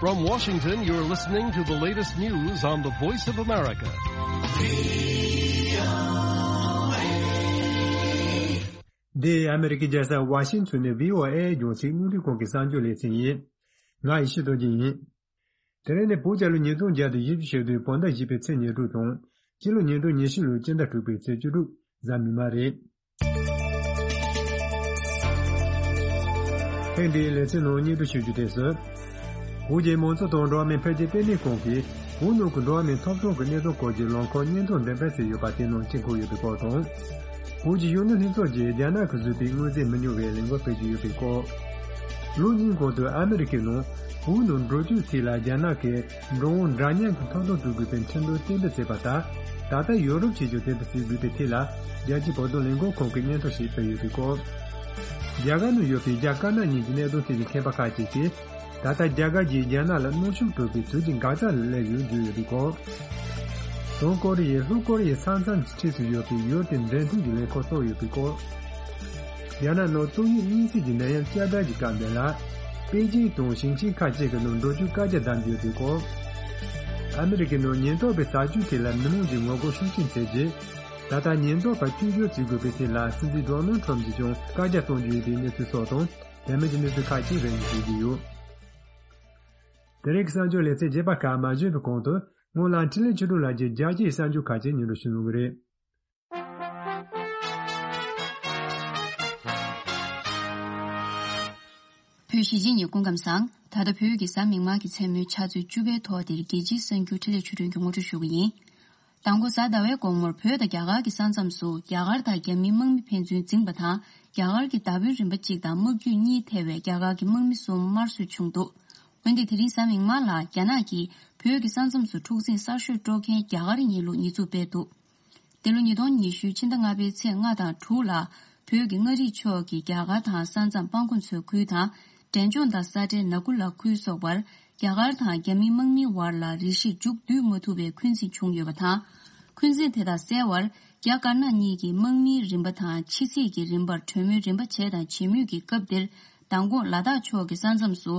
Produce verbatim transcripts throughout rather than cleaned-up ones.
From Washington, you're listening to the latest news on the Voice of America. འདི་ཨ་མེ་རི་ཀའི་རྒྱལ་ས་ཝ་ཤིང་ཊོན་ནས་བྷི་ཨོ་ཨེ་རྒྱང་སྲིང་རླུང་འཕྲིན་ཁང་གི་གསར་འགྱུར་ལེ་ཚན་ཡིན། ང་ཡེ་ཤེས་རྡོ་རྗེ་ཡིན། དེ་རིང་ནི་བོད་རྒྱལ་ལོ་ཉིས་སྟོང་བརྒྱ་དང་བཞི་བཅུ་ཞེ་བདུན་བོད་ཟླ་བཞི་པའི་ཚེས་ཉེར་དྲུག་དང་། སྤྱི་ལོ་ཉིས་སྟོང་ཉི་ཤུ་ལོའི་སྤྱི་ཟླ་དྲུག་པའི་ཚེས་བཅུ་དྲུག་གཟའ་མིག་དམར་རེད། ཐེངས་འདིའི་ལེ་ཚན་ནང་སྙན་སྒྲོན་ཞུ་རྒྱུ་དེ་ཚོ། བོད་ཀྱི་མང་གཙོ་དང་འགྲོ་བ་མིའི་འཕེལ་རྒྱས་ལྟེ་གནས་ཁང་གིས་བོད་ནང་གི་འགྲོ་བ་མིའི་ཐོབ་ཐང་གི་གནས་སྟངས་སྐོར་གྱི་ལམ་ཁ་སྙན་ཐོ་འདོན་སྤེལ་བྱས་ཡོད་པ་དེ་ནང་དཀྱིལ་འཁོར་ཡོད་པའི་སྐོར་དང་། བོད་ཀྱི་གཞོན་ནུ་ལྷན་ཚོགས་ཀྱིས་རྒྱ་ནག་གིས་བཟོས་པའི་དངོས་རྫས་མི་ཉུང་བའི་ལས་འགུལ་སྤེལ་གྱི་ཡོད་པའི་སྐོར། ལོ་གཉིས་གོང་དུ་ཨ་མེ་རི་ཀའི་ནང་བོད་ནང་འགྲོ་སྐྱོད་ཐད་ལ་རྒྱ་ནག་གིས་འགྲོ་འོང་འདྲ་མཉམ་གྱི་ཐོབ་ཐང་སྤྲོད་དགོས་པའི་ཁྲིམས་དོན་གཏན་འབེབས་བྱས་པ་ལྟར། ད་ལྟ་ཡོ་རོབ་ཀྱིས་ཀྱང་དེ་ལྟར་བྱེད་དགོས་པའི་ཐད་ལ། རྒྱལ་སྤྱིའི་བོད་དོན་ལས་འགུལ་ཁང་གིས་སྙན་ཐོ་ཞིག་སྤེལ་ཡོད་པའི་སྐོར། རྒྱ་གར་ནང་ཡོད་པའི་རྒྱ་དཀར་ནག་གཉིས་ཀྱི་གནད་དོན་ཐད་ཀྱི་མཁས་པ་ཁག་ཅིག་གིས། ད་ལྟ་རྒྱ་གར་གྱིས་རྒྱ་ནག་ལ་གནོན་ཤུགས་སྤྲོད་པའི་དུས་ཀྱི་འགག་རྩ་ལ་སླེབས་ཡོད་བརྗོད་ཡོད་པའི་སྐོར། བྱང་ཀོ་རི་ཡས་ལྷོ་ཀོ་རི་ཡའི་ས་མཚམས་ཀྱི་འཁྲིས་སུ་ཡོད་པའི་ཡུལ་དེ་འགྲེམས་སྟོན་གྱི་ལས་ཁུངས་བཙུགས་ཡོད་པའི་སྐོར། རྒྱ་ནག་ནང་ཏོག་དབྱིབས་གཉན་སྲིན་གྱི་ནད་ཡམས་བསྐྱར་དར་གྱི་སྐབས་འདི་ལ། པེ་ཅིང་དང་ཞིང་ཆེན་ཁག་ཅིག་གི་ནང་འགྲོ་སྐྱོད་བཀག་རྒྱ་བསྡམས་ཡོད་པའི་སྐོར། ཨ་མེ་རི་ཀའི་ནང་ཉེན་རྟོག་པའི་བྱ་སྤྱོད་ཐད་ལ་མི་མང་གི་ངོ་རྒོལ་ཤུགས་ཆེན་བྱས་རྗེས། ད་ལྟ་ཉེན་རྟོག་པ་བཅོས་བསྒྱུར་བྱེད་དགོས་པའི་ཐད་ལ་སྲིད་འཛིན་ཌོ་ནལ་ཁྲམ་གྱིས་ཀྱང་བཀག་རྒྱ་གཏོང་རྒྱུ་ཡིན་པའི་གནས་ཚུལ་སོགས་དང་། དེ་མིན་གྱི་གནས་ཚུལ་ཁག་ཅིག་རེ་སྙེག་ཞུ་རྒྱུ་ཡོད། དེ་རིང་གི་གསར་འགྱུར་ལེ་ཚན་རྒྱས་པ་ཁག་མ་བྱོན་པའི་གོང་དུ། སྔོན་ལ་འཕྲིན་ལས་ཆོས་སྒྲོན་ལགས་ཀྱིས་རྒྱལ་སྤྱིའི་གསར་འགྱུར་ཁག་ཅིག་སྙན་སྒྲོན་ཞུ་གནང་གི་རེད། བོད་གཞིས་བྱེས་གཉིས་སྐུ་ཁམས་བཟང་། ད་ལྟ་བོད་ཀྱི་གཟའ་མིག་དམར་གྱི་མཚན་མོའི་ཆུ་ཚོད་བཅུ་པའི་ཐོག་འདིར་རྒྱལ་སྤྱིའི་གསར་འགྱུར་འཕྲིན་ལས་ཆོས་སྒྲོན་གྱིས་ངོ་སྤྲོད་ཞུ་གི་ཡིན། མདང་དགོང་གཟའ་ཟླ་བའི་དགོང་མོར་བོད་དང་རྒྱ་གར་གྱི་ས་མཚམས་སུ་རྒྱ་གར་དང་རྒྱ་མིའི་དམག་མི་ཕན་ཚུན་འཛིངས་པ་དང་། རྒྱ་གར་གྱི་མདའ་དཔོན་རིམ་པ་གཅིག་དང་དམག་རྒྱུད་གཉིས་ཐེ་བའི་རྒྱ་གར་གྱི་དམག་མི་གསུམ་དམར་གསོད་བྱུང་འདུག་འོན་ཏེ་དེ་རིང་གཟའ་མིག་དམར་ལ་རྒྱ་ནག་གིས་བོད་ཀྱི་ས་མཚམས་སུ་འཁྲུག་འཛིང་གསར་ཤོས་དཀྲོག་མཁན་རྒྱ་གར་ཡིན་ལུགས་ཉེས་འཛུགས་སྤེལ་འདུག་འདི་ལོ་ཉིས་སྟོང་ཉི་ཤུའི་ཕྱི་ཟླ་ལྔ་པའི་ཚེས་ལྔ་དང་དྲུག་ལ། བོད་ཀྱི་མངའ་རིས་ཕྱོགས་ཀྱི་རྒྱ་གར་དང་ས་མཚམས་སྤང་གོང་མཚོའི་ཁུལ་དང་། འབྲས་ལྗོངས་དང་ས་ཁྲའི་ནག་ཁུ་ལ་ཁུལ་སོགས་པར། རྒྱ་གར་དང་རྒྱ་མིའི་དམག་མིའི་བར་ལ་རེ་ཞིག་མཇུག་བསྡུ་མ་ཐུབ་པའི་འཁོན་འཛིན་བྱུང་ཡོད་པ་དང་། འཁོན་འཛིན་དེ་དག་སེལ་བར། རྒྱ་དཀར་ནག་གཉིས་ཀྱིས་དམག་མིའི་རིམ་པ་དང་ཕྱི་སྲིད་ཀྱི་རིམ་པར་གྲོས་མོལ་རིམ་པ་བྱས་དང་བྱེད་མུས་ཀྱི་སྐབས་འདིར། མདང་དགོང་ལ་དྭགས་ཕྱོགས་ཀྱི་ས་མཚམས་སུ།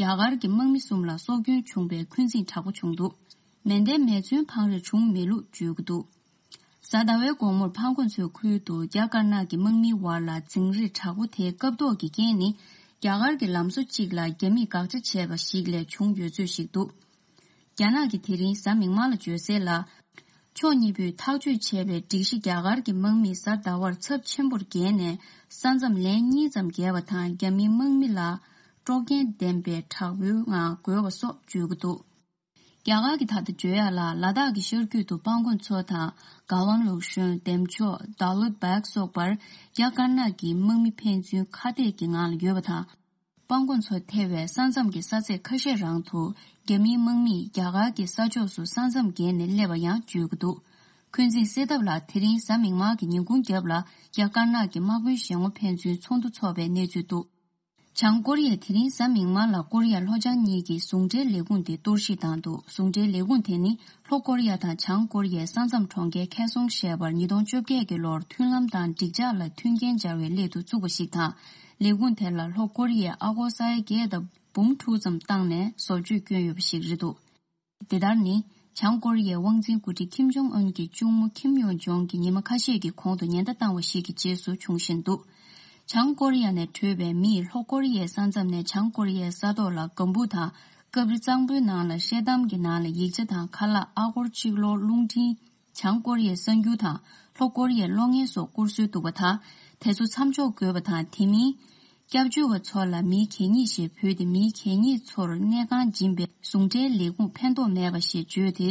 རྒྱ་གར་གྱི་དམག་མི་གསུམ་ལ་སྲོག་སྐྱོན་བྱུང་བའི་འཁོན་འཛིན་དྲག་པོ་བྱུང་འདུག་མེ་མདའི་མེ་མཚོན་འཕངས་རེས་བྱུང་མེད་ལུགས་བརྗོད་ཀྱི་འདུག་གཟའ་ཟླ་བའི་དགོང་མོར་སྤང་གོང་མཚོའི་ཁུལ་དུ་རྒྱ་དཀར་ནག་གི་དམག་མིའི་བར་ལ་འཛིང་རེས་དྲག་པོ་དེའི་སྐབས་ཐོག་གི་རྐྱེན་ནི། རྒྱ་གར་གྱི་ལམ་བཟོ་གཅིག་ལ་རྒྱ་མིས་དགག་བྱ་བྱས་པ་ཞིག་ལས་བྱུང་ཡོད་ཚོད་ཞིག་འདུག་རྒྱ་ནག་གིས་དེ་རིང་གཟའ་མིག་དམར་ལ་བརྗོད་གསལ་ལ། ཕྱོགས་གཉིས་པོས་ཐག་གཅོད་བྱས་པའི་སྒྲིག་གཞི་རྒྱ་གར་གྱི་དམག་མིས་གཟའ་ཟླ་བར་ཚབས་ཆེན་པོར་བརྒལ་ནས་ས་མཚམས་ལན་གཉིས་ཙམ་བརྒལ་བ་དང་། རྒྱ་མིའི་དམག་མི་ལ་དཀྲོག་རྐྱེན་ལྡན་པའི་དྲག་པོའི་ངང་རྒོལ་བ་སོགས་བརྗོད་ཀྱི་འདུག་རྒྱ་གར་གྱིས་ད་ལྟ་བརྗོད་ཡག་ལ་ལ་དྭགས་ཀྱི་ཤར་རྒྱུད་དུ་སྤང་གོང་མཚོ་དང་། དགའ་ལོན་ལུག་ཤོན། འདེམ་ཆོག་ད་ལུད་བྷག་སོགས་པར་རྒྱ་དཀར་ནག་གི་དམག་མི་ཕན་ཚུན་ཁ་གཏད་ཀྱི་ངང་ལ་ཡོད་པ་དང་། སྤང་གོང་མཚོ་ཐེ་བའི་ས་མཚམས་ཀྱི་ས་ཚད་ཁ་ཤས་རང་དུ་རྒྱ་མིའི་དམག་མིས་རྒྱ་གར་གྱི་ས་ཕྱོགས་སུ་ས་མཚམས་བརྒལ་ནས་སླེབས་པ་ཡང་བརྗོད་ཀྱི་འདུག་འཁོན་འཛིན་སེལ་ཐབས་ལ་དེ་རིང་གཟའ་མིག་དམར་གྱི་ཉིན་གུང་རྒྱབ་ལ་རྒྱ་དཀར་ནག་གི་དམག་དཔོན་ཞལ་ངོ་ཕན་ཚུན་ཚོགས་འདུ་འཚོགས་པའི་གནས་ཚུལ་འདུག་བྱང་ཀོ་རི་ཡས་དེ་རིང་གཟའ་མིག་དམར་ལ་ཀོ་རི་ཡ་ལྷོ་བྱང་གཉིས་ཀྱི་ཟུང་འབྲེལ་ལས་ཁུངས་དེ་གཏོར་བཤིག་བཏང་འདུག་ཟུང་འབྲེལ་ལས་ཁུངས་དེ་ནི་ལྷོ་ཀོ་རི་ཡ་དང་བྱང་ཀོ་རི་ཡའི་ས་མཚམས་གྲོང་ཁྱེར་ཁེ་སོང་ཞེས་པར་ཉིས་སྟོང་བཅོ་བརྒྱད་ཀྱི་ལོར་མཐུན་ལམ་དང་འགྲིག་འཇགས་ལ་མཐུན་རྐྱེན་སྦྱར་བའི་སླད་དུ་བཙུགས་པ་ཞིག་དང་། ལས་ཁུངས་དེ་ལ་ལྷོ་ཀོ་རི་ཡས་ཨ་སྒོར་ས་ཡ་བརྒྱད་དང་འབུམ་དྲུག་ཙམ་བཏང་ནས་བཟོ་བཅོས་བསྐྱོན་ཡོད་པ་ཞིག་རེད་འདུག་དེ་ལྟར་ནི། བྱང་ཀོ་རི་ཡའི་དབང་འཛིན་འགོ་ཁྲིད་ཁིམ་ཇོང་ཨུན་གྱི་གཅུང་མོ་ཁིམ་ཡོང་ཇོང་གིས་ཉི་མ་ཁ་ཤས་ཀྱི་གོང་དུ་ཉེན་བརྡ་བཏང་བ་ཞིག་གི་རྗེས་སུ་བྱུང་བཞིན་འདུག་བྱང་ཀོ་རི་ཡ་ནས་བྲོས་པའི་མིས་ལྷོ་ཀོ་རི་ཡའི་ས་མཚམས་ནས་བྱང་ཀོ་རི་ཡའི་ས་ཐོག་ལ་ལྒང་བུ་དང་། སྐབས་རེ་གཙང་པོའི་ནང་ལ་ཤེལ་དམ་གྱི་ནང་ལ་ཡིག་ཆ་དང་ཁ་ལག་ཨ་སྒོར་གཅིག་ལོར་རླུང་འཕྲིན། བྱང་ཀོ་རི་ཡའི་གསར་འགྱུར་དང་ལྷོ་ཀོ་རི་ཡའི་གློག་བརྙན་སོགས་བསྐུར་སྲོལ་འདུག་པ་དང་། དེ་ཚོ་མཚམས་འཇོག་དགོས་པ་དང་། དེ་མིན། སྐྱབས་བཅོལ་བ་ཚོ་ལ་མི་གད་སྙིགས་ཞེས་འབོད་དེ། མི་གད་སྙིགས་ཚོར་གནས་ཁང་སྦྱིན་པའི་ཟུང་འབྲེལ་ལས་ཁུངས་ཕན་ཐོགས་མེད་པ་ཞེས་བརྗོད་དེ།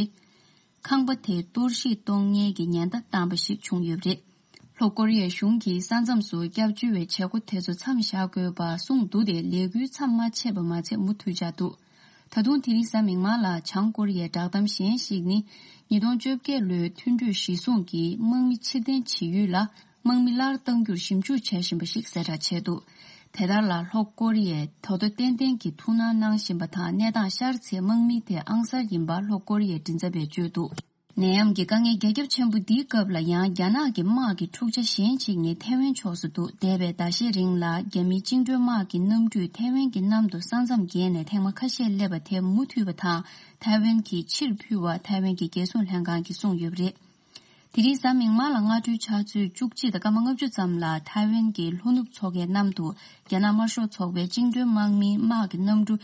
ཁང་པ་དེ་གཏོར་བཤིག་གཏོང་མཁན་གྱི་ཉེན་བརྡ་བཏང་པ་ཞིག་བྱུང་ཡོད་པ་རེད། ལྷོ་ཀོ་རི་ཡའི་གཞུང་གིས་ས་མཚམས་སུ་སྐྱབས་བཅོལ་བའི་བྱེད་སྒོ་དེ་ཚོ་མཚམས་བཞག་དགོས་པ་གསུངས་འདུག་སྟེ། ལས་འགུལ་མཚམས་མ་ཆད་པ་མ་ཚད་མུ་མཐུད་བྱས་འདུག་ད་དུང་དེ་རིང་གཟའ་མིག་དམར་ལ་བྱང་ཀོ་རི་ཡའི་བསྒྲགས་གཏམ་གཞན་ཞིག་ནི། ཉིས་སྟོང་བཅོ་བརྒྱད་ལོའི་མཐུན་གྲོས་གཞིར་བཟུང་གིས་དམག་མི་ཕྱིར་འཐེན་བྱེད་ཡུལ་ལ་དམག་མི་སླར་གཏང་རྒྱུར་ཞིབ་འཇུག་བྱེད་བཞིན་པ་ཞིག་གསལ་བསྒྲགས་བྱས་འདུག་དེ་ལྟར་ལ་ལྷོ་ཀོ་རི་ཡས་ད་དོ་ཏན་ཏན་གྱིས་ཐུགས་སྣང་གནང་བཞིན་པ་དང་། གནས་སྟངས་ཤར་ཚེ་དམག་མི་དེ་ཨང་གསར་ཡིན་པ་ལྷོ་ཀོ་རི་ཡའི་མགྲིན་ཚབ་པས་བརྗོད་འདུག་ནད་ཡམས་ཀྱི་དཀའ་ངལ་རྒྱ་ཁྱབ་ཆེན་པོ་འདིའི་སྐབས་ལ་ཡང་རྒྱ་ནག་གི་དམག་གི་འཁྲུག་ཆ་གཞན་གཅིག་ནི་ཐའེ་ཝན་ཕྱོགས་སུ་འདུག་འདས་པའི་ཟླ་ཤས་རིང་ལ་རྒྱ་མིའི་བཅིངས་འགྲོལ་དམག་གི་གནམ་གྲུས་ཐའེ་ཝན་གྱི་གནམ་དུ་ས་མཚམས་བརྒལ་ནས་ཐེངས་མ་ཁ་ཤས་སླེབས་པ་དེ་མུ་མཐུད་པ་དང་ཐའེ་ཝན་གྱིས་ཕྱིར་ཕུལ་བ་ཐའེ་ཝན་གྱི་རྒྱལ་སྲུང་ལྷན་ཁང་གིས་གསུངས་ཡོད་པ་རེད། དེ་རིང་གཟའ་མིག་དམར་ལ་སྔ་དྲོའི་ཆུ་ཚོད་བཅུ་གཅིག་དང་སྐར་མ་ལྔ་བཅུ་ཙམ་ལ་ཐའེ་ཝན་གྱི་ལྷོ་ནུབ་མཚོ་ཁའི་གནམ་དུ་རྒྱ་ནག་དམར་ཤོག་ཚོགས་པའི་བཅིངས་འགྲོལ་དམག་མིའི་དམག་གི་གནམ་གྲུ་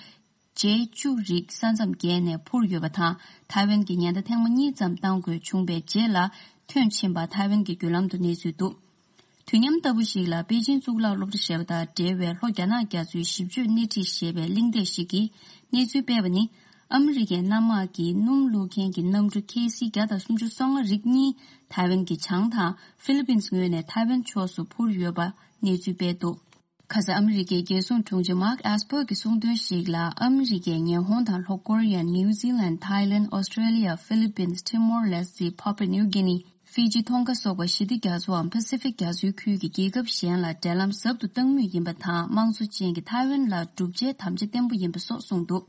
ཇེ་བཅུ་རིགས་ས་མཚམས་བརྒལ་ནས་འཕུར་ཡོད་པ་དང་། ཐའེ་ཝན་གྱི་ཉེན་བརྡ་ཐེངས་མ་གཉིས་ཙམ་བཏང་དགོས་བྱུང་བའི་རྗེས་ལ་ཐོན་ཕྱིན་པ་ཐའེ་ཝན་གྱི་བརྒྱུད་ལམ་དུ་གནས་ཚུལ་འདུག་དུས་མཉམ་ལྟ་བུ་ཞིག་ལ་པེ་ཅིན་གཙུག་ལག་སློབ་གྲྭ་ཞེས་པ་དང་འབྲེལ་བའི་ལྷོ་རྒྱ་ནག་རྒྱ་མཚོའི་ཞིབ་དཔྱོད་སྣེ་ཁྲིད་ཞེས་པའི་གླེང་སྟེགས་ཤིག་གིས་གནས་ཚུལ་སྤེལ་བ་ནི། ཨ་མི་རི་ཀའི་གནམ་དམག་གི་སྣུམ་བླུག་མཁན་གྱི་གནམ་གྲུ་ཁེ་སི་བརྒྱ་དང་སུམ་ཅུ་སོ་ལྔ་རིགས་གཉིས་ཐའེ་ཝན་གྱི་བྱང་དང་ཧྥི་ལི་པིན་ངོས་ནས་ཐའེ་ཝན་ཕྱོགས་སུ་འཕུར་ཡོད་པ་གནས་ཚུལ་སྤེལ་འདུག་ཁ་ས་ཨ་མི་རི་ཀའི་རྒྱལ་སྲུང་དྲུང་ཆེ་Mark Esper གྱིས་གསུངས་དོན་ཞིག་ལ། ཨ་མི་རི་ཀས་ཉི་ཧོང་དང་ལྷོ་ཀོ་རི་ཡ། ནིའུ་ཛི་ལན། ཐའི་ལན། ཨོ་སི་ཀྲེ་ལི་ཡ། ཧྥི་ལི་པིན། ཊི་མོར་ལེ་སི་ཊི། པ་པ་ནིའུ་གི་ནི། ཧྥི་ཇི། ཐོང་ག་སོགས་པ་ཞི་བདེ་རྒྱ་མཚོའམ་པ་སི་ཕིག་རྒྱ་མཚོའི་ཁུལ་གྱི་རྒྱལ་ཁབ་གཞན་ལ་འབྲེལ་ལམ་ཟབ་ཏུ་གཏང་མུས་ཡིན་པ་དང་། དམངས་གཙོ་ཅན་གྱི་ཐའེ་ཝན་ལ་བསྒྲུབ་བྱའི་དམ་བཅའ་བརྟན་པོ་ཡིན་པ་སོགས་གསུངས་འདུག་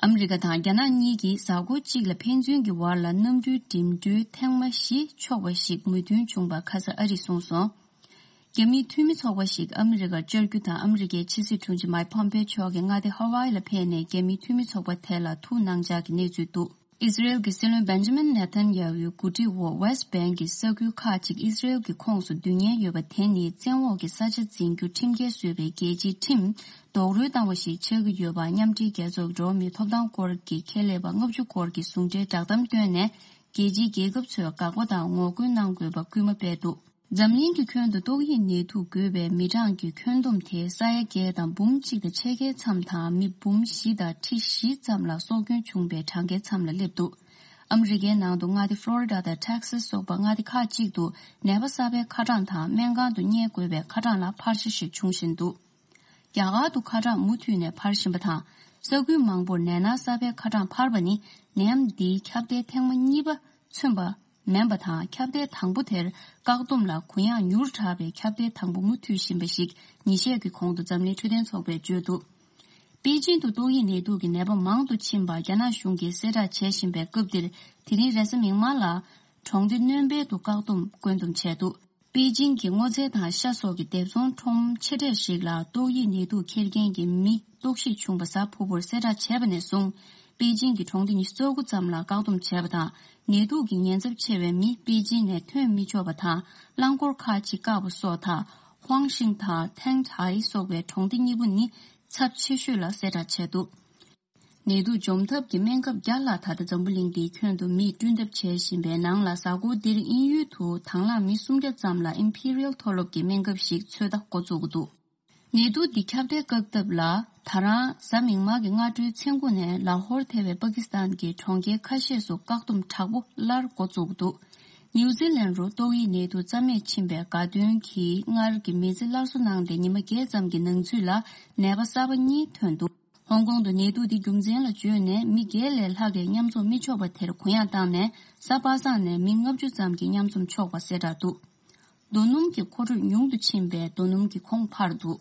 ཨ་མི་རི་ཀ་དང་རྒྱ་ནག་གཉིས་ཀྱིས་གཟའ་འཁོར་གཅིག་ལ་ཕན་ཚུན་གྱི་བར་ལ་གནམ་གྲུའི་འགྲིམ་འགྲུལ་ཐེངས་མ་བཞི་ཆོག་པ་ཞིག་མོས་མཐུན་བྱུང་བ་ཁ་ས་ཨ་རིས་གསུངས་སོང་། རྒྱ་མིའི་འཐུས་མི་ཚོགས་པ་ཞིག་ཨ་མི་རི་ཀར་བཅར་རྒྱུ་དང་། ཨ་མི་རི་ཀའི་ཕྱི་སྲིད་དྲུང་ཆེ་མཱིག་ཕོམ་པེ་མཆོག་གིས་མངའ་སྡེ་ཧ་ཝཱ་ཨི་ལ་ཕེབས་ནས་རྒྱ་མིའི་འཐུས་མི་ཚོགས་པ་དེ་ལ་ཐུགས་སྣང་འཇགས་ཀྱི་གནས་ཚུལ་འདུག་ཨི་ཟི་རེལ་གྱི་སྲིད་བློན་བེན་ཇ་མིན་ནེ་ཐན་ཡ་ཧུའི་གོ་སྒྲིག་འོག་ཝེ་སི་ཊི་བྷེང་གི་ས་ཁུལ་ཁག་ཅིག་ཨི་ཟི་རེལ་གྱི་ཁོངས་སུ་བསྡུ་ཉེན་ཡོད་པ་དེ་ནི་བཙན་འོག་གི་ས་ཆ་འཛིན་རྒྱུ་ཁྲིམས་འགལ་བཟོས་པའི་རྒྱལ་སྤྱིའི་ཁྲིམས་རྡོག་རོལ་བཏང་བ་ཞིག་ཆགས་ཀྱི་ཡོད་པ། མཉམ་འབྲེལ་རྒྱལ་ཚོགས་ཀྱི་འགྲོ་བ་མིའི་ཐོབ་ཐང་སྐོར་གྱི་ཁྱད་ལས་པ་ལྔ་བཅུ་སྐོར་གྱིས་ཟུང་འབྲེལ་བསྒྲགས་གཏམ་བཏོན་ནས། རྒྱལ་སྤྱིའི་རྒྱལ་ཁབ་ཚོས་དགག་པ་དང་ངོ་རྒོལ་གནང་དགོས་པ་སྐུལ་མ་སྤེལ་འདུག་འཛམ་གླིང་གི་ཁྱོན་དུ་ཏོག་དབྱིབས་ནད་དུག་འགོས་པའི་མི་གྲངས་ཀྱི་ཁྱོན་བསྡོམས་དེ་ས་ཡ་བརྒྱད་དང་འབུམ་གཅིག་དང་ཕྱེད་ཀའི་མཚམས་དང་། མི་འབུམ་བཞི་དང་ཁྲི་བཞི་ཙམ་ལ་སྲོག་སྐྱོན་བྱུང་བའི་གྲངས་ཀའི་མཚམས་ལ་སླེབས་འདུག་ཨ་མི་རི་ཀའི་ནང་དུ་མངའ་སྡེ་ཕློ་རི་ཌ་དང་ཊེག་སཱ་སི་སོགས་པ་མངའ་སྡེ་ཁག་ཅིག་ཏུ་ནད་པ་གསར་པའི་ཁ་གྲངས་དང་སྨན་ཁང་དུ་གཉེར་དགོས་པའི་ཁ་གྲངས་ལ་འཕར་ཆ་ཞིག་འབྱུང་བཞིན་འདུག་རྒྱ་གར་དུ་ཁ་གྲངས་མུ་མཐུད་ནས་འཕར་བཞིན་པ་དང་། ས་ཁུལ་མང་པོར་ནད་མནར་གསར་པའི་ཁ་གྲངས་འཕར་བ་ནི་ནད་ཡམས་འདིའི་ཁྱབ་གདལ་ཐེངས་མ་གཉིས་པ་མཚོན་པ་མིན་པ་དང་། ཁྱབ་གདལ་དང་པོ་དེར་བཀག་སྡོམ་ལ་གུ་ཡངས་མྱུར་དྲགས་པའི་ཁྱབ་གདལ་དང་པོ་མུ་མཐུད་བཞིན་པ་ཞིག་ཉིན་ཤས་ཀྱི་གོང་དུ་འཛམ་གླིང་འཕྲོད་བསྟེན་ཚོགས་པས་བརྗོད་འདུག་པེ་ཅིན་དུ་ཏོག་དབྱིབས་ནད་དུག་གི་ནད་པ་མང་དུ་ཕྱིན་པ་རྒྱ་ནག་གཞུང་གིས་གསལ་བསྒྲགས་བྱེད་བཞིན་པའི་སྐབས་འདིར། དེ་རིང་རེས་གཟའ་མིག་དམར་ལ་གྲོང་སྡེ་སྣོན་པའི་དུ་བཀག་སྡོམ་བཀོད་འདོམས་བྱས་འདུག་པེ་ཅིན་གྱི་སྔོ་ཚལ་དང་ཤ་སོགས་ཀྱི་སྡེབ་ཚོང་ཁྲོམ་ཆེ་གྲས་ཤིག་ལ་ཏོག་དབྱིབས་ནད་དུག་འཁྱེར་མཁན་གྱི་མི་རྟོག་ཞིབ་བྱུང་བ་གཟའ་ཕུར་བུར་གསལ་བསྒྲགས་བྱས་པ་ནས་བཟུང་། པེ་ཅིན་གྱི་གྲོང་སྡེ་ཉི་ཤུ་རྩ་དགུ་ཙམ་ལ་བཀག་སྡོམ་བྱས་པ་དང་། ནད་དུག་གི་ཉེན་ཚབས་ཆེ་བའི་མི་པེ་ཅིན་ནས་ཐོན་མི་ཆོག་པ་དང་། རླངས་འཁོར་ཁག་ཅིག་བཀག་པ་སོགས་དང་། ཧུའང་ཤིང་དང་ཐེང་ཐའེ་སོགས་པའི་གྲོང་སྡེ་གཉིས་པོ་ནི་ཚབས་ཆེ་ཤོས་ལ་གསལ་བསྒྲགས་བྱས་འདུག་ནད་དུག་འཇོམས་ཐབས་ཀྱི་སྨན་ཁབ་བརྒྱ་ལྷག་ད་ལྟ་འཛམ་བུ་གླིང་འདིའི་ཁྱོན་དུ་མིས་བསྐྲུན་ཐབས་བྱེད་བཞིན་པའི་ནང་ལ། གཟའ་འཁོར་འདིར་དབྱིན་ཡུལ་དུ་དང་བླངས་མི་སུམ་བརྒྱ་ཙམ་ལ་ཨིམ་ཕི་རི་ཡལ་མཐོ་སློབ་ཀྱི་སྨན་ཁབ་ཞིག་ཚོད་ལྟ་འགོ་བཙུགས་འདུག་ནད་དུག་འདི་ཁྱབ་གདལ་བཀག་ཐབས་ལ། ད་རང་གཟའ་མིག་དམར་གྱི་སྔ་དྲོའི་མཚན་དགུ་ནས་ལ་ཧོར་ཐེ་བའི་པ་ཀི་སི་ཐན་གྱི་གྲོང་ཁྱེར་ཁ་ཤས་སུ་བཀག་སྡོམ་དྲག་པོ་སླར་འགོ་བཙུགས་འདུག་ནིའུ་ཛི་ལན་རུ་ཏོག་དབྱིབས་ནད་དུག་རྩ་མེད་ཕྱིན་པའི་དགའ་སྟོན་གྱིས་སྔར་གྱི་མི་ཚེ་སླར་གསོ་གནང་སྟེ་ཉི་མ་བརྒྱད་ཙམ་གྱི་ནང་ཚུད་ལ་ནད་པ་གསར་པ་གཉིས་ཐོན་འདུག་ཧོང་ཀོང་དུ་ནད་དུག་འདི་རྒྱུ་མཚན་ལ་བརྗོད་ནས་མི་བརྒྱད་ལས་ལྷག་གིས་མཉམ་འཛོམས་མི་ཆོག་པ་དེར་གུ་ཡངས་བཏང་ནས། གཟའ་པ་སངས་ནས་མི་ལྔ་བཅུ་ཙམ་གྱིས་མཉམ་འཛོམས་ཆོག་པ་གསལ་བསྒྲགས་འདུག་རྡོ་སྣུམ་གྱི་མཁོ་སྤྲོད་ཉུང་དུ་ཕྱིན་པས་རྡོ་སྣུམ་གྱི་གོང་འཕར་འདུག་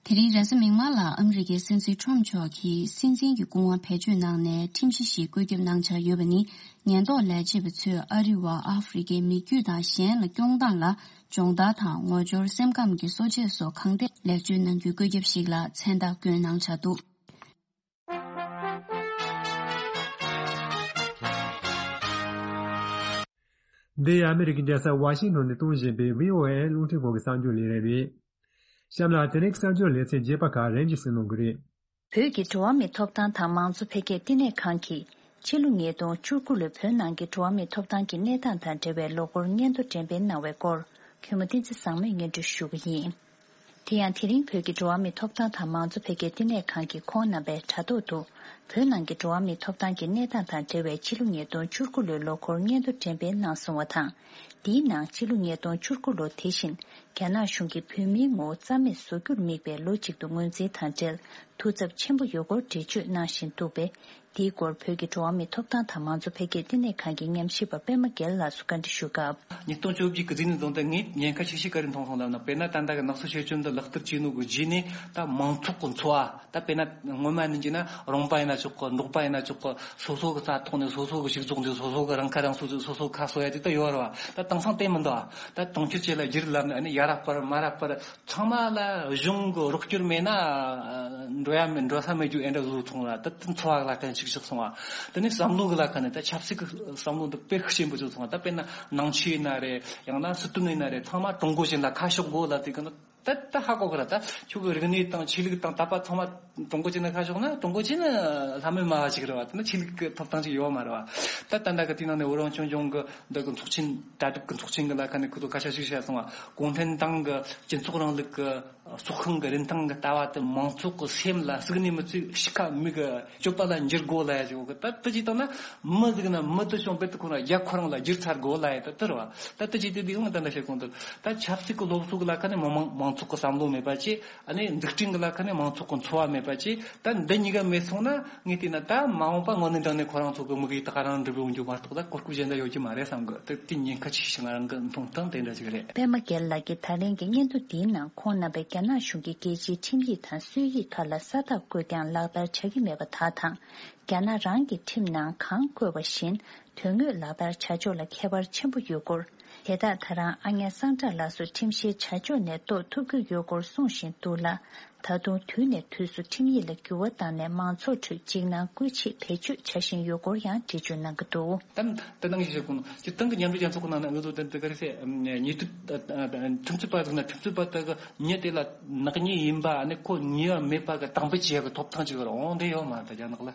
དེ་རིང་རེས་གཟའ་མིག་དམར་ལ་ཨ་མི་རི་ཀའི་སྲིད་འཛིན་ཁྲོམ་མཆོག་གིས་སྲིད་འཛིན་གྱི་སྐུ་དབང་བེད་སྤྱོད་གནང་ནས་ཁྲིམས་གཞི་ཞིག་བཀོད་ཁྱབ་གནང་འཆར་ཡོད་པ་ནི། ཉེན་རྟོག་ལས་བྱེད་པ་ཚོས་ཨ་རི་བ། ཨ་ཧྥེ་རི་ཁའི་མི་རྒྱུད་དང་གཞན་ལ་སྐྱོང་སྟངས་ལ་སྦྱོང་བརྡར་དང་ངོ་སྦྱོར། སེམས་ཁམས་ཀྱི་གསོ་དཔྱད་སོགས་གང་ཐད་ལེགས་བཅོས་གནང་རྒྱུའི་བཀོད་ཁྱབ་ཞིག་ལ་མཚན་རྟགས་བསྐྱོན་གནང་འཆར་འདུག་འདི་ཨ་མི་རི་ཀའི་རྒྱལ་ས་ཝ་ཤིང་ཊོན་ནས་གཏོང་བཞིན་པའི་བྷི་ཨོ་ཨེ་རླུང་འཕྲིན་ཁང་གི་གསར་འགྱུར་ལས་རིམ་རེད། གཤམ་ལ་དེ་རིང་གི་གསར་འགྱུར་ལེ་ཚན་རྒྱས་པ་ཁག་རིམ་བཞིན་གསན་གནང་གི་རེད། བོད་ཀྱི་འགྲོ་བ་མིའི་ཐོབ་ཐང་དང་མང་གཙོ་འཕེལ་རྒྱས་བསྟི་གནས་ཁང་གིས་ཕྱི་ལོ་ཉིས་སྟོང་བཅུ་དགུ་ལོའི་བོད་ནང་གི་འགྲོ་བ་མིའི་ཐོབ་ཐང་གི་གནས་སྟངས་དང་འབྲེལ་བའི་ལོ་འཁོར་སྙན་ཐོ་འགྲེམས་སྤེལ་གནང་བའི་སྐོར། མཁན་པོ་བསྟན་འཛིན་བཟང་མོས་སྙན་སྒྲོན་ཞུ་གི་ཡིན། དེ་ཡང་དེ་རིང་བོད་ཀྱི་འགྲོ་བ་མིའི་ཐོབ་ཐང་དང་མང་གཙོ་འཕེལ་རྒྱས་བསྟི་གནས་ཁང་གིས་ཁོང་རྣམ་པའི་དྲ་ཐོག་ཏུ། བོད་ནང་གི་འགྲོ་བ་མིའི་ཐོབ་ཐང་གི་གནས་སྟངས་དང་འབྲེལ་བའི་ཕྱི་ལོ་ཉིས་སྟོང་བཅུ་དགུ་ལོའི་ལོ་འཁོར་སྙན་ཐོ་འགྲེམས་སྤེལ་གནང་སོང་བ་དང་། འདིའི་ནང་ཕྱི་ལོ་ཉིས་སྟོང་བཅུ་དགུ་ལོ་དེ་བཞིན་རྒྱ་ནག་གཞུང་གིས་བོད་མིའི་ངོ་བོ་རྩ་མེད་བཟོ་རྒྱུར་དམིགས་པའི་ལོ་གཅིག་ཏུ་ངོས་འཛིན་དང་འབྲེལ། ཐུགས་འཚབ་ཆེན་པོ་ཡོད་སྐོར་འགྲེལ་བརྗོད་གནང་བཞིན་འདུག་པས། དེའི་སྐོར་བོད་ཀྱི་འགྲོ་བ་མིའི་ཐོབ་ཐང་དང་མང་གཙོ་འཕེལ་རྒྱས་བསྟི་གནས་ཁང་གི་ཉམས་ཞིབ་པ་པད་མ་རྒྱལ་ལགས་སུ་བཀའ་འདྲི་ཞུས་སྐབས། ཉིས་སྟོང་བཅོ་བརྒྱད་ཀྱི་རྫིག་ནས་བཟུང་སྟེ་ངས་ཉེན་ཁ་ཆེ་ཤོས་ག་རེ་མཐོང་སོང་ལབ་ན། དཔེར་ན་ད་ལྟ་གི་ནག་གསོ་ཤེས་བཅོས་འདི་ལག་བསྟར་བྱས་ནོ་གི་རྗེས་ནས་ད་མང་ཚོགས་ཀྱི་འཚོ་བ། ད་དཔེར་ན་སྔོན་མ་ནས་བྱས་ན་རོང་པ་ཡིན་ན་ཆོག་གི། འབྲོག་པ་ཡིན་ན་ཆོག་གི། སོ་སོ་གི་རྩྭ་ཐོག་ནས་སོ་སོ་གི་ཕྱུགས་རྫོགས་འདི་སོ་སོ་གི་རང་ཁ་རང་གསོ། སོ་སོ་གི་ཁ་གསོ་ཡ་དེ་ད་ཡོད་རེད་བ། ད་དེང་སང་དེ་མི་འདུག་བ། ད་དུང་ཕྱུར་བཅས་ལ་བསྒྱུར་ལབ་ནས་ཨ་ནི་ཡ་རབས་པར་མ་རབས་པར། ཚང་མ་ལ་གཞུང་གི་རོགས་སྐྱོར་མེད་ན་འགྲོ་ཡ་མེད། འགྲོ་ས་མེད་རྒྱུ་ཨེ་འདྲ་བཟོ་སོང་ར། ད་དེ་འཚོ་བ་ལ་ཁ་ཤུགས་ཆགས་སོང་བ། དེ་ནས་བསམ་བློ་གི་ལ་ཁ་ནས་ད་ཆབ་སྲིད་ཀྱི་བསམ་བློ་འདི་དཔེ་ཤུགས་ཆེན་པོ་བྱུང་སོང་བ། ད་དཔེར་ན་ནང་ཆོས་ཡིན་ན་རེད། ཡང་ན་སྲིད་དོན་ཡིན་ན་རེད། ཚང་མ་ཀྲུང་གོ་ཅན་ལ་ཁ་ཕྱོགས་དགོས་ལབ་དུས་ག་ན། ད་ད་ཧ་གོ་གི་ར། ད་ཁྱོད་ཀྱི་རིག་གནས་དང་ཆོས་ལུགས་དང་དད་པ་ཚང་མ་ཀྲུང་གོ་ཅན་ལ་ཁ་ཕྱོགས་ན། ཀྲུང་གོ་ཅན་ལྷ་མོའི་སྨྲ་བ་ཅིག་རེད་བ། དེ་ནི་ཆོས་ལུགས་ཀྱི་ཐོབ་ཐང་ཅིག་ཡོད་མ་རེད་བ། ད་ད་ལྟ་གི་དེའི་ནང་ནས་བོད་རང་སྐྱོང་ལྗོངས་ཀྱི་འདི་གི་ཚོགས་ཆེན། གྲ་སྒྲིག་གི་ཚོགས་ཆེན་གི་ལ་ཁ་ནས་ཁོ་ཚོ་སྐད་ཆ་ཞིག་བཤད་སོང་བ། གུང་ཁྲན་ཏང་གི་སྤྱི་ཚོགས་རིང་ལུགས་ཀྱི་སྲོག་ཤིང་གི་རིན་ཐང་གི་ལྟ་བ་དེ་མང་ཚོགས་ཀྱི་སེམས་ལ་ཟུག་ནས་མི་ཚུགས་ཤི་ཁ་མིག་གི་སྤྱོད་པ་ལ་འགྱུར་དགོས་ལབ་ཡ་ཅིག་ཡོད་གི། ད་དེ་ཅིག་བཏང་ན་མི་ཟིག་ན་མི་དེ་བྱུང་བེད་དུ་ཁོ་ན་རྒྱ་ཁོ་རང་ལ་བསྒྱུར་ཚར་དགོས་ལབ་ཡ་ད་དེ་རེད་བ། ད་དེ་ཅིག་དེ་དེ་ཡང་ད་ལྟ་བཤད་གོང་དུ་ད་ཆབ་སྲིད་ཀྱི་སློབ་གསོ་གི་ལ་ཁ་ནས་མི་མང་མང་ཚོགས་ཀྱི་བསམ་བློ་མེད་པ་ཅིག་ཨ་ནི་འཛུགས་སྐྲུན་གྱི་ལ་ཁ་ནས་མང་ཚོགས་ཀྱི་འཚོ་བ་མེད་པ་ཅིག་ད་འདི་གཉིས་ཀ་མེད་སོང་ན། ངས་བལྟས་ན་ད་མ་འོངས་པ་དངོས་གནས་དྲང་གནས་ཁོ་རང་ཚོ་གི་དམིགས་ཡུལ་ད་ག་རང་འགྲུབ་ཡོང་རྒྱུ་མ་གཏོགས་ད་གོ་སྐབས་གཞན་དག་ཡོད་རྒྱུ་མ་རེད་བསམ་གི། ད་དེ་ཉེན་ཁ་ཆེ་ཤོས་ང་རང་གི་མཐོང་སྟངས་དེ་འདྲ་ཞིག་རེད། པད་མ་རྒྱལ་ལགས་ཀྱིས་ད་ལན་གྱི་སྙན་ཐོ་འདིའི་ནང་ཁོང་རྣམ་པས་རྒྱ་ནག་གཞུང་གིས་རྒྱལ་སྤྱིའི་ཁྲིམས་ཡིག་དང་སྲོལ་ཡིག་ཁག་ལ་ས་རྟགས་བཀོད་ཀྱང་ལག་བསྟར་བྱ་གི་མེད་པ་དག་དང་། རྒྱ་ནག་རང་གི་ཁྲིམས་ནང་གང་བཀོད་པ་བཞིན་དོན་དངོས་ལག་བསྟར་བྱ་ཕྱོགས་ལ་ཁྱད་པར་ཆེན་པོ་ཡོད་སྐོར། དེ་དག་ད་རང་ཨ་ཉ་སངས་གྲགས་ལགས་སུ་ཁྲིམས་བཤེར་བྱ་ཕྱོགས་ནས་རྟོགས་ཐུབ་ཀྱི་ཡོད་སྐོར་གསུང་བཞིན་འདུག་ལ། ད་དུང་དུས་ནས་དུས་སུ་ཁྲིམས་ཡིག་ལ་འགྱུར་བ་བཏང་ནས་མང་ཚོགས་ཁྲོད་འཇིགས་སྣང་སྐུལ་ཆེད་བེད་སྤྱོད་བྱ་བཞིན་ཡོད་སྐོར་ཡང་འགྲེལ་བརྗོད་གནང་གི་འདུག་ད་ད་ནང་བཞིན་བཤད་དགོས་ན། སྤྱིར་བཏང་གི་མཉམ་འབྲེལ་རྒྱལ་ཚོགས་ཀྱི་ནང་ན་ང་ཚོ་དེ་འདི་ག་རེ་ཟེར། ཉེས་དོན་ཁྲིམས་རྩོད་པ་ཟིག་ན་ཁྲིམས་རྩོད་པ་དག་གི་མྱི་དེ་ལ་ནག་ཉེས་ཡིན་པ། ཨ་ནི་ཁོ་ཉེས་པ་མེད་པ་གི་དང་པོ་བྱེད་ཡག་གི་ཐོབ་ཐང་ཅིག་རང་དེ་ཡོད་མ་རེད་ད་རྒྱ་ནག་ལ།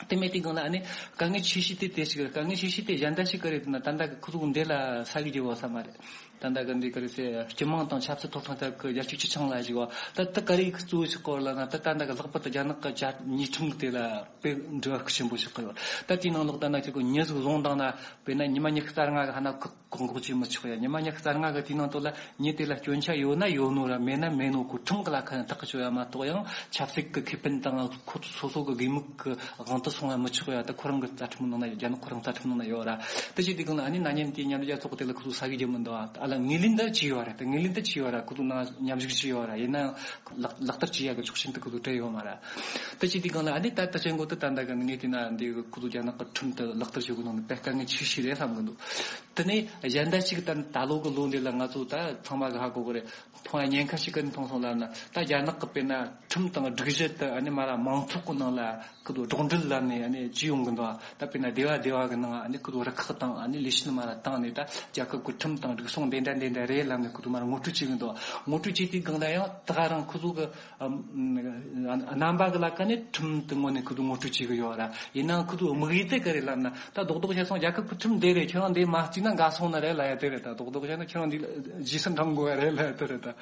དེ་མེད་དུས་སྒང་ལ་ཨ་ནི་དཀའ་ངལ་ཆེ་ཤོས་དེ་དེ་ཞིག་རེད། དཀའ་ངལ་ཆེ་ཤོས་དེ་གཞན་དག་ཞིག་ག་རེ་ཟེར་ན། ད་ལྟ་གི་ཁོ་ཚོ་འདི་ལ་ས་གི་རྒྱལ་བ་ས་མ་རེད། ད་ལྟ་གི་འདི་ག་རེ་ཟེར། སྤྱི་དམངས་དང་ཆབ་སྲིད་ཐོབ་ཐང་ཐད་ཀྱི་རྒྱལ་སྤྱིའི་སྤྱི་ཆིངས་ལ་ཞིག་བ། ད་ད་ག་རེ་གཙོ་བོ་ཞིག་སྐོར་ལ་ན། ད་ད་ལྟ་གི་ལྷག་པར་དུ་རྒྱ་ནག་གི་ཆ་ཉེས་ཁྲིམས་དེ་ལ་དཔེ་འབྲེལ་བ་ཤུགས་ཆེན་པོ་ཞིག་གི་ཡོད། ད་དེའི་ནང་ལོགས་ད་ན་ཁྱེད་ཀྱི་མྱི་ཟིག་བཟུང་བཏང་ན། དཔེར་ན་ཉི་མ་ཉི་ཤུ་རྩ་ལྔ་གི་ཧ་ན་བཀག་འགོག་བྱེད་མི་ཆོག་ཡ། ཉི་མ་ཉི་ཤུ་རྩ་ལྔ་གི་དེའི་ནང་དུ་ལ་མྱི་དེ་ལ་སྐྱོན་ཆ་ཡོད་ན་ཡོད་ནོ་ར། མེད་ན་མེད་ནོ་ཁོ་ཁྲིམས་ཀྱི་ལ་ཁ་ནས་ཐག་གཅོད་ཡ་མ་གཏོགས། ཡང་ཆབ་སྲིད་ཀྱི་ཁེ་ཕན་དང་ཁོ་སོ་སོ་གི་དགོས་མིག་གི་དབང་དུ་སོང་ཡ་མི་ཆོག་ཡ། ད་ཁོ་རང་གི་རྩ་ཁྲིམས་ནང་ན། རྒྱ་ནག་ཁོ་རང་རྩ་ཁྲིམས་ནང་ན་ཡོད་ར། དེ་བྱེད་དུས་སྒང་ལ་ཨ་ནི་ན་ནིང་དེའི་མཉམ་འབྲེལ་རྒྱལ་ཚོགས་དེ་ལ་ཁོ་ཚོ་ས་གི་རྒྱུ་མི་འདུག་ཨ། ཨ་ལ་ངོས་ལེན་ད་བྱས་ཡོད་ར། ད་ངོས་ལེན་ད་བྱས་ཡོད་ར། ཁོ་ཚོ་ནང་མཉམ་ཞུགས་བྱས་ཡོད་ར། ཡིན་ན་ཡང་ལག་ལག་བསྟར་བྱེད་ཡ་གི་ཆོག་མཆན་དེ་ཁོ་ཚོ་སྤྲད་ཡོད་མ་ར། དེ་བྱེད་དུས་སྒང་ལ་ཨ་ནི་ད་ལྟ་བྱེད་འགོ་དེ་ད་ལྟ་གི་ངས་བལྟས་ན་འདི་ཁོ་ཚོ་རྒྱ་ནག་གི་ཁྲིམས་དེ་ལག་བསྟར་བྱེད་དགོས་ནོ་དཔེ་དཀའ་ངལ་ཆེ་ཤོས་རེད་བསམ་གི་འདུག་དེ་ནས་གཞན་དག་ཅིག་ད་ད་ལོ་གི་ལོ་འདི་ལ་ང་ཚོ་ད་ཚང་མ་གི་ཧ་གོ་གི་རེད། མཐོང་ཡ་ཉེན་ཁ་ཞིག་གི་མཐོང་སོང་ལབ་ན། ད་རྒྱ་ནག་གི་དཔེར་ན་ཁྲིམས་དང་སྒྲིག་གཞི་དེ་ཨ་ནི་མ་ར་མང་ཚོགས་གི་ནང་ལ་ཁོ་ཚོ་སྒྲོག་འགྲེལ་ལབ་ནས་ཨ་ནི་བྱས་ཡོང་གི་འདུག་ད་དཔེར་ན་སྡེ་བ་སྡེ་བ་གི་ནང་ཨ་ནི་ཁོ་ཚོ་རུ་ཁག་དང་ཨ་ནི་ལས་བྱེད་མ་ར་བཏང་ནས། ད་རྒྱལ་ཁབ་ཀྱི་ཁྲིམས་དང་སྒྲིག་སྲུང་འདི་འདྲ་འདི་འདྲ་རེད་ལབ་ནས་ཁོ་ཚོ་མ་ར་ངོ་སྤྲོད་བྱེད་གི་འདུག་ངོ་སྤྲོད་བྱེད་དུས་སྒང་ལ་ཡང་ད་ག་རང་ཁོ་ཚོ་གི་ཨ་རྣམ་པ་གི་ལ་ཁ་ནས་ཁྲིམས་དེ་ངོས་ནས་ཁོ་ཚོ་ངོ་སྤྲོད་བྱེད་གི་ཡོད་ར། ཡིན་ནའང་ཁོ་ཚོ་དམིགས་ཡུལ་དེ་ག་རེ་ལབ་ན། ད་རྡོག་རྡོག་བཤད་སོང་རྒྱལ་ཁབ་ཀྱི་ཁྲིམས་འདི་རེད། ཁྱོད་རང་འདི་མ་བརྩིས་ན་འགལ་སོང་ནི་རེད་ལབ་ཡ་དེ་རེད། ད་རྡོག་རྡོག་བཤད་ན་ཁྱོད་རང་འདི་རྗེས་སུ་འབྲང་དགོས་ཡ་རེད་ལབ་ཡ་དེ་རེད། ད་དེ་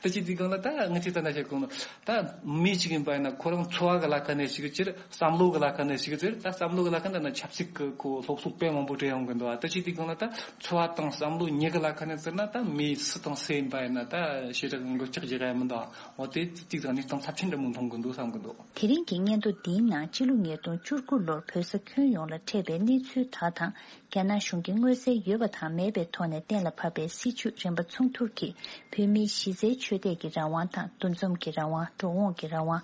བྱེད་དུས་སྒང་ལ་ད་ངས་ཅིག་ད་ན་བཤད་གོ་ནོ། ད་མི་ཞིག་ཡིན་པ་ཡིན་ན་ཁོ་རང་འཚོ་བ་གི་ལ་ཁ་ནས་ཞིག་ཅིག་བསམ་བློ་གི་ལ་ཁ་ནས་ཞིག་ཅིག་ད་བསམ་བློ་གི་ལ་ཁ་ནས་ན་ཆབ་སྲིད་ཀྱི་ཁོ་སློབ་གསོ་དཔེ་མང་པོ་སྤྲད་ཡོང་གི་འདུག་ད་བྱེད་དུས་སྒང་ལ་ད་འཚོ་བ་དང་བསམ་བློ་གཉིས་ཀྱི་ལ་ཁ་ནས་ཟེར་ན། ད་མི་སུ་དང་སུ་ཡིན་པ་ཡིན་ན་ད་ཞེ་དྲག་འགུལ་ལྕག་རྒྱག་ཡ་མི་འདུག་འོ་དེ་ཅིག་ད་གནས་སྟངས་ཚབས་ཆེན་འདྲ་མོ་མཐོང་གི་འདུག་བསམ་གི་འདུག་དེ་རིང་གི་སྙན་ཐོ་འདིའི་ནང་ཕྱི་ལོ་ཉིས་སྟོང་བཅུ་དགུ་ལོར་བོད་ས་ཁྱོན་ཡོངས་ལ་འཕྲད་པའི་གནས་ཚུལ་དག་དང་། རྒྱ་ནག་གཞུང་གིས་མངོན་གསལ་ཡོད་པ་དང་མེད་པའི་ཐོག་ནས་གཏན་ལ་ཕབ་པའི་སྲིད་བྱུས་རིམ་པ་མཚུངས་བསྡུར་གྱིས། བོད་མིའི་གཞི་རྩའི་ཆོས་དད་ཀྱི་རང་དབང་དང་། འདུ་འཛོམས་ཀྱི་རང་དབང་། འགྲོ་འོང་གི་རང་དབང་།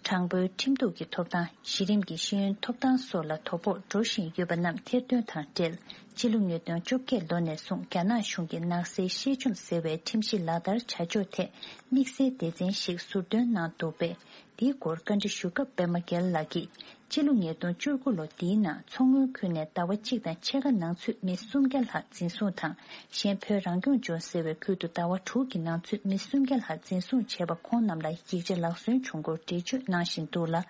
དྲང་པོའི་ཁྲིམས་གཏུག་གི་ཐོབ་ཐང་། གཞི་རིམ་གྱི་ཤེས་ཡོན་ཐོབ་ཐང་སོགས་ལ་དོ་ཕོག་འགྲོ་བཞིན་ཡོད་པ་རྣམས་ཐེར་འདོན་དང་འབྲེལ། ཕྱི་ལོ་ཉིས་སྟོང་བཅོ་བརྒྱད་ལོ་ནས་བཟུང་རྒྱ་ནག་གཞུང་གིས་ནག་སེལ་ཤེས་བཅོམ་ཟེར་བའི་ཁྲིམས་གཞི་ལག་བསྟར་བྱ་ཕྱོགས་ཐད་དམིགས་བསལ་སྡེ་ཚན་ཞིག་ཟུར་འདོན་གནང་འདུག་པས། འདིའི་སྐོར་བཀའ་འདྲི་ཞུ་སྐབས་པད་མ་རྒྱལ་ལགས་ཀྱིས། སྤྱི་ལོ་ཉིས་སྟོང་བཅུ་དགུ་ལོ་འདིའི་ནང་མཚོ་སྔོན་ཁུལ་ནས་ཟླ་བ་གཅིག་དང་ཕྱེད་ཀ་ནང་ཚུད་མི་སུམ་བརྒྱ་ལྷག་འཛིན་བཟུང་དང་། གཞན་བོད་རང་སྐྱོང་ལྗོངས་ཟེར་བའི་ཁུལ་དུ་ཟླ་བ་དྲུག་གི་ནང་ཚུད་མི་སུམ་བརྒྱ་ལྷག་འཛིན་བཟུང་བྱས་པ། ཁོང་རྣམས་ལ་ཡིག་ཆ་ལག་སོན་བྱུང་སྐོར་འགྲེལ་བརྗོད་གནང་བཞིན་འདུག་ལ།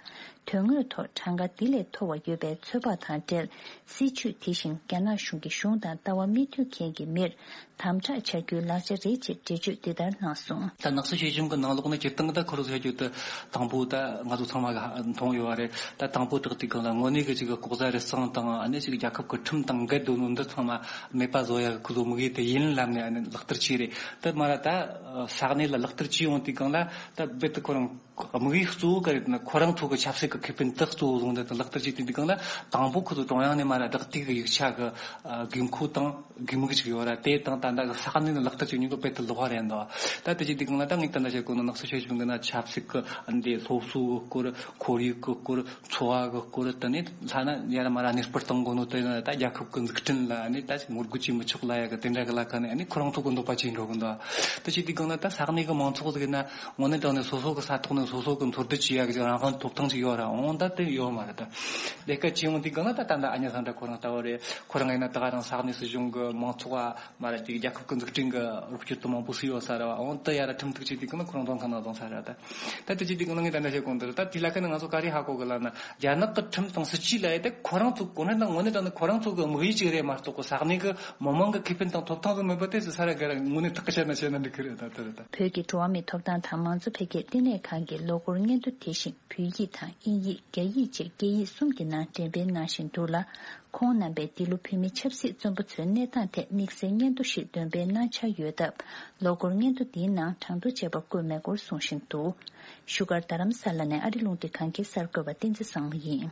དོན་དངོས་ཐོག་གྲངས་ཀ་འདི་ལས་མཐོ་བ་ཡོད་པའི་ཚོད་དཔག་དང་འབྲེལ། སྲིད་བྱུས་དེ་བཞིན་རྒྱ་ནག་གཞུང་གི་གཞུང་དང་ལྟ་བ་མི་མཐུན་མཁན་གྱི་མིར་དམ་དྲག་བྱ་རྒྱུའི་ལག་ཆ་རེད་ཅེས་འགྲེལ་བརྗོད་འདི་ལྟར་གནང་སོང་། ད་ནག་གསོ་ཤེས་བཅོས་ཀྱི་ནང་ལོགས་ནས་སྤྱིར་བཏང་ད་ཁོ་རང་ཚོ་བཤད་རྒྱུ་དེ་དང་པོ་ད་ང་ཚོ་ཚང་མ་གིས་མཐོང་ཡོད་པ་རེད། ད་དང་པོ་དེ་དེ་གང་ལ་དངོས་གནས་ཀྱི་ཅིག་ལྐོག་ཟ་རུལ་སུངས་དང་། ཨ་ནི་ཅིག་རྒྱལ་ཁབ་ཀྱི་ཁྲིམས་དང་འགལ་འདུག་ནོ་འདི་ཚང་མ་མེད་པ་བཟོ་ཡ་ཁོ་ཚོ་དམིགས་ཡུལ་དེ་ཡིན་ལབ་ནས། ཨ་ནི་ལག་བསྟར་བྱས་རེད། ད་མ་ར་ད་ས་གནས་ལ་ལག་བསྟར་བྱས་ཡོང་དུས་སྒང་ལ་ད་རྦད་དེ་ཁོ་རང་ དམིགས་ཡུལ་གཙོ་བོ་ག་རེ་ཡིན་ན། ཁོ་རང་ཚོ་གི་ཆབ་སྲིད་ཀྱི་ཁེ་ཕན་དག་གཙོ་བོ་བཟུང་སྟེ་ལག་བསྟར་བྱས་ཏེ་འདུག་གང་ལ། དང་པོ་ཁོ་ཚོ་ཀྲུང་དབྱང་ནས་མར་བདག་དུས་ཀྱི་ཡིག་ཆ་གི་དགོས་མཁོ་དང་དགོས་དམིགས་ཅིག་ཡོད་ར། དེ་དང་ད་ལྟ་གི་ས་གནས་ནས་ལག་བསྟར་བྱེད་མྱོང་གི་དཔེ་དེ་ལོགས་རེད་འདུག་ད་དེ་བྱས་དུས་གང་ལ། ད་ངས་ད་ལྟ་བཤད་གོ་ནོ་ནགས་ཚལ་ཆོས་སྐྱིད་འདི་ན་ཆབ་སྲིད་ཀྱི་འདི་སློབ་གསོ་གི་སྐོར། ཁོར་ཡུག་གི་སྐོར། འཚོ་བ་གི་སྐོར། དེ་ནས་ལྷ་ན་ཡར་མར་གནས་སྤར་གཏོང་དགོས་ནོ་དེ་ན། ད་རྒྱལ་ཁབ་ཀྱི་འཛུགས་སྐྲུན་ལ་ནི་ད་ངོ་རྒོལ་བྱེད་མི་ཆོག་ལབ་ཡ་གི་དེ་འདྲ་གི་ལ་ཁ་ནས་ནི་ཁོ་རང་ཚོ་གི་འདོད་པ་ཅིག་འགྲོ་གི་འདུག་དེ་བྱས་དུས་གང་ལ་ད་ས་གནས་གི་མང་ཚོགས་ཟིག་ན་དངོས་གནས་དྲང་ནས་སོ་སོ་གི་ས་ཐོག་ནས་སོ་སོ་གི་འཚོ་སྡོད་བྱེད་ཡ་གི་རང་དབང་ཐོབ་ཐང་ཅིག་ཡོད་ར། འོ་ད་དེ་ཡོད་མ་རེད། ད་ལས་ཀ་བྱེད་ཡོང་དུས་གང་ལ་ད་ད་ད་ཨ་ཉ་ཚང་འདྲ་ཁོ་རང་ལྟ་བུ་རེད། ཁོ་རང་ཡིན་ན་ད་ག་རང་ས་གནས་སྲིད་གཞུང་གི་མང་ཚོགས་མ་རེད་དེ། རྒྱལ་ཁབ་ཀྱི་འཛུགས་སྐྲུན་གྱི་རོགས་སྐྱོར་དུ་མང་པོ་སུ་ཡོད་ས་རེད་བ། འོ་ད་ཡར་ཁྲིམས་གཏུག་བྱེད་དུས་གང་ལ་ཁོ་རང་བཙོན་ཁང་ནང་བཙོང་ས་རེད། ད་ད་དེ་བྱེད་དུས་གང་ལ་ངས་ད་ལྟ་བཤད་གོང་དེར་ད་དེ་ལ་ཁ་ནས་ང་ཚོ་ག་རེ་ཧ་གོ་གི་ལབ་ན། རྒྱ་ནག་གི་ཁྲིམས་དང་སྲིད་ཇུས་ལ་ཡ་དེ་ཁོ་རང་ཚོ་གོ་གནས་དང་དངོས་གནས་དྲང་ནས་ཁོ་རང་ཚོ་གི་དམིགས་ཡུལ་ཅིག་རེད་མ་གཏོགས་གོ་ས་གནས་གི་མི་མང་གི་ཁེ་ཕན་དང་ཐོབ་ཐང་དུ་མེད་པ་དེ་ཚོ་ས་ར་ག་ར་དངོས་གནས་ཐག་གི་ཆད་ན་བཤད་ན་འགྲིག་གི་རེད། ད་དེ་རེད། ད་བོད་ཀྱི་འགྲོ་བ་མིའི་ཐོབ་ཐང་དང་མང་གཙོ་འཕེལ་རྒྱས་ལྟེ་གནས་ཁང་གིས་ལོ་འཁོར་སྙན་ཐོ་དེ་བཞིན་བོད་ཡིག་དང་དབྱིན་ཡིག་རྒྱ་ཡིག་བཅས་སྐད་ཡིག་གསུམ་གྱི་ནང་འགྲེམས་སྤེལ་གནང་བཞིན་འདུག་ལ། ཁོང་རྣམ་པས་འདི་ལོ་བོད་མི་ཆབ་སྲིད་བཙོན་པ་ཚོའི་གནས་སྟངས་ཐད་དམིགས་བསལ་སྙན་ཐོ་ཞིག་འདོན་སྤེལ་གནང་འཆར་ཡོད་སྟབས། ལོ་འཁོར་སྙན་ཐོ་འདིའི་ནང་གྲངས་ཐོ་བཅས་པ་བཀོད་མེད་སྐོར་གསུང་བཞིན་འདུག་བཞུགས་སྒར་རྡ་རམ་ས་ལ་ནས་ཨ་རི་རླུང་འཕྲིན་ཁང་གི་གསར་འགོད་པ་བསྟན་འཛིན་བཟང་མོ་ཡིན།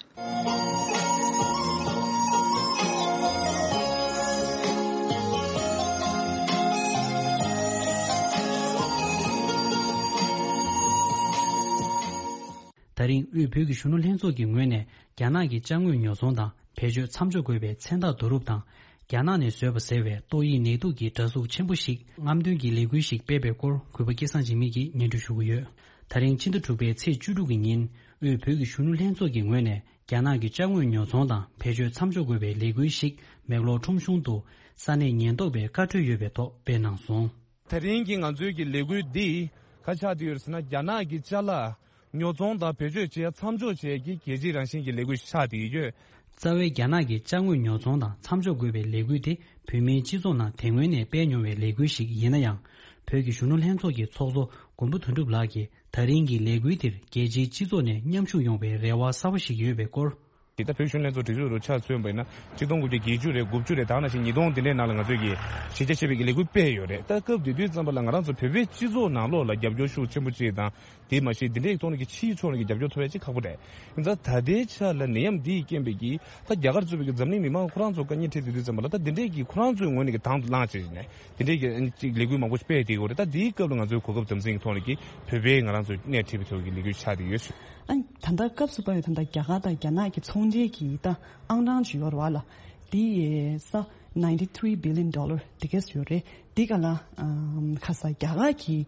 ད་རིང་དབུས་བོད་ཀྱི་གཞོན་ནུ་ལྷན་ཚོགས་ཀྱི་ངོས་ནས་རྒྱ་ནག་གི་ཅ་དངོས་ཉོ་ཚོང་དང་བེད་སྤྱོད་མཚམས་འཇོག་དགོས་པའི་མཚན་རྟགས་བསྡུ་རུབ་དང་། རྒྱ་ནག་ནས་བཟོས་པ་ཟེར་བའི་ཏོག་དབྱིབས་ནད་དུག་གི་འདྲ་གཟུགས་ཆེན་པོ་ཞིག་རྔམ་སྟོན་གྱི་ལས་འགུལ་ཞིག་སྤེལ་བའི་སྐོར་གུས་པ་སྐལ་བཟང་འཇིགས་མེད་ཀྱིས་སྙན་སྒྲོན་ཞུ་གི་ཡོད། ད་རིང་ཕྱི་ཟླ་དྲུག་པའི་ཚེས་བཅུ་དྲུག་གི་ཉིན་དབུས་བོད་ཀྱི་གཞོན་ནུ་ལྷན་ཚོགས་ཀྱི་ངོས་ནས་རྒྱ་ནག་གི་ཅ་དངོས་ཉོ་ཚོང་དང་བེད་སྤྱོད་མཚམས་འཇོག་དགོས་པའི་ལས་འགུལ་ཞིག་མེག་ལོར་ཁྲོམ་གཞུང་དུ་ས་གནས་ཉེན་རྟོག་པས་བཀའ་འཁྲོལ་ཡོད་པའི་ཐོག་སྤེལ་གནང་སོང་། དེ་རིང་གི་ང་ཚོའི་གི་ལས་འགུལ་འདི་ག་ཆགས་བསྡད་ཡོད་ཟེར་ན། རྒྱ་ནག་གི་ཅ་ལག་ཉོ་ཚོང་དང་བེད་སྤྱོད་བྱེད་མཚམས་འཇོག་བྱེད་ཀྱི་རྒྱལ་སྤྱིའི་རང་བཞིན་གྱི་ལས་འགུལ་ཆགས་བསྡད་ཡོད། རྩ་བའི་རྒྱ་ནག་གི་ཅ་དངོས་ཉོ་ཚོང་དང་མཚམས་འཇོག་དགོས་པའི་ལས་འགུལ་དེ་བོད་མིའི་སྤྱི་ཚོགས་ནང་དེ་སྔོན་ནས་སྤེལ་མྱོང་བའི་ལས་འགུལ་ཞིག་ཡིན་ན་ཡང་། བོད་ཀྱི་གཞོན་ནུ་ལྷན་ཚོགས་ཀྱི་ཚོགས་གཙོ་མགོན་པོ་དོན་གྲུབ་ལགས་ཀྱིས་ད་རིང་གི་ལས་འགུལ་དེར་རྒྱལ་སྤྱིའི་སྤྱི་ཚོགས་ནས་མཉམ་ཞུགས་ཡོང་བའི་རེ་བ་གསར་པ་ཞིག་ཡོད་པའི་སྐོར། དེ་ལྟར་བོད་གཞོན་ལྷན་ཚོགས་སྒྲིག་འཛུགས་རུ་ཆ་མཚོན་པ་ཡིན་ན། ཆིག་སྟོང་དགུ་བརྒྱ་བརྒྱད་ཅུ་རེད། དགུ་བཅུ་རེད། ད་ནང་བཞིན་ཉིས་སྟོང་དེ་འདྲའི་ནང་ལ་ང་ཚོས་ཀྱི་གཞི་རྒྱ་ཆེ་བའི་གི་ལས་འགུལ་སྤེལ་ཡོད་རེད། ད་སྐབས་དེ་དུས་ཙམ་པ་ལ་ང་རང་ཚོ་བོད་པའི་སྤྱི་ཚོགས་ནང་ལོགས་ལ་རྒྱབ་སྐྱོར་ཤུགས་ཆེན་པོ་ཅིག་དང་། དེ་མ་ཞིག་དེ་འདྲའི་ཐོག་ནས་ཀྱི་ཕྱིའི་ཕྱོགས་ནས་ཀྱི་རྒྱབ་སྐྱོར་ཐོབ་ཡ་ཅིག་ཁག་པོ་རེད། ཡིན་ཙང་ད་ལྟའི་ཆ་ལ་ནད་ཡམས་འདིའི་རྐྱེན་པས་ཀྱི་ད་རྒྱ་གར་གཙོས་པའི་གི་འཛམ་གླིང་མི་མང་ཁོ་རང་ཚོ་དཀའ་ངལ་འཕྲད་དེ་དུས་ཙམ་པ་ལ། ད་དེ་འདྲའི་གི་ཁོ་རང་ཚོའི་ངོས་ནས་ཀྱི་དང་དུ་བླངས་བྱས་ནས་དེ་འདྲའི་གི་ཅིག་ལས་འགུལ་མང་པོ་ཞིག་སྤེལ་བསྡད་ཡོད་རེད། ད་དེའི་སྐབས་ལ་ང་ཚོའི་གོ་སྐབས་དམ་འཛིན་གྱི་ཐོག་ནས་ཀྱི་བོད་པའི་ང་རང་ཚོ་སྣེ་ཁྲིད་པའི་ཐོག་གི་ལས་འགུལ་ཆགས་བསྡད་ཡོད། ཨ་ནི་ད་ལྟ་སྐབས་སུ་བབས་པའི་ད་ལྟ་རྒྱ་གར་དང་རྒྱ་ནག་གི་ཚོང་འབྲེལ་གྱི་ད་ཨང་གྲངས་ཅིག་ཡོད་རེད་བ་ལ། དེ་ཡི་ས་ninety three billion dollar དེ་གས་ཡོད་རེད། དེ་ག་ལ་ཨམ་ཁ་ས་རྒྱ་གར་གྱི་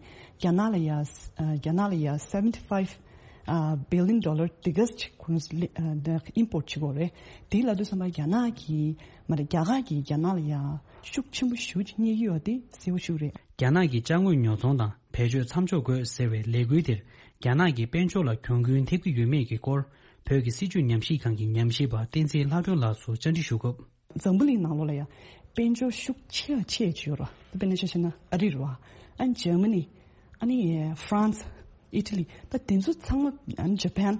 རྒྱ་ནག་ལ་ཡ་ཨ་རྒྱ་ནག་ལ་ཡ་seventy five ཨ་billion dollar དེ་གས་ཅིག་ཁོང་ཚོ་ལེ་ཨ་ད་import བྱེད་དགོས་རེད། དེ་ལ་དུས་ཙམ་པ་རྒྱ་ནག་གི་མ་རེད། རྒྱ་གར་གྱི་རྒྱ་ནག་ལ་ཡ་ཤུགས་ཆེན་པོ་ཞེ་པོ་ཅིག་རྙེད་ཀྱི་ཡོད་དེ་གསལ་པོ་ཞིག་རེད། རྒྱ་ནག་གི་ཅ་དངོས་ཉོ་ཚོང་དང་བེད་སྤྱོད་མཚམས་འཇོག་དགོས་ཟེར་བའི་ལས་འགུལ་དེར་རྒྱ་ནག་གི་དཔལ་འབྱོར་ལ་གྱོང་གུན་ཐེབས་ཀྱི་ཡོད་མེད་ཀྱི་སྐོར། བོད་ཀྱི་སྲིད་བྱུས་ཉམས་ཞིབ་ཁང་གི་ཉམས་ཞིབ་པ་བསྟན་འཛིན་ལྷ་སྒྲོན་ལགས་སུ་བཅར་འདྲི་ཞུ་སྐབས། འཛམ་བུ་གླིང་ནང་ལོགས་ལ་ཡང་དཔལ་འབྱོར་ཤུགས་ཆེ་བ་ཆེ་ཅིག་ཡོད་ར། དཔེར་ན་ཆ་བཞག་ན་ཨ་རི་རེད་བ། ཨ་ནི་འཇར་མ་ནི། ཨ་ནི་ཧྥ་རན་སི། ཨི་ཊ་ལི། ད་དེ་ཚོ་ཚང་མ། ཨ་ནི་ཇ་པན།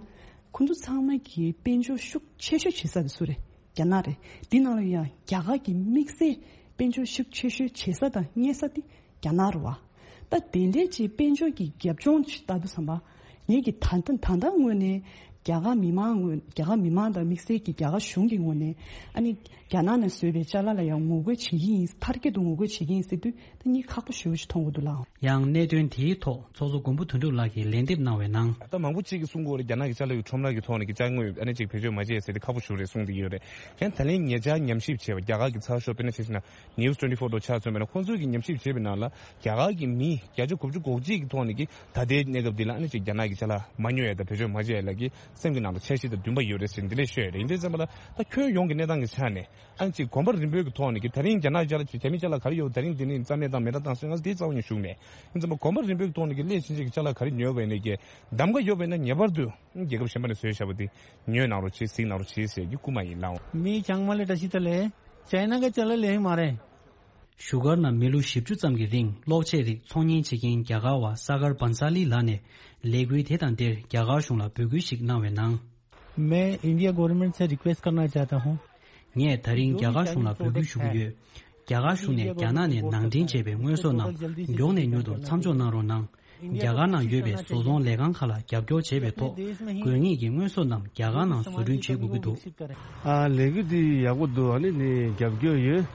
ཁོ་ཚོ་ཚང་མ་གི་དཔལ་འབྱོར་ཤུགས་ཆེ་ཤོས་བྱེད་ས་དེ་སུ་རེད། རྒྱ་ནག་རེད། དེ་ནང་ལ་ཡང་རྒྱ་གར་གྱི་དམིགས་བསལ་དཔལ་འབྱོར་ཤུགས་ཆེ་ཤོས་བྱེད་ས་དང་རྙེད་ས་དེ་རྒྱ་ནག་རེད་བ། ད་དེ་འདྲའི་ཅིག་དཔལ་འབྱོར་གྱི་རྒྱབ་ལྗོངས་ཅིག་ལྟ་དུས་ཙམ་པ། ངེད་ཀྱི་ད་ལྟ་ད་ལྟ་ངོས་ནས་རྒྱ་གར་མི་མང་ངོས། རྒྱ་གར་མི་མང་དང་དམིགས་བསལ་གྱི་རྒྱ་གར་གཞུང་གི་ངོས་ནས་ཨ་ནི་རྒྱ་ནག་ནས་བཟོས་པའི་ཅ་ལག་ལ་ཡང་ངོ་རྒོལ་བྱེད་ཀྱི་ཡིན། མཐར་སྐྱེལ་དུ་ངོ་རྒོལ་བྱེད་ཀྱི་ཡིན་ཟེར་དུས་ད་གཉིད་ཁག་པོ་ཞེ་པོ་ཞིག་མཐོང་གི་འདུག་ལགས། ཡང་གནད་དོན་དེའི་ཐོག་ཚོགས་གཙོ་མགོན་པོ་དོན་གྲུབ་ལགས་ཀྱིས་ལན་འདེབས་གནང་བའི་ནང་། ད་མང་པོ་གཅིག་གིས་གསུང་གི་ཡོད་རེད། རྒྱ་ནག་གི་ཅ་ལག་གི་ཁྲོམ་ར་གི་ཐོག་ནས་ཀྱི་ཅ་དངོས་ཨ་ནི་ཅིག་བེད་སྤྱོད་མ་བྱེད་ཟེར་ཏེ་ཁག་པོ་ཞེ་པོ་རེད་གསུངས་ཏེ་ཡོད་རེད། ཡང་ད་ལན་ཉེ་ཆར་ཉམས་ཞིབ་བྱས་པ་རྒྱ་གར་གྱི་ཚགས་ཤོག་དཔེར་ན་ཆ་བཞག་ན་News twenty four དང་ཆ་མཚོན་པ་ཡིན་ན་ཁོང་ཚོས་ཀྱི་ཉམས་ཞིབ་བྱས་པའི་ནང་ལ་རྒྱ་གར་གྱི་མི་བརྒྱ་ཆ་དགུ་བཅུ་གོ་གཅིག་གི་ཐོག་ནས་ཀྱི་ད་ལྟའི་གནས་སྐབས་འདི་ལ་ཨ་ནི་ཅིག་རྒྱ་ནག་གི་ཅ་ལག་མ་ཉོ་ཡ་དང་བེད་སྤྱོད་མ་བྱེད་ཡ་ལ་ཀྱི་སེམས་ཀྱི་ནང་ལ་འཆར་གཞི་དང་འདུན་པ་ཡོད་རེད་ཟེར་འདི་འདྲས་ཤོད་ཡ་རེད། ཡིན་དུས་ཙམ་པ་ལ་ད་ཁྱོན་ཡོངས་ཀྱི་གནས་སྟངས་ཀྱི་ཆ་ནས་ཨ་ནི་ཅིག་གོམ་པ་རིམ་པའི་གི་ཐོག་ནས་ཀྱི་ད་རིང་རྒྱ་ནག་ཅ་ལག་རྒྱ་མི་ཅ་ལག་ག་རེ་ཡོད། ད་རིང་འདི་ནས་རྩ་མེད་དང་མེད་དྲ་བཏང་སོང་། ང་ཚོ་དེ་རྩ་བ་ཉིད་ཞུགས་མེད། ཡིན་ཙམ་པ་གོམ་པ་རིམ་པའི་གི་ཐོག་ནས་ཀྱི་སླད་ཕྱིན་ཅིག་གི་ཅ་ལག་ག་རེ་ཉོས་པ་ཡིན་ནའི་ཀྱི་གདམ་ག་ཡོད་པ་ཡིན་ན་ངེས་པར་དུ་རྒྱལ་ཁབ་གཞན་པ་ནས་བཟོས་བཞག་པ་དེ་ཉོས་གནང་རོགས་བྱེད། གཟིགས་གནང་རོགས་བྱེད་ཟེར་རྒྱུ་སྐུལ་མ་ཡིན་ལགས། མི་ཚང་མ་ལ་བཀྲ་ཤིས་བདེ་ལེགས། ཅའི་ན་གི་ཅ་ལག་ལེན་མ་རེད། བཞུགས་སྒར་ནང་མི་ལོ་བཞི་བཅུ་ཙམ་གྱི་རིང་གློག་ཆས་རིགས་ཚོང་གཉེར་བྱེད་མཁན་རྒྱ་གར་བ་ས་གར་བན་ས་ལི་ལགས་ནས་ལས་འགུལ་དེ་དང་འབྲེལ་རྒྱ་གར་གཞུང་ལ་འབོད་སྐུལ་ཞིག་གནང་བའི་ནང་། मैं India government से रिक्वेस्ट करना चाहता हूँ། ངས་ད་རིང་རྒྱ་གར་གཞུང་ལ་འབོད་སྐུལ་ཞུ་གི་ཡོད། རྒྱ་གར་གཞུང་ནས་རྒྱ་ནག་ནས་ནང་འདྲེན་བྱས་པའི་དངོས་ཟོག་རྣམས་མགྱོགས་ནས་མྱུར་དུ་མཚམས་འཇོག་གནང་རོགས་གནང་། རྒྱ་གར་ནང་ཡོད་པའི་བཟོ་ཚོང་ལས་ཁང་ཁག་ལ་རྒྱབ་སྐྱོར་བྱས་པའི་ཐོག་དགོས་ངེས་ཀྱི་དངོས་ཟོག་རྣམས་རྒྱ་གར་ནང་བཟོ་སྐྲུན་བྱེད་དགོས་ཀྱི་འདུག་ཨ་ལས་འགུལ་འདི་ཡག་པོ་འདུག་ཨ་ནི་ནི་རྒྱབ་སྐྱོར་ཡོད།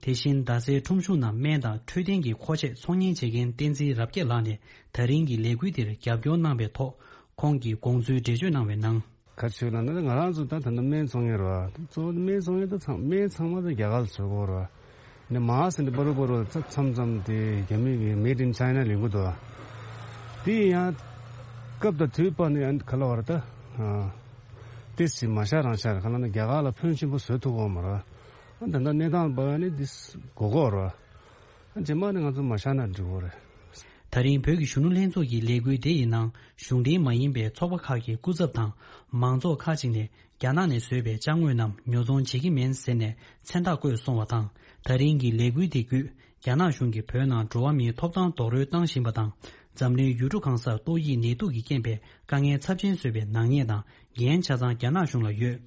དེ་བཞིན་རྡ་སའི་ཁྲོམ་གཞུང་ནང་སྨན་དང་འཕྲོད་བསྟེན་གྱི་མཁོ་ཆས་ཚོང་གཉེར་བྱེད་མཁན་བསྟན་འཛིན་རབ་རྒྱས་ལགས་ནས་ད་རིང་གི་ལས་འགུལ་འདིར་རྒྱབ་སྐྱོར་གནང་བའི་ཐོག་ཁོང་གིས་དགོངས་ཚུལ་འགྲེལ་བརྗོད་གནང་བའི་ནང་། ག་ཚོད་ལབ་ན་ང་རང་ཚོ་ད་ད་ལྟ་སྨན་ཚོང་མཁན་རེད་བ། གཙོ་བོ་སྨན་ཚོང་མཁན་ད་ཚང་སྨན་ཚང་མ་ད་རྒྱ་གར་ལ་བཟོ་དགོས་རེད་བ། ནས་མ་ཟིན་ཏེ་པ་རུ་པ་རུ་ད་མཚམས་མཚམས་དེ་རྒྱ་མི་གི་Made in China ལེན་གི་འདུག་བ། དེ་ཡང་སྐབས་དང་དུས་བབ་ནས་ཡང་ག་ལ་བ་རེད་ད། ཏེ་སི་མ་ཤ་རང་ཤ་རེད་ག་ལ་ན་རྒྱ་གར་ལ་ཕོན་ཆེན་པོ་བཟོ་ཐུབ་ཀྱི་ཡོད་མ་རེད་བ། ད་ལྟ་གནས་སྟངས་བབ་ནས་འདི་དགོས་ཀྱི་ཡོད་རེད་བ། རྗེས་མ་ནས་ང་ཚོ་མ་ཤ་ན་འགྲིག་གི་རེད། ད་རིང་བོད་ཀྱི་གཞོན་ནུ་ལྷན་ཚོགས་ཀྱི་ལས་འགུལ་དེ་ཡི་ནང་གཞུང་འབྲེལ་མ་ཡིན་པའི་ཚོགས་པ་ཁག་གི་སྐུ་ཚབ་དང་མང་ཚོགས་ཁག་ཅིག་ནས་རྒྱ་ནག་ནས་བཟོས་པའི་ཅ་དངོས་རྣམས་ཉོ་ཚོང་བྱེད་ཀྱི་མིན་ཟེར་ནས་མཚན་རྟགས་བཀོད་སོང་བ་དང་། ད་རིང་གི་ལས་འགུལ་དེ་བརྒྱུད་རྒྱ་ནག་གཞུང་གིས་བོད་ནང་འགྲོ་བ་མིའི་ཐོབ་ཐང་རྡོག་རོལ་བཏང་བཞིན་པ་དང་། འཛམ་གླིང་ཡུལ་གྲུ་གང་སར་ཏོག་དབྱིབས་ནད་དུག་གི་རྐྱེན་པས་དཀའ་ངལ་ཚབས་ཆེན་བཟོས་པའི་ནག་ཉེས་དང་འགན་ཆ་ཚང་རྒྱ་ནག་གཞུང་ལ་ཡོད།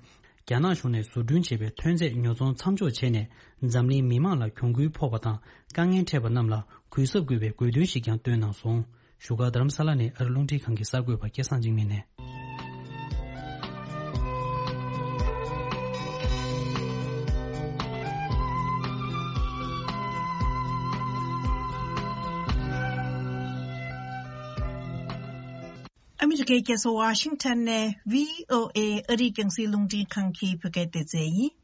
རྒྱ་ནག་གཞུང་ནས་བཟོ་སྐྲུན་བྱས་པའི་ཐོན་རྫས་ཉོ་ཚོང་མཚམས་འཇོག་བྱས་ནས་འཛམ་གླིང་མི་མང་ལ་གྱོང་གུན་ཕོག་པ་དང་དཀའ་ངལ་འཕྲད་པ་རྣམས་ལ་གུས་ཞབས་དགོས་པའི་དགོས་འདུན་ཞིག་ཀྱང་བཏོན་གནང་སོང་། བཞུགས་སྒར་རྡ་རམ་ས་ལ་ནས་ཨ་རི་རླུང་འཕྲིན་ཁང་གི་གསར་འགོད་པ་སྐལ་བཟང་འཇིགས་མེད་ནས། ཨ་མི་རི་ཀའི་རྒྱལ་ས་ཝ་ཤིང་ཊོན་ནས་བྷི་ཨོ་ཨེ་ཨ་རིའི་རྒྱང་སྲིང་རླུང་འཕྲིན་ཁང་གི་བོད་སྐད་སྡེ་ཚན་ཡིན།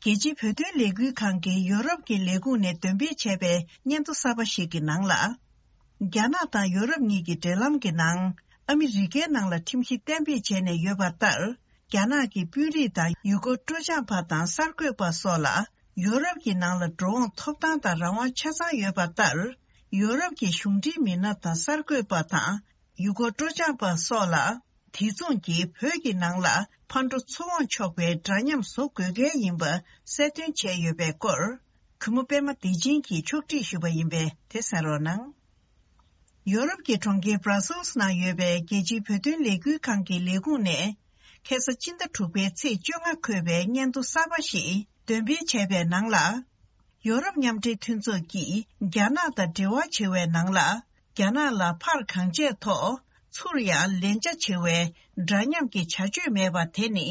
རྒྱལ་སྤྱིའི་བོད་དོན་ལས་འགུལ་ཁང་གིས་ཡོ་རོབ་ཀྱི་ལས་ཁུངས་ནས་འདོན་སྤེལ་བྱས་པའི་སྙན་ཐོ་གསར་པ་ཞིག་གི་ནང་ལ། རྒྱ་ནག་དང་ཡོ་རོབ་གཉིས་ཀྱི་འབྲེལ་ལམ་གྱི་ནང་ཨ་མི་རི་ཀའི་ནང་ལ་ཁྲིམས་གཞི་གཏན་འབེབས་བྱས་ནས་ཡོད་པ་ལྟར། རྒྱ་ནག་གི་དཔོན་རིགས་དང་ཡུལ་སྐོར་སྤྲོ་འཆམ་པ་དང་གསར་འགོད་པ་སོགས་ལ་ཡོ་རོབ་ཀྱི་ནང་ལ་འགྲོ་འོང་ཐོབ་ཐང་དང་རང་དབང་ཆ་ཚང་ཡོད་པ་ལྟར། ཡོ་རོབ་ཀྱི་གཞུང་འབྲེལ་མི་སྣ་དང་གསར་འགོད་པ་དང་ཡུལ་སྐོར་སྤྲོ་འཆམ་པ་སོགས་ལ། དེ་མཚུངས་ཀྱིས་བོད་ཀྱི་ནང་ལ་ཕར་འགྲོ་ཚུར་འོང་ཆོག་པའི་འདྲ་མཉམ་བཟོ་དགོས་གལ་ཡིན་པ་གསལ་སྟོན་བྱས་ཡོད་པའི་སྐོར། གུས་མོ་པད་མ་བདེ་ཆེན་གྱིས་ཕྱོགས་སྒྲིག་ཞུས་པ་ཡིན་པས་དེ་གསན་རོགས་གནང་། ཡོ་རོབ་ཀྱི་གྲོང་ཁྱེར་Brussels ནང་ཡོད་པའི་རྒྱལ་སྤྱིའི་བོད་དོན་ལས་འགུལ་ཁང་གི་ལས་ཁུངས་ནས། ཁ་སང་སྤྱི་ཟླ་དྲུག་པའི་ཚེས་བཅོ་ལྔ་འཁོད་པའི་སྙན་ཐོ་གསར་པ་ཞིག་འདོན་སྤེལ་བྱས་པའི་ནང་ལ། ཡོ་རོབ་མཉམ་འབྲེལ་མཐུན་ཚོགས་ཀྱིས་རྒྱ་ནག་དང་འབྲེལ་བ་བྱེད་པའི་ནང་ལ། རྒྱ་ནག་ལ་ཕར་གང་བྱས་ཐོག་ཚུར་ཡང་ལན་ཆ་བྱེད་པའི་འདྲ་མཉམ་གྱི་བྱ་སྤྱོད་མེད་པ་དེ་ནི་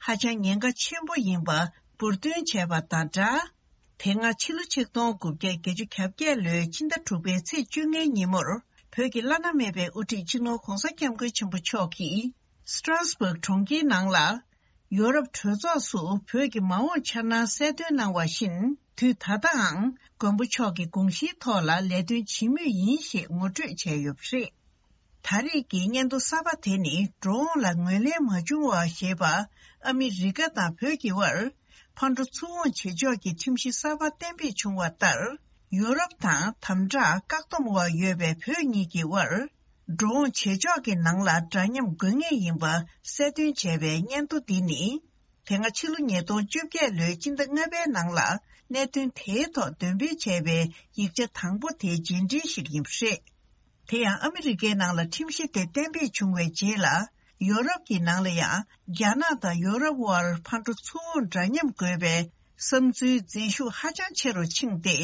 ཧ་ཅང་ཉེན་ཁ་ཆེན་པོ་ཡིན་པ་འབུར་འདོན་བྱས་པ་དང་སྦྲགས། དེ་སྔ་ཕྱི་ལོ་ཆིག་སྟོང་དགུ་བརྒྱ་བརྒྱད་ཅུ་གྱ་བརྒྱད་ལོའི་ཕྱི་ཟླ་དྲུག་པའི་ཚེས་བཅོ་ལྔའི་ཉིན་མོར་བོད་ཀྱི་བླ་ན་མེད་པའི་དབུ་ཁྲིད་སྤྱི་ནོར་༧གོང་ས་༧སྐྱབས་མགོན་ཆེན་པོ་མཆོག་གིས་Strasbourg་གྲོང་ཁྱེར་ནང་ལ། ཡོ་རོབ་གྲོས་ཚོགས་སུ་བོད་ཀྱི་མ་འོངས་འཆར་སྣང་གསལ་སྟོན་གནང་བ་བཞིན། དུས་ད་ལྟའང་མགོན་པོ་མཆོག་གི་དགོངས་གཞིའི་ཐོག་ལ་ལས་དོན་བྱེད་མུས་ཡིན་ཞེས་ངོ་སྤྲོད་བྱས་ཡོད་པ་རེད། ད་རེས་ཀྱི་སྙན་ཐོ་གསར་པ་དེ་ནི་འགྲོ་འོང་ལ་ངོས་ལེན་མ་བྱུང་བ་ཞེས་པ་ཨ་མི་རི་ཀ་དང་བོད་ཀྱི་དབར་ཕར་འགྲོ་ཚུར་འོང་བྱེད་ཕྱོགས་ཀྱི་ཁྲིམས་གཞི་གསར་པ་གཏན་འབེབས་བྱུང་བ་ལྟར། ཡོ་རོབ་དང་དམ་དྲག་བཀག་སྡོམ་འོག་ཡོད་པའི་བོད་གཉིས་ཀྱི་དབར། འགྲོ་འོང་བྱེད་ཕྱོགས་ཀྱི་ནང་ལ་འདྲ་མཉམ་དགོས་ངེས་ཡིན་པ་གསལ་སྟོན་བྱས་པའི་སྙན་ཐོ་འདི་ནི། དེ་སྔ་ཕྱི་ལོ་ཉིས་སྟོང་བཅོ་བརྒྱད་ལོའི་སྤྱི་ཟླ་ལྔ་པའི་ནང་ལ་གནད་དོན་དེའི་ཐོག་འདོན་སྤེལ་བྱས་པའི་ཡིག་ཆ་དང་པོ་དེའི་རྗེས་འབྲེལ་ཞིག་ཡིན་པ་རེད། དེ་ཡང་ཨ་མི་རི་ཀའི་ནང་ལ་ཁྲིམས་གཞི་དེ་གཏན་འབེབས་བྱུང་བའི་རྗེས་ལ། ཡོ་རོབ་ཀྱི་ནང་ལ་ཡང་རྒྱ་ནག་དང་ཡོ་རོབ་དབར་ཕར་འགྲོ་ཚུར་འོང་འདྲ་མཉམ་དགོས་པའི་བསམ་ཚུལ་འཛིན་ཤུགས་ཧ་ཅང་ཆེ་རུ་ཕྱིན་ཏེ།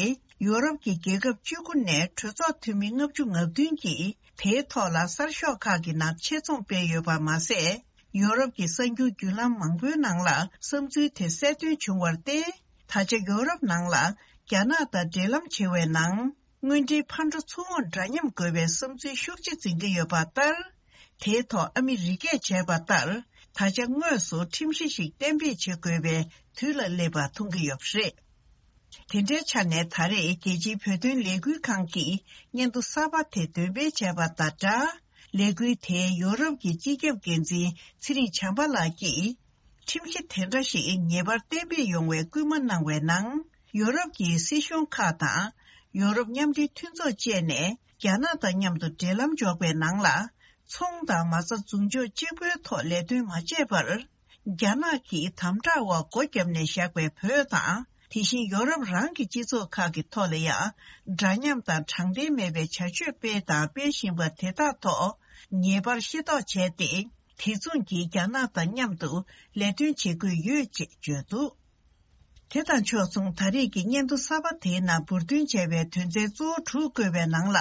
ཡོ་རོབ་ཀྱི་རྒྱལ་ཁབ་བཅུ་དགུ་ནས་གྲོས་ཚོགས་འཐུས་མི་ལྔ་བཅུ་ང་བདུན་གྱིས་དེའི་ཐོག་ལ་གསར་ཤོག་ཁག་གི་ནང་ཆེད་རྩོམ་སྤེལ་ཡོད་པ་མ་ཟད། ཡོ་རོབ་ཀྱི་གསར་འགྱུར་བརྒྱུད་ལམ་མང་པོའི་ནང་ལ་བསམ་ཚུལ་དེ་གསལ་སྟོན་བྱུང་བར་བརྟེན། ད་ཆ་ཡོ་རོབ་ནང་ལ་རྒྱ་ནག་དང་འབྲེལ་ལམ་བྱེད་པའི་ནང་། དངོས་འབྲེལ་ཕར་འགྲོ་ཚུར་འོང་འདྲ་མཉམ་དགོས་པའི་བསམ་ཚུལ་ཤུགས་ཆེ་འཛིན་གྱི་ཡོད་པ་ལྟར། དེའི་ཐོག་ཨ་མི་རི་ཀས་བྱས་པ་ལྟར། ད་ཆ་དངོས་སུ་ཁྲིམས་གཞི་ཞིག་གཏན་འབེབས་བྱེད་དགོས་པའི་དུས་ལ་སླེབས་པ་མཐོང་གི་ཡོད་པ་རེད། དེ་འདྲའི་ཆ་ནས་ད་རེས་རྒྱལ་སྤྱིའི་བོད་དོན་ལས་འགུལ་ཁང་གིས་སྙན་ཐོ་གསར་པ་དེ་འདོན་སྤེལ་བྱས་པ་དང་སྦྲགས། ལས་འགུལ་དེའི་ཡོ་རོབ་ཀྱི་སྤྱི་ཁྱབ་འགན་འཛིན་ཚེ་རིང་བྱམས་པ་ལགས་ཀྱིས། ཁྲིམས་གཞི་དེ་འདྲ་ཞིག་ངེས་པར་གཏན་འབེབས་ཡོང་བའི་སྐུལ་མ་གནང་བའི་ནང་། ཡོ་རོབ་ཀྱི་སྲིད་གཞུང་ཁག་དང་། ཡོ་རོབ་མཉམ་འབྲེལ་མཐུན་ཚོགས་བཅས་ནས་རྒྱ་ནག་དང་མཉམ་དུ་འབྲེལ་ལམ་འཇོག་པའི་ནང་ལ། ཚོང་དང་མ་རྩ་མཛུབ་འཇོག་གཅིག་པུའི་ཐོག་ལས་དོན་མ་བྱས་པར། རྒྱ་ནག་གིས་དམ་དྲག་འོག་སྒོ་བརྒྱབ་ནས་བཞག་པའི་བོད་དང་། དེ་བཞིན་ཡོ་རོབ་རང་གི་སྤྱི་ཚོགས་ཁག་གི་ཐོག་ལ་ཡང་། འདྲ་མཉམ་དང་དྲང་བདེན་མེད་པའི་བྱ་སྤྱོད་སྤེལ་དང་སྤེལ་བཞིན་པ་དེ་དག་ཐོག་ངེས་པར་ཤེས་རྟོགས་བྱས་ཏེ། དེ་མཚུངས་ཀྱིས་རྒྱ་ནག་དང་མཉམ་དུ་ལས་དོན་བྱེད་དགོས་ཡོད་ཅེས་བརྗོད་འདུག་དེ་དང་ཕྱོགས་མཚུངས། ད་རེས་ཀྱི་སྙན་ཐོ་གསར་པ་དེའི་ནང་འབུར་འདོན་བྱས་པའི་དོན་ཚན་གཙོ་བོ་དྲུག་བཀོད་པའི་ནང་ལ།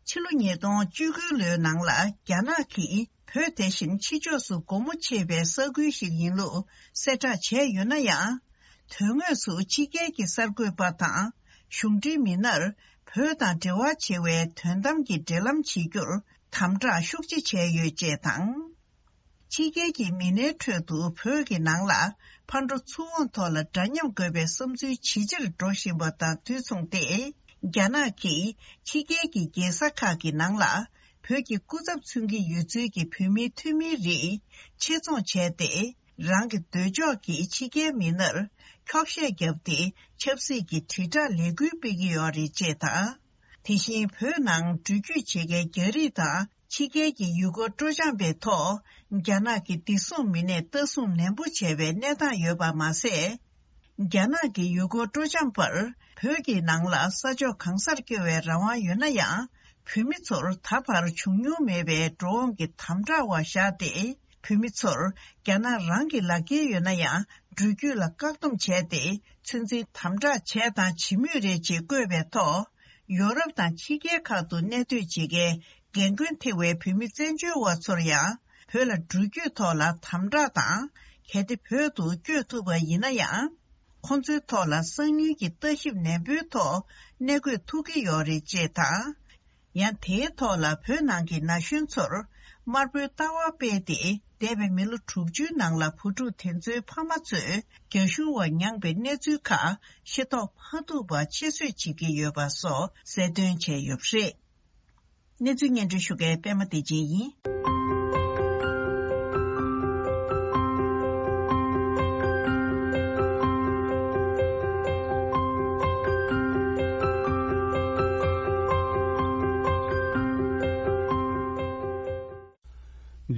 ཕྱི་ལོ་ཉིས་སྟོང་བཅུ་དགུ་ལོའི་ནང་ལ་རྒྱ་ནག་གིས་བོད་དེ་བཞིན་ཕྱི་ཕྱོགས་སུ་སྒོ་མོ་ཕྱེ་བའི་ས་ཁུལ་ཞིག་ཡིན་ལུགས་གསལ་བསྒྲགས་བྱས་ཡོད་ན་ཡང་། དོན་དངོས་སུ་ཕྱི་རྒྱལ་གྱི་གསར་འགོད་པ་དང་གཞུང་འབྲེལ་མི་སྣར་བོད་དང་འབྲེལ་བ་ཆེ་བའི་དོན་དམ་གྱི་འབྲེལ་ལམ་བྱེད་རྒྱུར་དམ་དྲག་ཤུགས་ཆེ་བྱས་ཡོད་ཅེས་དང་། ཕྱི་རྒྱལ་གྱི་མི་སྣའི་ཁྲོད་དུ་བོད་ཀྱི་ནང་ལ་ཕར་འགྲོ་ཚུར་འོང་ཐོག་ལ་འདྲ་མཉམ་དགོས་པའི་བསམ་ཚུལ་ཇེ་ཆེར་འགྲོ་བཞིན་པ་དང་དུས་མཚུངས་ཏེ། རྒྱ་ནག་གིས་ཕྱི་རྒྱལ་གྱི་རྒྱལ་ས་ཁག་གི་ནང་ལ་བོད་ཀྱི་སྐུ་ཚབ་མཚོན་གྱི་ཡོད་ཚུལ་གྱི་བོད་མིའི་འཐུས་མིའི་རིགས་ཆེད་རྫོང་བྱས་ཏེ། རང་གི་འདོད་ཕྱོགས་ཀྱིས་ཕྱི་རྒྱལ་མི་སྣར་འཁྱོག་བཤད་བརྒྱབ་སྟེ་ཆབ་སྲིད་ཀྱི་དྲིལ་བསྒྲགས་ལས་འགུལ་སྤེལ་གྱི་ཡོད་རེད་ཅེས་དང་། དེ་བཞིན་བོད་ནང་འགྲུལ་སྐྱོད་བྱེད་མཁན་རྒྱ་རིགས་དང་ཕྱི་རྒྱལ་གྱི་ཡུལ་སྐོར་སྤྲོ་འཆམ་པའི་ཐོག་རྒྱ་ནག་གི་བདེ་སྲུང་མི་སྣས་ལྟ་སྲུང་ནན་པོ་བྱས་པའི་གནས་སྟངས་ཡོད་པ་མ་ཟད། རྒྱ་ནག་གི་ཡུལ་སྐོར་སྤྲོ་འཆམ་པར་བོད་ཀྱི་ནང་ལ་ས་ཕྱོགས་གང་སར་སྐྱོད་པའི་རང་དབང་ཡོད་ན་ཡང་། བོད་མི་ཚོར་ད་བར་བྱུང་མྱོང་མེད་པའི་འགྲོ་འོང་གི་དམ་དྲག་འོག་བཞག་སྟེ། བོད་མི་ཚོར་རྒྱ་ནག་རང་གི་ལག་འཁྱེར་ཡོད་ན་ཡང་འགྲུལ་སྐྱོད་ལ་བཀག་སྡོམ་བྱས་ཏེ་ཚོད་འཛིན་དམ་དྲག་བྱས་དང་བྱེད་མུས་རེད་ཅེས་བཀོད་པའི་ཐོག་ཡོ་རོབ་དང་ཕྱི་རྒྱལ་ཁག་ཏུ་གནས་སྡོད་བྱེད་མཁན་རྒན་རྒོན་ཐེ་བའི་བོད་མི་བཙན་བྱོལ་བ་ཚོར་ཡང་བོད་ལ་འགྲུལ་སྐྱོད་ཐོག་ལ་དམ་དྲག་དང་། གལ་ཏེ་བོད་དུ་བསྐྱོད་ཐུབ་པ་ཡིན་ན་ཡང་། ཁོང་ཚོའི་ཐོག་ལ་སང་ཉིན་གྱི་ལྟ་ཞིབ་ནན་པོའི་ཐོག་གནས་དགོས་ཐུག་གི་ཡོད་རེད་ཅེས་དང་། ཡང་དེའི་ཐོག་ལ་བོད་ནང་གི་ན་གཞོན་ཚོར་དམར་པོའི་ལྟ་བ་སྤེལ་ཏེ། འདས་པའི་མི་ལོ་དྲུག་ཅུའི་ནང་ལ་བུ་ཕྲུག་དེ་ཚོའི་ཕ་མ་ཚོས་རྒྱ་གཞུང་བ་མྱངས་པའི་གནས་ཚུལ་ཁག་ཤེས་རྟོགས་མ་ཐུབ་པ་ཆེད་བཟོས་བྱེད་ཀྱི་ཡོད་པ་སོགས་གསལ་སྟོན་བྱས་ཡོད་པ་རེད། གནས་ཚུལ་སྙན་སྒྲོན་ཞུ་མཁན་པད་མ་བདེ་ཆེན་ཡིན།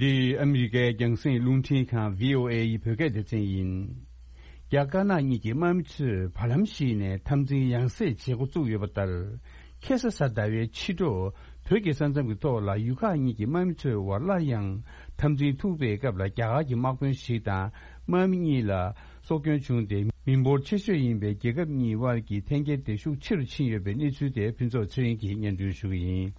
འདི་ཨ་མི་རི་ཀའི་རྒྱང་སྲིང་རླུང་འཕྲིན་ཁང་བྷི་ཨོ་ཨེ་ཡི་བོད་སྐད་སྡེ་ཚན་ཡིན། རྒྱ་དཀར་ནག་གཉིས་ཀྱི་དམག་མི་ཚོས་བར་ལམ་ཞིག་ནས་འཐབ་འཛིང་ཡང་སེ་བྱེད་འགོ་བཙུགས་ཡོད་པ་ལྟར། ཁ་སང་གཟའ་ཟླ་བའི་ཕྱི་དྲོ། བོད་ཀྱི་ས་མཚམས་ཀྱི་ཐོག་ལ་ཡུལ་ཁག་གཉིས་ཀྱི་དམག་མི་ཚོའི་དབར་སླར་ཡང་འཐབ་འཛིང་ཐུག་པའི་སྐབས་ལ། རྒྱ་གར་གྱི་དམག་དཔོན་ཞིག་དང་དམག་མི་གཉིས་ལ་སྲོག་སྐྱོན་བྱུང་སྟེ། མི་འབོར་ཆེ་ཤོས་ཡིན་པའི་རྒྱལ་ཁབ་གཉིས་དབར་གྱི་འཐེན་འཁྱེར་དེ་ཤུགས་ཆེ་རུ་ཕྱིན་ཡོད་པའི་གནས་ཚུལ་དེ་ཕུན་ཚོགས་ཚེ་རིང་གིས་སྙན་སྒྲོན་ཞུ་གི་ཡིན།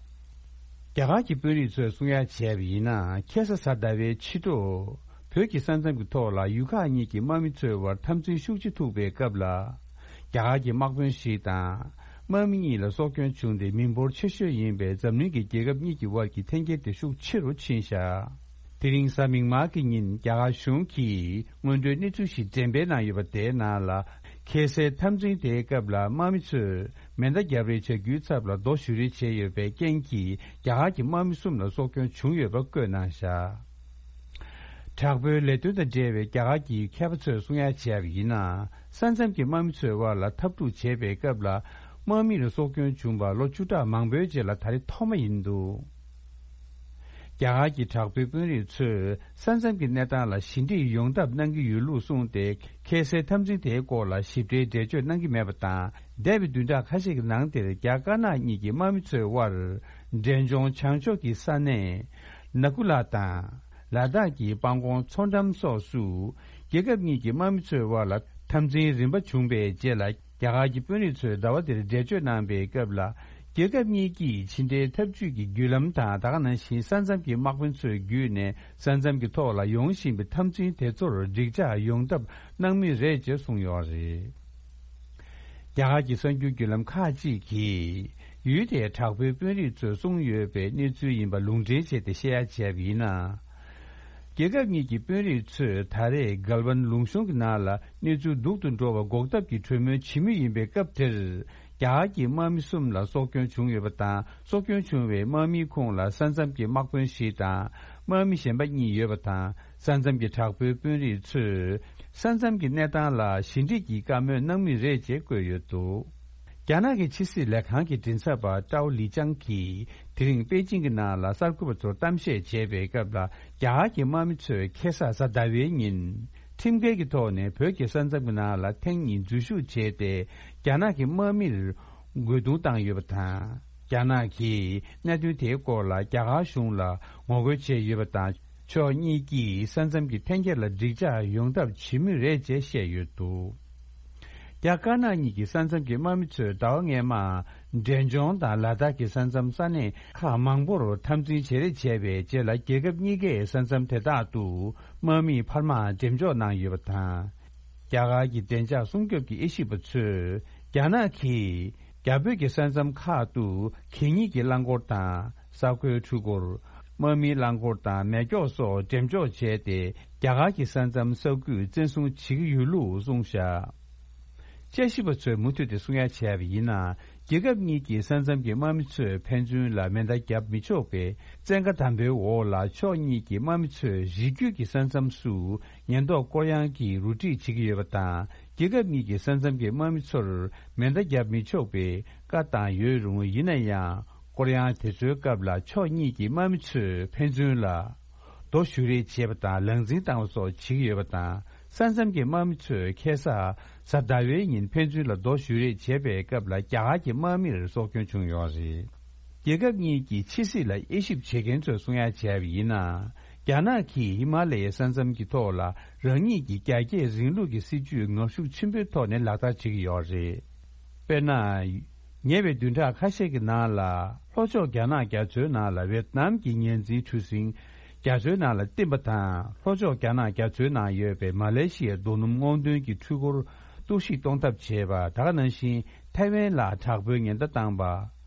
རྒྱ་གར་གྱི་དཔོན་རིགས་ཚོས་གསུང་ཡ་བྱས་པ་ཡིན་ན། ཁ་སང་གཟའ་ཟླ་བའི་ཕྱི་དྲོ། བོད་ཀྱི་ས་མཚམས་ཀྱི་ཐོག་ལ་ཡུལ་ཁག་གཉིས་ཀྱི་དམག་མི་ཚོའི་དབར་འཐབ་འཛིང་ཤུགས་ཆེ་ཐུག་པའི་སྐབས་ལ། རྒྱ་གར་གྱི་དམག་དཔོན་ཞིག་དང་། དམག་མི་གཉིས་ལ་སྲོག་སྐྱོན་བྱུང་སྟེ། མི་འབོར་ཆེ་ཤོས་ཡིན་པའི་འཛམ་གླིང་གི་རྒྱལ་ཁབ་གཉིས་ཀྱི་དབར་གྱི་འཐེན་འཁྱེར་དེ་ཤུགས་ཆེ་རུ་ཕྱིན་བཞག་དེ་རིང་གཟའ་མིག་དམར་གྱི་ཉིན། རྒྱ་གར་གཞུང་གིས་སྔོན་འགྲོའི་གནས་ཚུལ་ཞིག་འགྲེམས་སྤེལ་གནང་ཡོད་པ་དེའི་ནང་ལ། ཁ་སའི་འཐབ་འཛིང་དེའི་སྐབས་ལ་དམག་མི་ཚོས་མེ་མདའ་བརྒྱབ་རེས་བྱ་རྒྱུའི་ཚབ་ལ་རྡོ་གཞུ་རེས་བྱས་ཡོད་པའི་རྐྱེན་གྱིས། རྒྱ་གར་གྱི་དམག་མི་གསུམ་ལ་སྲོག་སྐྱོན་བྱུང་ཡོད་པ་བཀོད་གནང་བཞག་དྲག་པོའི་ལས་དོན་དང་འབྲེལ་བའི་རྒྱ་གར་གྱི་མཁས་པ་ཚོས་གསུང་ཡ་བྱས་པ་ཡིན་ན། ས་མཚམས་ཀྱི་དམག་མི་ཚོའི་དབར་ལ་འཐབ་འཁྲུག་བྱེད་པའི་སྐབས་ལ། དམག་མི་ལ་སྲོག་སྐྱོན་བྱུང་བ་ལོ་བཅུ་ཕྲག་མང་པོའི་རྗེས་ལ་ད་རེས་ཐོག་མ་ཡིན་འདུག་རྒྱ་གར་གྱི་དྲག་པོའི་དཔོན་རིགས་ཚོས་ས་མཚམས་ཀྱི་གནས་སྟངས་ལ་ཞི་འགྲིག་ཡོང་ཐབས་གནང་གི་ཡོད་ལུགས་གསུངས་ཏེ། ཁ་སའི་འཐབ་འཛིང་དེའི་སྐོར་ལ་ཞིབ་ཕྲའི་འགྲེལ་བརྗོད་གནང་གི་མེད་པ་དང་། འདས་པའི་བདུན་ཕྲག་ཁ་ཤས་ཀྱི་ནང་དེར་རྒྱ་དཀར་ནག་གཉིས་ཀྱི་དམག་མི་ཚོའི་དབར་འབྲས་ལྗོངས་བྱང་ཕྱོགས་ཀྱི་ས་གནས་ནཱ་ཀུ་ལ་དང་། ལ་དྭགས་ཀྱི་སྤང་གོང་མཚོ་འགྲམ་སོགས་སུ། རྒྱལ་ཁབ་གཉིས་ཀྱི་དམག་མི་ཚོའི་དབར་ལ་འཐབ་འཛིང་རིམ་པ་བྱུང་བའི་རྗེས་ལ། རྒྱ་གར་གྱི་དཔོན་རིགས་ཚོས་ཟླ་བ་འདིར་འགྲེལ་བརྗོད་གནང་པའི་སྐབས་ལ། རྒྱལ་ཁབ་གཉིས་ཀྱིས་ཕྱི་འབྲེལ་འཐབ་ཇུས་ཀྱི་བརྒྱུད་ལམ་དང་། ད་ག་ནང་བཞིན་ས་མཚམས་ཀྱི་དམག་དཔོན་ཚོའི་བརྒྱུད་ནས་ས་མཚམས་ཀྱི་ཐོག་ལ་ཡོང་བཞིན་པའི་འཐབ་འཛིང་དེ་ཚོར་འགྲིག་འཇགས་ཡོང་ཐབས་གནང་མུས་རེད་ཅེས་གསུངས་ཡོད་རེད། རྒྱ་གར་གྱི་གསར་འགྱུར་བརྒྱུད་ལམ་ཁག་ཅིག་གིས། ཡུལ་དེའི་དྲག་པོའི་དཔོན་རིགས་ཚོས་གསུངས་ཡོད་པའི་གནས་ཚུལ་ཡིན་པ་ལུང་འདྲེན་བྱས་ཏེ་བཤད་ཡ་བྱས་པ་ཡིན་ན། རྒྱལ་ཁབ་གཉིས་ཀྱི་དཔོན་རིགས་ཚོས་ད་རེས་གལ་ཝན་ལུང་གཤོང་གི་ནང་ལ་གནས་ཚུལ་སྡུག་ཏུ་འགྲོ་བ་འགོག་ཐབས་ཀྱི་གྲོས་མོལ་བྱེད་མུས་ཡིན་པའི་སྐབས་དེར། རྒྱ་གར་གྱི་དམག་མི་གསུམ་ལ་སྲོག་སྐྱོན་བྱུང་ཡོད་པ་དང་། སྲོག་སྐྱོན་བྱུང་བའི་དམག་མིའི་ཁོངས་ལ་ས་མཚམས་ཀྱི་དམག་དཔོན་ཞིག་དང་། དམག་མི་གཞན་པ་གཉིས་ཡོད་པ་དང་། ས་མཚམས་ཀྱི་དྲག་པོའི་དཔོན་རིགས་ཚོས། ས་མཚམས་ཀྱི་གནས་སྟངས་ལ་ཞི་འགྲིག་གི་བཀའ་མོལ་གནང་མུས་རེད་ཅེས་བཀོད་ཡོད་འདུག་རྒྱ་ནག་གི་ཕྱི་སྲིད་ལས་ཁང་གི་མགྲིན་ཚབ་པ་ཀྲའོ་ལི་ཅང་གིས། དེ་རིང་པེ་ཅིང་གི་ནང་ལ་གསར་འགོད་པ་ཚོར་གཏམ་བཤད་བྱས་པའི་སྐབས་ལ། རྒྱ་གར་གྱི་དམག་མི་ཚོས་ཁ་སང་གཟའ་ཟླ་བའི་ཉིན། ཁྲིམས་འགལ་གྱི་ཐོག་ནས་བོད་ཀྱི་ས་མཚམས་ཀྱི་ནང་ལ་ཐེངས་གཉིས་འཛུལ་ཞུགས་བྱས་ཏེ། རྒྱ་ནག་གི་དམག་མིར་རྒོལ་རྡུང་བཏང་ཡོད་པ་དང་། རྒྱ་ནག་གིས་གནད་དོན་དེའི་སྐོར་ལ་རྒྱ་གར་གཞུང་ལ་ངོ་རྒོལ་བྱས་ཡོད་པ་དང་། ཕྱོགས་གཉིས་ཀྱིས་ས་མཚམས་ཀྱི་འཐེན་འཁྱེར་ལ་འགྲིག་འཇགས་ཡོང་ཐབས་བྱེད་མུས་རེད་ཅེས་བཤད་ཡོད་འདུག་རྒྱ་དཀར་ནག་གཉིས་ཀྱི་ས་མཚམས་ཀྱི་དམག་མི་ཚོས་ཟླ་བ་སྔོན་མ་ འབྲས་ལྗོངས་དང་ལ་དྭགས་ཀྱི་ས་མཚམས་ས་གནས་ཁག་མང་པོར་འཐབ་འཛིང་བྱེད་རེས་བྱས་པའི་རྗེས་ལ། རྒྱལ་ཁབ་གཉིས་ཀས་ས་མཚམས་དེ་དག་ཏུ་དམག་མིས་འཕར་མ་འགྲེམས་འཇོག་གནང་ཡོད་པ་དང་། རྒྱ་གར་གྱི་བདེ་འཇགས་སྲུང་སྐྱོབ་ཀྱི་དབྱེ་ཞིབ་པ་ཚོས། རྒྱ་ནག་གིས་རྒྱ་བོད་ཀྱི་ས་མཚམས་ཁག་ཏུ་གད་སྙིགས་ཀྱི་རླངས་འཁོར་དང་ས་མགོའི་འཕྲུལ་འཁོར། དམག་མིའི་རླངས་འཁོར་དང་མེ་སྒྱོགས་སོགས་འགྲེམས་འཇོག་བྱས་ཏེ། རྒྱ་གར་གྱི་ས་མཚམས་ས་ཁུལ་བཙན་བཟུང་བྱེད་ཀྱི་ཡོད་ལུགས་གསུངས་བཞག་དཔྱད་ཞིབ་པ་ཚོས་མུ་མཐུད་དེ་གསུང་ཡ་བྱས་པ་ཡིན་ན། རྒྱལ་ཁབ་གཉིས་ཀྱི་ས་མཚམས་ཀྱི་དམག་མི་ཚོས་ཕན་ཚུན་ལ་མེ་མདའ་བརྒྱབ་མི་ཆོག་པའི་བཙན་བཀའ་དམ་པོའི་འོག་ལ། ཕྱོགས་གཉིས་ཀྱི་དམག་མི་ཚོས་རི་རྒྱུད་ཀྱི་ས་མཚམས་སུ་ཉེན་རྟོག་སྐོར་གཡང་གིས་རུ་སྒྲིག་བྱེད་ཀྱི་ཡོད་པ་དང་། རྒྱལ་ཁབ་གཉིས་ཀྱི་ས་མཚམས་ཀྱི་དམག་མི་ཚོར་མེ་མདའ་བརྒྱབ་མི་ཆོག་པའི་བཀའ་བཏང་ཡོད་རུང་། ཡིན་ན་ཡང་། སྐོར་གཡང་དེ་ཚོའི་སྐབས་ལ་ཕྱོགས་གཉིས་ཀྱི་དམག་མི་ཚོས་ཕན་ཚུན་ལ། རྡོ་གཞུ་རེས་བྱེད་པ་དང་། ལག་འཛིང་བཏང་བ་སོགས་བྱེད་ཀྱི་ཡོད་པ་དང་། ས་མཚམས་ཀྱི་དམག་མི་ཚོས་ཁ་སང་གཟའ་ཟླ་བའི་ཉིན་ཕན་ཚུན་ལ་རྡོ་གཞུ་རེས་བྱེད་པའི་སྐབས་ལ། རྒྱ་གར་གྱི་དམག་མིར་སྲོག་སྐྱོན་བྱུང་ཡོད་རེད། རྒྱལ་ཁབ་གཉིས་ཀྱི་ཕྱི་སྲིད་ལ་དབྱེ་ཞིབ་བྱེད་མཁན་ཚོས་གསུང་ཡ་བྱས་པ་ཡིན་ན། རྒྱ་ནག་གིས་ཧི་མ་ལ་ཡའི་ས་མཚམས་ཀྱི་ཐོག་ལ་རང་ཉིད་ཀྱི་རྒྱ་སྐྱེད་རིང་ལུགས་ཀྱི་སྲིད་ཇུས་ངར་ཤུགས་ཆེན་པོའི་ཐོག་ནས་ལག་བསྟར་བྱེད་ཀྱི་ཡོད་རེད། དཔེར་ན། ཉེ་བའི་བདུན་ཕྲག་ཁ་ཤས་ཀྱི་ནང་ལ། ལྷོ་ཕྱོགས་རྒྱ་ནག་རྒྱ་མཚོའི་ནང་ལ་ཝེ་ཏི་ནམ་གྱི་ཉ་འཛིན་གྲུ་གཟིངས་རྒྱ་མཚོའི་ནང་ལ་བཏིང་པ་དང་། ལྷོ་ཕྱོགས་རྒྱ་ནག་རྒྱ་མཚོའི་ནང་ཡོད་པའི་མ་ལེ་ཤི་ཡའི་རྡོ་སྣུམ་སྔོག་འདོན་གྱི་འཕྲུལ་འཁོར་གཏོར་བཤིག་གཏོང་ཐབས་བྱས་པ། ད་ག་ནང་བཞིན་ཐའེ་ཝན་ལ་དྲག་པོའི་ཉེན་བརྡ་བཏང་པ།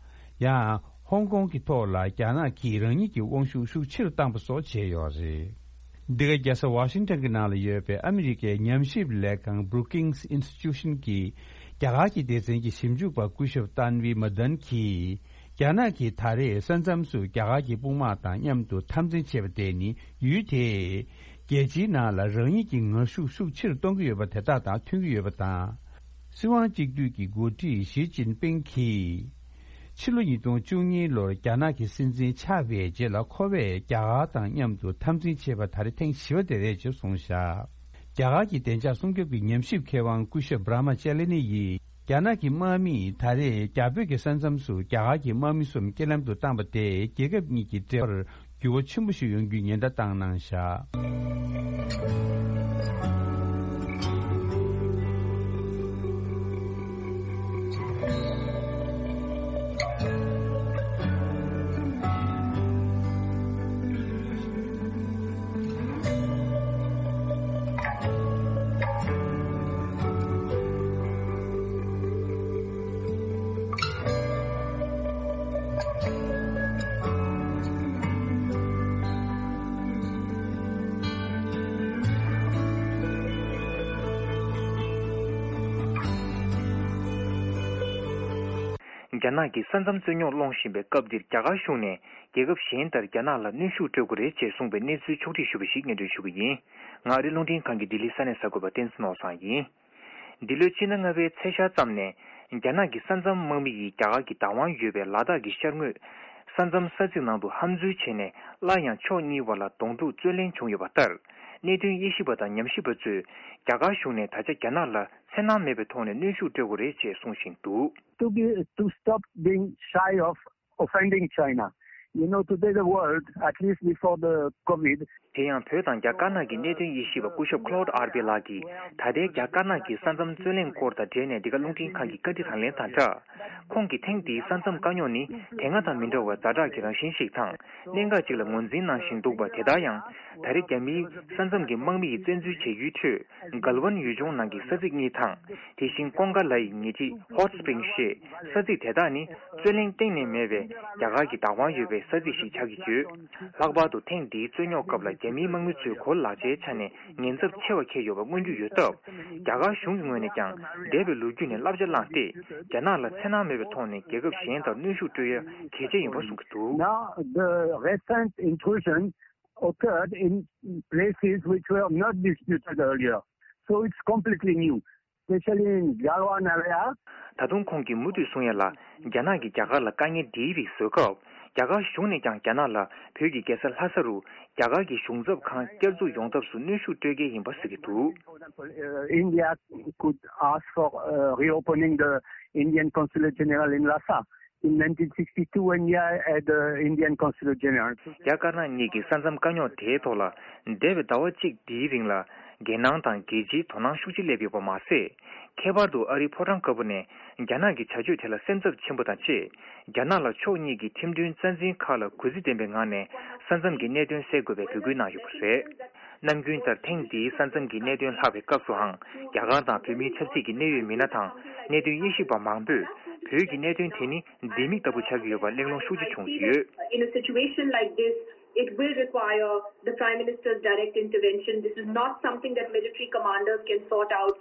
ཡང་། ཧོང་ཀོང་གི་ཐོག་ལ་རྒྱ་ནག་གིས་རང་ཉིད་ཀྱི་དབང་ཤུགས་ཤུགས་ཆེ་རུ་བཏང་པ་སོགས་བྱས་ཡོད་རེད། འདི་ག་རྒྱལ་ས་ཝ་ཤིང་ཊོན་གྱི་ནང་ལ་ཡོད་པའི་ཨ་མི་རི་ཀའི་ཉམས་ཞིབ་ལས་ཁང་Brookings Institution གྱི་རྒྱ་གར་གྱི་སྡེ་ཚན་གྱི་ཞིབ་འཇུག་པ་སྐུ་ཞབས་ཏན་ཝི་མ་དན་གྱིས། རྒྱ་ནག་གིས་ད་རེས་ས་མཚམས་སུ་རྒྱ་གར་གྱི་དཔུང་དམག་དང་མཉམ་དུ་འཐབ་འཛིང་བྱས་པ་དེ་ནི། ཡུལ་དེས་རྒྱལ་སྤྱིའི་ནང་ལ་རང་ཉིད་ཀྱི་ངར་ཤུགས་ཤུགས་ཆེ་རུ་གཏོང་གི་ཡོད་པ་དེ་དག་དང་མཐུན་གྱི་ཡོད་པ་དང་། སྲིད་དབང་གཅིག་སྡུད་ཀྱི་འགོ་ཁྲིད་ཞི་ཅིན་ཕིང་གིས། ཕྱི་ལོ་ཉིས་སྟོང་བཅུ་གཉིས་ལོར་རྒྱ་ནག་གི་སྲིད་འཛིན་ཆགས་པའི་རྗེས་ལ། ཁོ་བས་རྒྱ་གར་དང་མཉམ་དུ་འཐབ་འཛིང་བྱས་པ་ད་རེས་ཐེངས་བཞི་པ་དེ་རེད་ཅེས་གསུངས་བཞག་རྒྱ་གར་གྱི་བདེ་འཇགས་སྲུང་སྐྱོབ་ཀྱི་ཉམས་ཞིབ་མཁས་དབང་སྐུ་ཞབས་བྷ་ར་མ་ཅ་ལི་ནི་ཡིས། རྒྱ་ནག་གི་དམག་མིས་ད་རེས་རྒྱ་བོད་ཀྱི་ས་མཚམས་སུ་རྒྱ་གར་གྱི་དམག་མི་གསུམ་རྐྱེན་ལམ་དུ་བཏང་པ་དེས། རྒྱལ་ཁབ་གཉིས་ཀྱི་འབྲེལ་བར་འགྱུར་བ་ཆེན་པོ་ཞིག་ཡོང་རྒྱུའི་ཉེན་བརྡ་བཏང་གནང་བཞག་རྒྱ་ནག་གིས་ས་མཚམས་རྩོད་རྙོག་སློང་བཞིན་པའི་སྐབས་འདིར། རྒྱ་གར་གཞུང་ནས་རྒྱལ་ཁབ་གཞན་ལྟར་རྒྱ་ནག་ལ་གནོན་ཤུགས་སྤྲོད་དགོས་རེད་ཅེས་གསུངས་པའི་གནས་ཚུལ་ཕྱོགས་བསྒྲིགས་ཞུས་པ་ཞིག་སྙན་སྒྲོན་ཞུ་གི་ཡིན། ང་ཨ་རིའི་རླུང་འཕྲིན་ཁང་གི་ལྡི་ལི་ས་གནས་གསར་འགོད་པ་བསྟན་འཛིན་ནོར་བཟང་ཡིན། འདི་ལོའི་སྤྱི་ཟླ་ལྔ་པའི་ཚེས་ཤར་ཙམ་ནས། རྒྱ་ནག་གི་ས་མཚམས་དམག་མི་ཡིས་རྒྱ་གར་གྱི་བདག་དབང་ཡོད་པའི་ལ་དྭགས་ཀྱི་ཤར་ངོས་ས་མཚམས་ས་ཚིགས་ནང་དུ་ཧམ་འཛུལ་བྱས་ནས། སླར་ཡང་ཕྱོགས་གཉིས་བར་ལ་གདོང་ཐུག་རྩོད་གླེང་བྱུང་ཡོད་པ་ལྟར། གནད་དོན་དབྱེ་ཞིབ་པ་དང་ཉམས་ཞིབ་པ་ཚོས། རྒྱ་གར་གཞུང་ནས་ད་ཆ་རྒྱ་ནག་ལ་འཚེར་སྣང་མེད་པའི་ཐོག་ནས་གནོན་ཤུགས་སྤྲོད་དགོས་རེད་ཅེས་གསུང་བཞིན་འདུག to be, to stop being shy of offending China. You know, today the world, at least before the COVID, དེ་ཡང་བོད་དང་རྒྱ་དཀར་ནག་གི་གནད་དོན་དབྱེ་ཞིབ་པ་སྐུ་ཞབས་Claude Arpi ལགས་ཀྱིས། ད་ལྟའི་རྒྱ་དཀར་ནག་གི་ས་མཚམས་རྩོད་གླེང་སྐོར་དང་འབྲེལ་ནས། འདི་ག་རླུང་འཕྲིན་ཁང་གི་བཀའ་འདྲི་དང་ལེན་དང་སྦྲགས། ཁོང་གིས་ཐེངས་འདིའི་ས་མཚམས་དཀའ་རྙོག་ནི། དེ་སྔ་དང་མི་འདྲ་བར་ཛ་དྲག་གི་རང་བཞིན་ཞིག་དང་། གནད་འགག་ཅིག་ལ་ངོས་འཛིན་གནང་བཞིན་འདུག་པ། དེ་ལྟར་ཡང་། ད་རེས་རྒྱ་མིའི་ས་མཚམས་ཀྱི་དམག་མི་ཡི་བཙན་འཛུལ་བྱེད་ཡུལ་ཁྲོད། གལ་ཝན་ཡུལ་ལྗོངས་ནང་གི་ས་ཚིགས་གཉིས་དང་། དེ་བཞིན་ཀོང་ཀ་ལའི་ཉེ་འཁྲིས་Hot Spring ཞེས་ས་ཚིགས་དེ་དག་ནི། རྩོད་གླེང་གཏན་ནས་མེད་པའི་རྒྱ་གར་གྱི་བདག་དབང་ཡོད་པའི་ས་ཚིགས་ཤིག་ཆགས་ཀྱི་ཡོད། ལྷག་པར་དུ་ཐེངས་འདིའི་རྩོད་རྙོག་སྐབས་ལ་རྒྱ་མིའི་དམག་མི་ཚོའི་གོ་ལག་ཆའི་ཆ་ནས་ཉེན་ཚབས་ཆེ་བ་འཁྱེར་ཡོད་པ་མངོན་རྒྱུ་ཡོད་སྟབས། རྒྱ་གར་གཞུང་གི་ངོས་ནས་ཀྱང་། འདས་པའི་ལོ་རྒྱུས་ནས་བསླབ་བྱ་བླངས་ཏེ། རྒྱ་ནག་ལ་འཚེར་སྣང་མེད་པའི་ཐོག་ནས་རྒྱལ་ཁབ་གཞན་དག་གནོན་ཤུགས་སྤྲོད་ཡ་གལ་ཆེ་ཡིན་པ་གསུང་གི་འདུག Now, the recent intrusion occurred in places which were not disputed earlier. So it's completely new, especially in Galwan area. ད་དུང་ཁོང་གིས་མུ་མཐུད་གསུང་ཡ་ལ། རྒྱ་ནག་གིས་རྒྱ་གར་ལ་དཀའ་ངལ་འདིའི་རིགས་བཟོས་སྐབས། རྒྱ་གར་གཞུང་ནས་ཀྱང་རྒྱ་ནག་ལ་བོད་ཀྱི་རྒྱལ་ས་ལྷ་ས་རུ་རྒྱ་གར་གྱི་གཞུང་ཚབ་ཁང་བསྐྱར་འཛུགས་ཡོང་ཐབས་སུ་གནོན་ཤུགས་སྤྲོད་གལ་ཡིན་པ་ཟེར་གྱི་འདུག For example, uh, India could ask for uh, reopening the Indian Consulate General in Lhasa. In nineteen sixty-two, India had the Indian Consulate General. རྒྱ་དཀར་ནག་གཉིས་ཀྱི་ས་མཚམས་དཀའ་རྙོག་དེའི་ཐོག་ལ། འདས་པའི་ཟླ་བ་གཅིག་འདིའི་རིང་ལ། འགན་ནང་དང་རྒྱལ་སྤྱིའི་དོ་སྣང་ཤུགས་ཆེ་སླེབས་ཡོད་པ་མ་ཟད། ཁྱད་པར་དུ་ཨ་རིའི་ཕོ་བྲང་དཀར་པོ་ནས་རྒྱ་ནག་གི་བྱ་སྤྱོད་དེ་ལ་སེམས་འཚབ་ཆེན་པོ་དང་བཅས། རྒྱ་ནག་ལ་ཕྱོགས་གཉིས་ཀྱི་ཁྲིམས་མཐུན་རྩ་འཛིན་ཁག་ལ་གུས་བརྩི་ལྡན་པའི་ངང་ནས་ས་མཚམས་ཀྱི་གནད་དོན་སེལ་དགོས་པའི་འབོད་སྐུལ་གནང་ཡོད་པ་རེད། ནམ་རྒྱུན་ལྟར་ཐེངས་འདིའི་ས་མཚམས་ཀྱི་གནད་དོན་ལྷག་པའི་སྐབས་སུའང་རྒྱ་གར་དང་བོད་མིའི་ཆབ་སྲིད་ཀྱི་གནད་ཡོད་མི་སྣ་དང་གནད་དོན་དབྱེ་ཞིབ་པ་མང་པོས་བོད་ཀྱི་གནད་དོན་དེ་ནི་ལྡེ་མིག་ལྟ་བུ་ཆགས་ཀྱི་ཡོད་པ་གླེང་སློང་ཤུགས་ཆེ་བྱུང་ཡོད། In a situation like this, it will require the Prime Minister's direct intervention. This is not something that military commanders can sort out.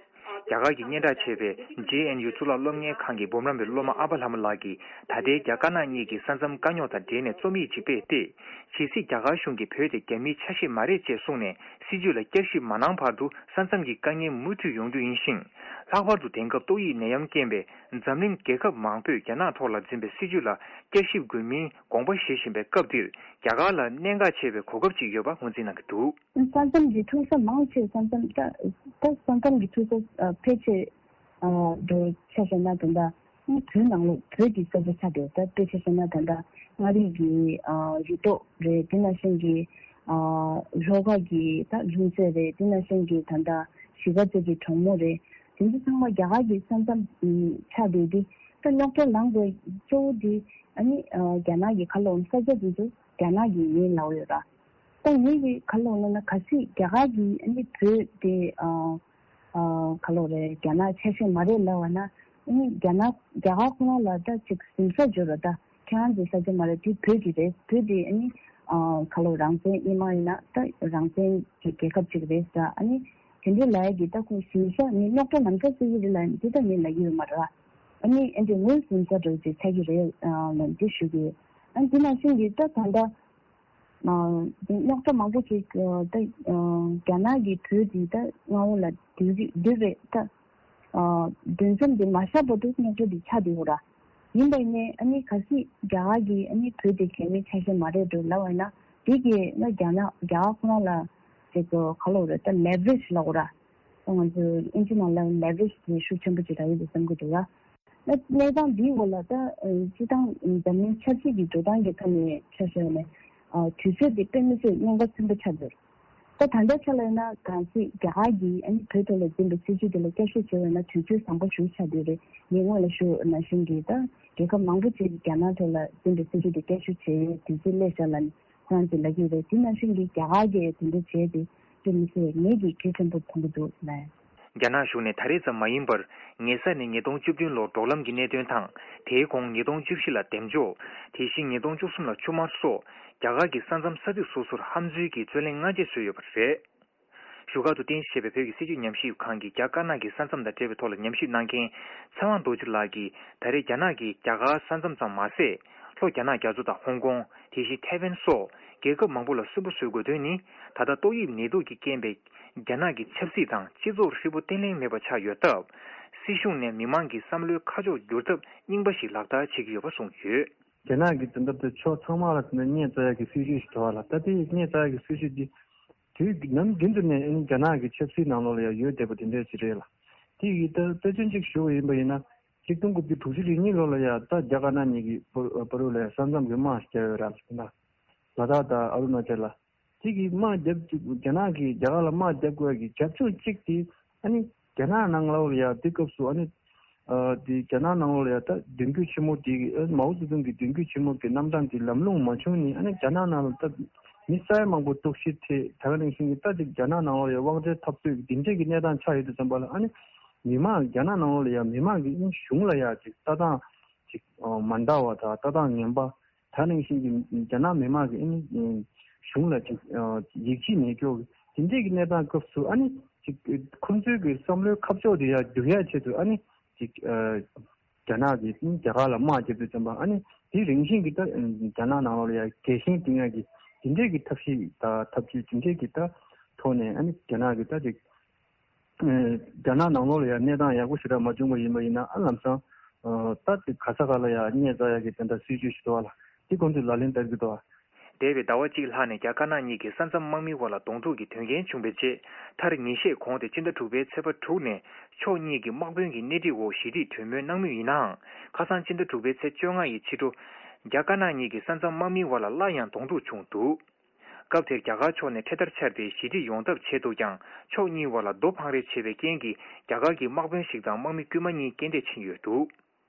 རྒྱ་གར་གྱི་སྙན་གྲགས་ཆེ་བའི་ཇེ་ཨེན་ཡུ་གཙུག་ལག་སློབ་གཉེར་ཁང་གི་འབུམ་རམས་པའི་སློབ་མ་ཨ་ཕ་ལྷ་མོ་ལགས་ཀྱིས་ད་ལྟའི་རྒྱ་དཀར་ནག་གཉིས་ཀྱི་ས་མཚམས་དཀའ་རྙོག་དང་འབྲེལ་ནས་རྩོམ་ཡིག་ཅིག་སྤེལ་ཏེ། ཇི་སྲིད་རྒྱ་གར་གཞུང་གིས་བོད་དེ་རྒྱ་མིའི་ཆ་ཤས་མ་རེད་ཅེས་གསུངས་ནས་སྲིད་ཇུས་ལ་བསྐྱར་ཞིབ་མ་གནང་བར་དུ་ས་མཚམས་ཀྱི་དཀའ་ངལ་མུ་མཐུད་ཡོང་རྒྱུ་ཡིན་ཞིང་། ལྷག་པར་དུ་དེང་སྐབས་ཏོག་དབྱིབས་ནད་ཡམས་རྐྱེན་པས་འཛམ་གླིང་རྒྱལ་ཁབ་མང་པོས་རྒྱ་ནག་ཐོག་ལ་འཛིན་པའི་སྲིད་ཇུས་ལ་བསྐྱར་ཞིབ་དགོས་མིན་དགོངས་པ་བཞེས་བཞིན་པའི་སྐབས་འདིར་རྒྱ་གར་ལ་གནད་འགག་ཆེ་བའི་གོ་སྐབས་ཅིག་ཡོད་པ་ངོས་འཛིན་གནང་གི་འདུག། ས་མཚམས་ཀྱི་འཁྲུག་ས་མང་ཆེ་ས་མཚམས་ད་ད་ས་མཚམས་ཀྱི་འཁྲུག་ས་ཕལ་ཆེར་འགྲོ་ཆ་བཞག་ན་ད་ལྟ་བོད་ནང་ལོགས་བོད་ཀྱི་ས་ཆ་ཆགས་འདུག་ད་དཔེ་ཆ་བཞག་ན་ད་ལྟ་མངའ་རིས་ཀྱི་རི་ཐོག་རེད། དེ་ནང་བཞིན་གྱི་ལྷོ་ཁ་གི་ད་ལྷུན་རྩེ་རེད། དེ་ནང་བཞིན་གྱི་ད་ལྟ་གཞིས་ཀ་རྩེ་གི་གྲོང་མོ་རེད། དེ་ཚོ་ཚང་མ་རྒྱ་གར་གྱི་ས་མཚམས་ཆགས་འདུག་དེ་ད་རྙོག་དྲ་ལངས་དགོས་གཙོ་བོ་དེ་ཨ་ནི་རྒྱ་ནག་གི་ཁ་ལོ་ས་ཆ་དེ་ཚོ་རྒྱ་ནག་གི་ཡིན་ལབ་ཡོད་ར། ད་ངེད་ཀྱི་ཁ་ལོ་ལ་ན་གལ་སྲིད་རྒྱ་གར་གྱིས་ཨ་ནི་བོད་དེ་ཨ་ཨ་ཁ་ལོ་རེད་རྒྱ་ནག་ཆ་ཤས་མ་རེད་ལབ་པ་ན་ཨ་ནི་རྒྱ་ནག་རྒྱ་གར་ཁོ་རང་ལ་ད་ཅིག་ཟིང་ས་འཇོག་ར། ད་ཁྱེད་རང་ཚོའི་ས་ཆ་མ་རེད། དེ་བོད་ཀྱི་རེད། བོད་དེ་ཨ་ནི་ཨ་ཁ་ལོ་རང་བཙན་ཨིན་མ་ཡིན་ན་ད་རང་བཙན་གྱི་རྒྱལ་ཁབ་ཅིག་རེད་ཟེར། ཨ་ནི་དེ་འདྲའི་ལབ་ཡ་གི་ད་ཁོ་ཟིང་ས་ནི་རྙོག་དྲ་ལམ་ཁ་བཟོ་གི་རེད་ལབ་ནི་དེ་ད་ངས་ལབ་ཀྱི་ཡོད་མ་རེད། ཨ་ནི་ཨ་འདྲའི་ངོས་ཟིང་ས་འདྲ་ཅིག་ཆགས་ཀྱི་རེད་ལབ་འདི་ཞུ་གི་ཡོད། ཨ་ནི་དེ་ནང་བཞིན་གྱི་ད་ད་ལྟ། རྙོག་དྲ་མང་པོ་ཅིག་ད་རྒྱ་ནག་གིས་བོད་འདི་ད་མངའ་འོག་ལ་བསྡུས་རེད་བསྡུས་རེད་ད། འདུ་འཛོམས་འདི་མ་བཞག་བར་དུ་རྙོག་དྲ་འདི་ཆགས་བསྡད་ཡོད་ར། ཡིན་པ་ཡིན་ནའི་ཨ་ནི་གལ་སྲིད་རྒྱ་གར་གྱིས་ཨ་ནི་བོད་འདི་རྒྱ་མིའི་ཆ་ཤས་མ་རེད་འགྲོ་ལབ་པ་ཡིན་ན་དེ་གིས་ན་རྒྱ་ནག་རྒྱ་གར་ཁོ་རང་ལ་ཅིག་ག་ལབ་དགོས་རེད་ད་leverage་ལབ་དགོས་ར། ད་ང་ཚོས་ཨིན་ཇི་ནང་ལ་leverage་དེ་ཤུགས་ཆེན་པོ་ཅིག་རག་གི་འདུག་བསམ་གྱི་འདུག་ར། གནས་སྟངས་འདིའི་འོག་ལ་ད་སྤྱི་བཏང་འཛམ་གླིང་ཆབ་སྲིད་ཀྱི་འགྲོ་སྟངས་ཀྱི་ཐོག་ནས་ཆ་བཞག་ནས་དུས་ཚོད་འདི་དཔེ་མི་སྲིད་ཉེན་ཁ་ཆེན་པོ་ཆགས་འདུག་ད་ད་ལྟའི་ཆ་ལ་ཡིན་ན་གལ་སྲིད་རྒྱ་གར་གྱིས་ཨ་ནི་བོད་ཐོག་ལ་འཛིན་པའི་སྲིད་ཇུས་དེ་ལ་བསྐྱར་ཞིབ་བྱས་པ་ཡིན་ན་དུས་ཚོད་བཟང་པོ་ཞིག་ཆགས་བསྡད་རེད། ངས་སྔོན་ལ་ཞུས་པ་ནང་བཞིན་གྱི་ད་རྒྱལ་ཁབ་མང་པོ་ཅིག་གིས་རྒྱ་ནག་ཐོག་ལ་འཛིན་པའི་སྲིད་ཇུས་དེ་བསྐྱར་ཞིབ་བྱས་ཡོད། དུས་ཚོད་སླེབས་ཤག་ལབ་ནས་ཁོ་རང་ཚོས་ལབ་ཀྱི་ཡོད་རེད། དེ་ནང་བཞིན་གྱི་རྒྱ་གར་གྱིས་དེ་འདྲ་བྱས་ཏེ་དཔེ་མི་སྲིད་ངེད་ཀྱིས་གལ་ཆེན་པོ་མཐོང་གི་འདུག་ལབ། རྒྱ་ནག་གཞུང་ནས་ད་རེས་ཙམ་མ་ཡིན་པར་ཉེ་ས་ནས་ཉིས་སྟོང་བཅུ་བདུན་ལོར་འབྲོག་ལམ་གྱི་གནད་དོན་དང་དེའི་གོང་ཉིས་སྟོང་བཅུ་བཞི་ལ་འདེམས་འཇོག་དེ་བཞིན་ཉིས་སྟོང་བཅུ་གསུམ་ལ་ཆུ་དམར་སོགས་རྒྱ་གར་གྱི་ས་མཚམས་ས་ཚིགས་སོ་སོར་ཧམ་འཛུལ་གྱིས་རྩོད་གླེང་སྔ་རྗེས་བཟོས་ཡོད་པ་རེད། བཞུགས་སྒར་དུ་རྟེན་གཞི་བྱས་པའི་བོད་ཀྱི་སྲིད་བྱུས་ཉམས་ཞིབ་ཁང་གི་རྒྱ་དཀར་ནག་གི་ས་མཚམས་དང་འབྲེལ་བའི་ཐོག་ལ་ཉམས་ཞིབ་གནང་མཁན་ཚེ་དབང་རྡོ་རྗེ་ལགས་ཀྱིས་ད་རེས་རྒྱ་ནག་གིས་རྒྱ་གར་ས་མཚམས་ཙམ་མ་ཟད། ལྷོ་རྒྱ་ནག་རྒྱ་མཚོ་དང་ཧོང་ཀོང་། དེ་བཞིན་ཐའེ་ཝན་སོགས་རྒྱལ་ཁབ་མང་པོ་ལ་སུན་པོ་བཟོ་དགོས་དོན་ནི། ད་ལྟ་ཏོག་དབྱིབས་ནད་དུག་གི་རྐྱེན་པས་རྒྱ་ནག་གི་ཆབ་སྲིད་དང་སྤྱི་ཚོགས་ཧྲིལ་པོ་བརྟན་ལྷིང་མེད་པ་ཆགས་ཡོད་སྟབས། སྲིད་གཞུང་ནས་མི་མང་གི་བསམ་བློའི་ཁ་ཕྱོགས་བསྒྱུར་ཐབས་རྙིང་པ་ཞིག་ལག་བསྟར་བྱེད་ཀྱི་ཡོད་པ་གསུངས་ཡོད། རྒྱ་ནག་གིས་དེ་འདྲ་དེ་ཕྱོགས་ཚང་མ་ལ་དེ་འདྲ་བརྙས་བཅོས་ཡག་གི་སྲིད་ཇུས་ཤིག་འདུག་བ་ལ། ད་དེ་བརྙས་བཅོས་ཡག་གི་སྲིད་ཇུས་འདི་དུས་ནམ་རྒྱུན་དུ་ནས་ཨ་ནི་རྒྱ་ནག་གི་ཆབ་སྲིད་ནང་ལོགས་ལ་ཡང་ཡོད་བསྡད་པ་དེ་འདྲ་ཞིག་རེད་ལ། དེ་ཡི་ད་དཔེ་མཚོན་གཅིག་ཞུ་བ་ཡིན་པ་ཡིན་ན། གཅིག་སྟོང་དགུ་བརྒྱ་དྲུག་ཅུ་རེ་གཉིས་ལོ་ལ་ཡང་ད་རྒྱ་དཀར་ནག་གཉིས་ཀྱི་བར་བར་ལ་ཡང་ས་མཚམས་ཀྱི་དམག་ཞིག་བརྒྱབ་ཡོད་ར་ལ། ད་ལ་དྭགས་དང་ཨ་རུ་ན་ཅལ་ལ། དེ་གི་དམག་རྒྱབ་རྒྱ་ནག་གིས་རྒྱ་གར་ལ་དམག་རྒྱབ་དགོས་ཀྱི་རྒྱབ་ལྗོངས་གཅིག་དེ་ཨ་ནི་རྒྱ་ནག་ནང་ལོགས་ལ་ཡང་དེ་སྐབས་སུ་ཨ་ནི། ཨ་དེ་རྒྱ་ནག་ནང་ལོགས་ལ་ཡང་ད་མདུན་སྐྱོད་ཆེན་མོ་དེ་ཨ་མའོ་ཙེ་ཏུང་གི་མདུན་སྐྱོད་ཆེན་མོ་གི་རྣམ་གྲངས་དེ་ལམ་ལྷོང་མ་བྱུང་ནས་ཨ་ནི་རྒྱ་ནག་ནང་ལ་ད་མི་ས་ཡ་མང་པོ་ལྟོགས་ཤི་ཐེབས། ད་ག་ནང་བཞིན་གྱི་ད་དེ་རྒྱ་ནག་ནང་ལོགས་ལ་ཡང་དབང་ཆ་འཐབ་རྩོད་ཀྱི་དེ་འདྲས་ཀྱི་གནས་སྟངས་ཆགས་ཡོད་དུས་ཙམ་པ་ལ་ཨ་ནི་མི་མང་རྒྱ་ནག་ནང་ལོགས་ལ་ཡང་མི་མང་གི་ཨ་ནི་གཞུང་ལ་ཡང་ཅིག་ལྟ་སྟངས་ཅིག་མ་འདྲ་བ་དང་ལྟ་སྟངས་ངན་པ། ད་ནང་བཞིན་གྱི་རྒྱ་ནག་མི་མང་གི་ཨ་ནི་གཞུང་ལ་ཅིག་ཡིད་ཆེས་མེད་སྐྱོ་གི་དེ་འདྲས་ཀྱི་གནས་སྟངས་སྐབས་སུ་ཨ་ནི་ཅིག་ཁོང་ཚོའི་གི་བསམ་བློའི་ཁ་ཕྱོགས་དེ་ཡང་བསྒྱུར་ཡ་ཆེད་དུ་ཨ་ནི་ཅིག་རྒྱ་ནག་གིས་རྒྱ་གར་ལ་དམག་བརྒྱབ་དུས་ཙམ་པ་ཨ་ནི་དེ་རིང་བཞིན་གྱི་ད་རྒྱ་ནག་ནང་ལོགས་ལ་ཡང་རྒྱལ་ཞེན་བསྟན་ཡ་གི་དེ་འདྲས་ཀྱི་ཐབས་ཤེས་དང་ཐབས་ཇུས་དེ་འདྲས་ཀྱི་ད་ཐོག་ནས་ཨ་ནི་རྒྱ་ནག་གི་ད་ཅིག་རྒྱ་ནག་ནང་ལོགས་ལ་ཡང་གནས་སྟངས་ཡག་པོ་ཞེ་དྲག་མ་བྱུང་བ་ཡིན་པ་ཡིན་ན་ཨ་ལམ་སང་ད་དེ་ག་ས་ག་ལ་ཡང་བརྙས་བཅོས་ཡག་གི་དེ་འདྲ་སྲིད་ཇུས་ཤིག་འདུག་བ་ལ་དེ་ཁོང་ཚོས་ལག་ལེན་བསྟར་གྱི་འདུག་བ། འདས་པའི་ཟླ་བ་གཅིག་ལྷག་ནས་རྒྱ་དཀར་ནག་གཉིས་ཀྱི་ས་མཚམས་དམག་མིའི་དབར་ལ་གདོང་ཐུག་གི་དོན་རྐྱེན་བྱུང་བའི་རྗེས་མཐར་ཉིན་ཤས་གོང་སྟེ་སྤྱི་ཟླ་དྲུག་པའི་ཚེས་པ་དྲུག་ནས་ཕྱོགས་གཉིས་ཀྱི་དམག་དཔོན་གྱི་སྣེ་ཁྲིད་འོག་ཞི་བདེའི་གྲོས་མོལ་གནང་མུས་ཡིན་ནའང་ཁ་སང་སྤྱི་ཟླ་དྲུག་པའི་ཚེས་བཅོ་ལྔ་ཡི་ཕྱི་དྲོ་རྒྱ་དཀར་ནག་གཉིས་ཀྱི་ས་མཚམས་དམག་མིའི་དབར་ལ་སླར་ཡང་གདོང་ཐུག་བྱུང་འདུག་སྐབས་དེར་རྒྱ་གར་ཕྱོགས་ནས་འཕྲེད་དར་འཕྱར་ཏེ་ཞི་འགྲིག་ཡོང་ཐབས་བྱས་འདུག་ཀྱང་། ཕྱོགས་གཉིས་བར་ལ་རྡོ་འཕང་རེས་བྱས་པའི་རྐྱེན་གྱིས། རྒྱ་གར་གྱི་དམག་དཔོན་ཞིག་དང་དམག་མི་དཀྱུས་མ་གཉིས་རྐྱེན་འདས་ཕྱིན་ཡོད་འདུག་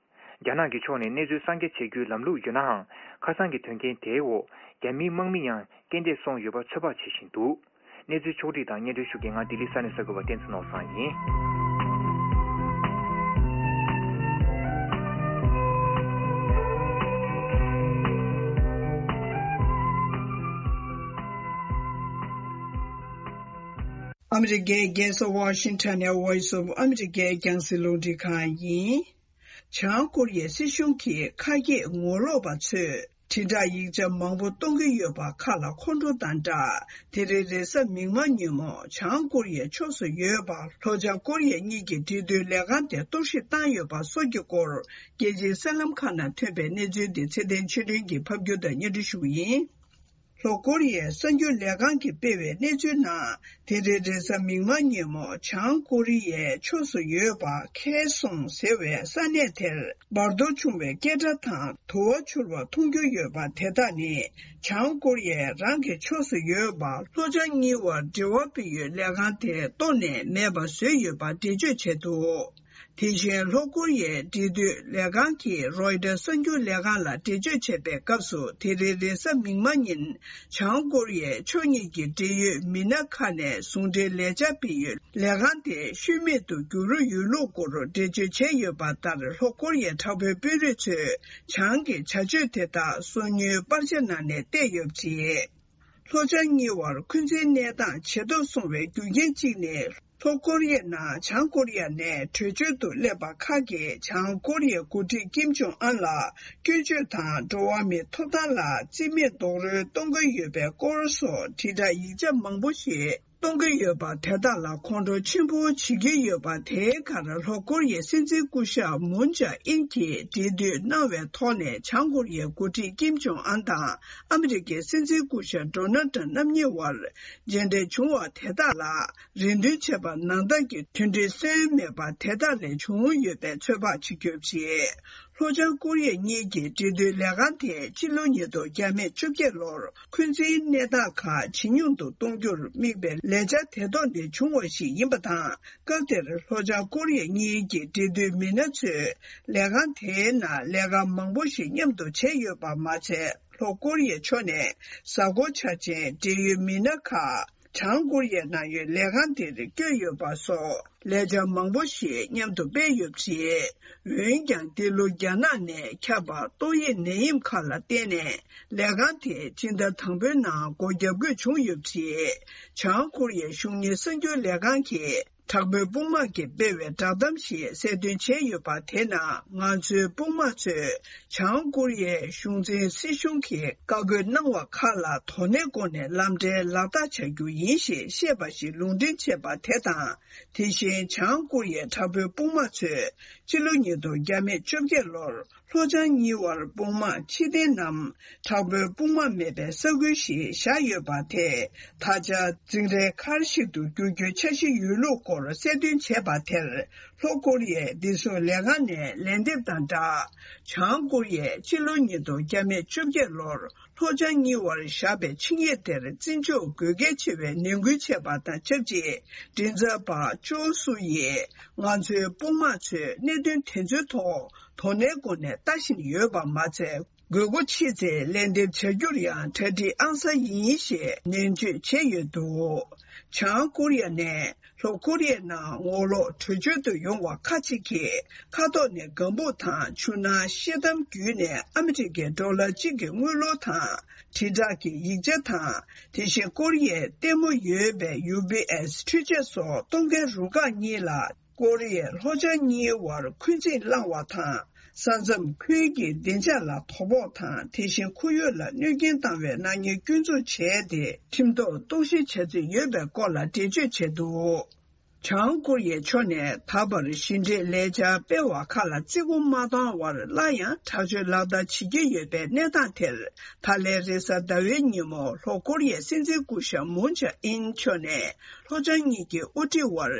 རྒྱ་ནག་གི་ཕྱོགས་ནས་གནས་ཚུལ་གསར་འགྱུར་བྱེད་རྒྱུའི་ལམ་ལུགས་ཡོད་ནའང་། ཁ་སང་གི་དོན་རྐྱེན་དེའི་འོག་རྒྱ་མིའི་དམག་མི་ཡང་རྐྱེན་འདས་སོང་ཡོད་པ་ཚོད་དཔག་བྱེད་བཞིན་འདུག་གནས་ཚུལ་ཕྱོགས་བསྒྲིགས་དང་སྙན་སྒྲོན་ཞུ་མཁན་ང་ལྡི་ལི་ས་གནས་གསར་འགོད་པ་བསྟན་འཛིན་ནོར་བཟང་ཡིན། ཨ་མི་རི་ཀའི་རྒྱལ་ས་ཝ་ཤིང་ཊོན་ནས་Voice of America རྒྱང་སྲིང་རླུང་འཕྲིན་ཁང་ཡིན། བྱང་ཀོ་རི་ཡའི་སྲིད་གཞུང་གིས་ཁ་གྱེས་ངོ་ལོག་པ་ཚོས་དྲིལ་བསྒྲགས་ཡིག་ཆ་མང་པོ་གཏོང་གི་ཡོད་པ་ཁག་ལ་ཁོང་ཁྲོ་དང་སྦྲགས། དེ་རིང་རེས་གཟའ་མིག་དམར་ཉིན་མོ་བྱང་ཀོ་རི་ཡའི་ཕྱོགས་སུ་ཡོད་པ་ལྷོ་བྱང་ཀོ་རི་ཡ་གཉིས་ཀྱི་འབྲེལ་མཐུད་ལས་ཁང་དེ་གཏོར་བཤིག་བཏང་ཡོད་པ་སོགས་ཀྱི་སྐོར། རྒྱལ་སྤྱིའི་གསར་ལམ་ཁག་ནང་ཐོན་པའི་གནས་ཚུལ་འདི་ཚེ་བརྟན་ཆོས་སྒྲོན་གྱིས་ཕབ་སྒྱུར་དང་སྙན་སྒྲོན་ཞུ་གི་ཡིན། ལྷོ་ཀོ་རི་ཡའི་གསར་འགྱུར་ལས་ཁང་གིས་སྤེལ་བའི་གནས་ཚུལ་ནང་། དེ་རིང་རེས་གཟའ་མིག་དམར་ཉིན་མོ་བྱང་ཀོ་རི་ཡའི་ཕྱོགས་སུ་ཡོད་པ་ཁེ་སོང་ཟེར་བའི་ས་གནས་དེར་འབར་གཏོར་བྱུང་བའི་སྐད་སྒྲ་དང་དུ་བ་འཕྱུར་བ་མཐོང་རྒྱུ་ཡོད་པ་དེ་དག་ནི། བྱང་ཀོ་རི་ཡས་རང་གི་ཕྱོགས་སུ་ཡོད་པ་ལྷོ་བྱང་གཉིས་བར་འབྲེལ་བ་སྤེལ་ཡུལ་ལས་ཁང་དེ་གཏོར་ནས་མེད་པ་བཟོས་ཡོད་པ་འགྲེལ་བརྗོད་བྱས་འདུག་དེ་བཞིན་ལྷོ་ཀོ་རི་ཡའི་འབྲེལ་མཐུད་ལས་ཁང་གིས་རོའི་ཊར་གསར་འགྱུར་ལས་ཁང་ལ་འགྲེལ་བརྗོད་བྱས་པའི་སྐབས་སུ། དེ་རིང་རེས་གཟའ་མིག་དམར་ཉིན་བྱང་ཀོ་རི་ཡའི་ཕྱོགས་གཉིས་ཀྱི་འབྲེལ་ཡོད་མི་སྣ་ཁག་ནས་ཟུང་འབྲེལ་ལས་འཆར་སྤེལ་ཡུལ་ལས་ཁང་དེ་ཤུལ་མེད་དུ་འགྱུར་ཡོད་ལུགས་སྐོར་འགྲེལ་བརྗོད་བྱས་ཡོད་པ་ལྟར། ལྷོ་ཀོ་རི་ཡའི་དྲག་པོའི་དཔོན་རིགས་ཚོས་བྱང་གི་བྱ་སྤྱོད་དེ་དག་སོ་ཉུལ་པར་ཆས་ནང་ནས་བལྟས་ཡོད་པ་རེད། ལྷོ་བྱང་གཉིས་བར་འཁོན་འཛིན་གནས་སྟངས་ཇེ་སྡུག་སོང་བའི་རྒྱུ་རྐྱེན་གཅིག་ནི། ལྷོ་ཀོ་རི་ཡ་ནང་བྱང་ཀོ་རི་ཡ་ནས་བྲོས་བྱོལ་དུ་སླེབས་པ་ཁག་གིས་བྱང་ཀོ་རི་ཡའི་འགོ་ཁྲིད་ཀིམ་ཇོང་ཨན་ལ་སྐྱོན་བརྗོད་དང་། འགྲོ་བ་མིའི་ཐོབ་ཐང་ལ་རྩིས་མེད་རྡོག་རོལ་གཏོང་གི་ཡོད་པའི་སྐོར་སོགས་དྲིལ་བསྒྲགས་ཡིག་ཆ་མང་པོ་ཞིག་གཏོང་གི་ཡོད་པ་དེ་དག་ལ་ཁོང་ཁྲོ་ཆེན་པོ་བྱེད་ཀྱི་ཡོད་པ། དེའི་ཁར་ལྷོ་ཀོ་རི་ཡའི་སྲིད་འཛིན་སྐུ་ཞབས་མུན་ཇཱ་ཨིན་གྱིས་འབྲེལ་མཐུད་གནང་བའི་ཐོག་ནས་བྱང་ཀོ་རི་ཡའི་འགོ་ཁྲིད་ཀིམ་ཇོང་ཨན་དང་ཨ་མི་རི་ཀའི་སྲིད་འཛིན་སྐུ་ཞབས་ཌོ་ནལ་ཊམ་རྣམ་གཉིས་བར་མཇལ་འཕྲད་བྱུང་བ་དེ་དག་ལ། རེ་འདུན་བྱས་པ་ནང་ལྟར་གྱི་མཐུན་སྒྲིལ་སོན་མེད་པ་དེ་དག་ལས་བྱུང་ཡོད་པའི་ཚོད་དཔག་བྱེད་རྒྱུ་རེད། ལྷོ་བྱང་ཀོ་རི་ཡ་གཉིས་ཀྱི་འབྲེལ་མཐུད་ལས་ཁང་དེས་ཕྱི་ལོ་ཉིས་སྟོང་བརྒྱ་མེད་བཅོ་བརྒྱད་ལོར་འཁོན་འཛིན་གནས་སྟངས་ཁག་ཇེ་ཉུང་དུ་གཏོང་རྒྱུར་དམིགས་པའི་ལས་འཆར་དེ་ཐོག་ནས་བྱུང་བ་ཞིག་ཡིན་པ་དང་། སྐབས་དེར་ལྷོ་བྱང་ཀོ་རི་ཡ་གཉིས་ཀྱི་འབྲེལ་མཐུད་མི་སྣ་ཚོས་ལས་ཁང་དེའི་ནང་ལས་ཀ་མང་པོ་ཞིག་མཉམ་དུ་བྱས་ཡོད་པ་མ་ཚད། ལྷོ་ཀོ་རི་ཡའི་ཕྱོགས་ནས་གཟའ་འཁོར་འཆར་ཅན་འབྲེལ་ཡོད་མི་སྣ་ཁག་བྱང་ཀོ་རི་ཡའི་ནང་ཡོད་ལས་ཁང་དེར་བསྐྱོད་ཡོད་པ་སོགས་ལས་འཆར་མང་པོ་ཞིག་མཉམ་དུ་སྤེལ་ཡོད་པ་རེད། འོན་ཀྱང་། འདི་ལོ་རྒྱ་ནག་ནས་ཁྱབ་པ་ཏོག་དབྱིབས་ནད་ཡམས་ཁག་ལ་བརྟེན་ནས། ལས་ཁང་དེ་སྤྱི་ཟླ་དང་པོའི་ནང་སྒོ་བརྒྱབ་དགོས་བྱུང་ཡོད་པ་རེད། བྱང་ཀོ་རི་ཡའི་གཞུང་གཉེར་གསར་འགྱུར་ལས་ཁང་གིས། དྲག་པོའི་དཔུང་དམག་གིས་སྤེལ་བའི་བསྒྲགས་གཏམ་ཞིག་གསལ་སྟོན་བྱས་ཡོད་པ། དེ་ནང་ང་ཚོའི་དཔུང་དམག་ཚོས་བྱང་ཀོ་རི་ཡའི་གཞུང་འཛིན་སྲིད་གཞུང་གིས་བཀའ་བཀོད་གནང་བ་ཁག་ལ་དོ་ནན་སྒོ་ནས་ལམ་འགྲེལ་ལག་བསྟར་བྱ་རྒྱུ་ཡིན་ཞེས་བཤད་པ་ཞིག་ལུང་འདྲེན་བྱས་པ་དེ་དང་། དེ་བཞིན་བྱང་ཀོ་རི་ཡའི་དྲག་པོའི་དཔུང་དམག་ཚོས་ཕྱི་ལོ་ཉིས་སྟོང་བརྒྱ་མེད་བཅོ་བརྒྱད་ལོར། ལྷོ་བྱང་གཉིས་བར་དཔུང་དམག་ཕྱིར་འཐེན་ནམ། དྲག་པོའི་དཔུང་དམག་མེད་པའི་ས་ཁུལ་ཞིག་བཞག་ཡོད་པ་དེ། ད་ཆ་འཛིང་རའི་མཁར་ཞིག་ཏུ་འགྱུར་རྒྱུའི་འཆར་གཞི་ཡོད་ལུགས་སྐོར་གསལ་སྟོན་བྱས་པ་དེར། ལྷོ་ཀོ་རི་ཡའི་བདེ་སྲུང་ལས་ཁང་ནས་ལན་འདེབས་དང་སྦྲགས། བྱང་ཀོ་རི་ཡས་ཕྱི་ལོ་ཉིས་སྟོང་བརྒྱ་མེད་བཅོ་བརྒྱད་ལོར། ལྷོ་བྱང་གཉིས་བར་བཞག་པའི་ཆིངས་ཡིག་དེར་བརྩི་འཇོག་དགོས་གལ་ཆེ་བའི་ནན་སྐུལ་བྱས་པ་དང་ཆབས་ཅིག་མགྲིན་ཚབ་པ་ཅོ་སུ་ཡིས། ང་ཚོའི་དཔུང་དམག་ཚོས་གནད་དོན་དེ་ཚོའི་ཐོག་དོ་ནན་སྒོ་ནས་ལྟ་བཞིན་ཡོད་པ་མ་ཚད། དགོས་མཁོ་ཆེ་ཚེ་ལན་འདེབས་བྱ་རྒྱུར་ཡང་གྲ་སྒྲིག་ཨང་གསར་ཡིན་ཞེས་ནན་བརྗོད་བྱས་ཡོད་འདུག་བྱང་ཀོ་རི་ཡ་ནས་ལྷོ་ཀོ་རི་ཡའི་ནང་ངོ་ལོག་བྲོས་བྱོལ་དུ་ཡོང་བ་ཁག་ཅིག་གིས། མཁའ་ཐོག་ནས་ལྒང་ཕུག་དང་ཆུ་ནང་ཤེལ་དམ་བརྒྱུད་ནས་ཨ་མི་རི་ཀའི་ཌོ་ལར་གཅིག་གི་དངུལ་ལོར་དང་། དྲིལ་བསྒྲགས་ཀྱི་ཡིག་ཆ་དང་། དེ་བཞིན་ཀོ་རི་ཡའི་ལྟད་མོ་ཡོད་པའི་ཡུ་པི་ཨེས་འཕྲུལ་ཆས་སོགས་གཏོང་མཁན་རུ་ཁག་གཉིས་ལ། ཀོ་རི་ཡས་ལྷོ་བྱང་གཉིས་བར་འཁོན་འཛིན་བསླངས་བ་དང་། ས་མཚམས་ཁུལ་གྱི་བདེ་འཇགས་ལ་དོ་ཕོག་དང་། དེ་བཞིན་ཁོར་ཡུག་ལ་གནོད་སྐྱོན་བཏང་བའི་ནག་ཉེས་སྐྱོན་འཛུགས་བྱས་ཏེ། ཁྲིམས་ཐོག་གཏོར་བཤིག་བྱ་རྩིས་ཡོད་པའི་སྐོར་ལ་འགྲེལ་བརྗོད་བྱས་འདུག་བྱང་ཀོ་རི་ཡའི་ཕྱོགས་ནས་ད་བར་ཞི་འགྲིག་ལས་འཆར་སྤེལ་བ་ཁག་ལ་བརྩི་བཀུར་མ་བཏང་བར་སླར་ཡང་དྲག་སྤྱོད་ལག་བསྟར་བྱེད་ཀྱི་ཡོད་པའི་གནས་སྟངས་དེར། ད་ལན་རེས་གཟའ་ཟླ་བའི་ཉིན་མོ་ལྷོ་ཀོ་རི་ཡའི་སྲིད་འཛིན་སྐུ་ཞབས་མུན་ཇེ་ཨིན་མཆོག་ནས་ལྷོ་བྱང་གཉིས་ཀྱི་དབུ་ཁྲིད་དབར་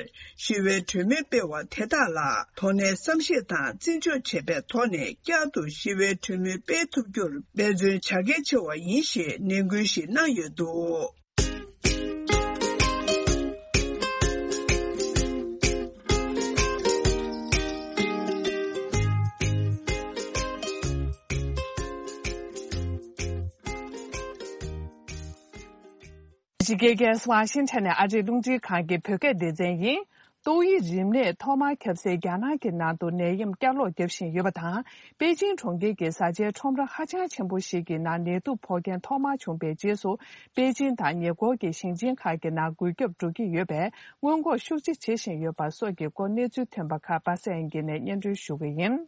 ཞི་བའི་གྲོས་མོལ་སྤེལ་བ་དེ་དག་ལ་དོ་ནན་བསམ་ཤེས་དང་བརྩི་འཇོག་བྱས་པའི་ཐོག་ནས་བསྐྱར་དུ་ཞི་བའི་གྲོས་མོལ་སྤེལ་ཐུབ་རྒྱུར་འབད་བརྩོན་བྱ་གལ་ཆེ་བ་ཡིན་ཞེས་ནན་སྐུལ་ཞིག་གནང་ཡོད་འདུག། ཕྱི་རྒྱལ་ཁང་ཝ་ཤིང་ཊོན་ནས་ཨ་རིའི་རླུང་འཕྲིན་ཁང་གི་བོད་སྐད་སྡེ་ཚན་ཡིན། ཏོག་དབྱིབས་རིམས་ནད་ཐོག་མར་ཁྱབ་སའི་རྒྱ་ནག་གི་ནང་དུ་ནད་ཡམས་བསྐྱར་ལོག་བརྒྱབ་བཞིན་ཡོད་པ་དང་། པེ་ཅིང་གྲོང་ཁྱེར་གྱི་བཟའ་བཅའི་ཁྲོམ་ར་ཧ་ཅང་ཆེན་པོ་ཞིག་གི་ནང་ནད་དུག་ཕོག་མཁན་ཐོག་མར་བྱུང་པའི་རྗེས་སུ། པེ་ཅིང་དང་ཉེ་འཁོར་གྱི་ཞིང་ཆེན་ཁག་གི་ནང་འགོས་ཁྱབ་འགྲོ་གི་ཡོད་པས། སྔོན་འགོག་ཤུགས་ཆེ་བྱེད་བཞིན་ཡོད་པ་སོགས་ཀྱི་སྐོར་གནས་ཚུལ་ཐོན་པ་ཁག་པ་སངས་དབྱངས་སྐྱིད་ནས་སྙན་སྒྲོན་ཞུ་གི་ཡིན།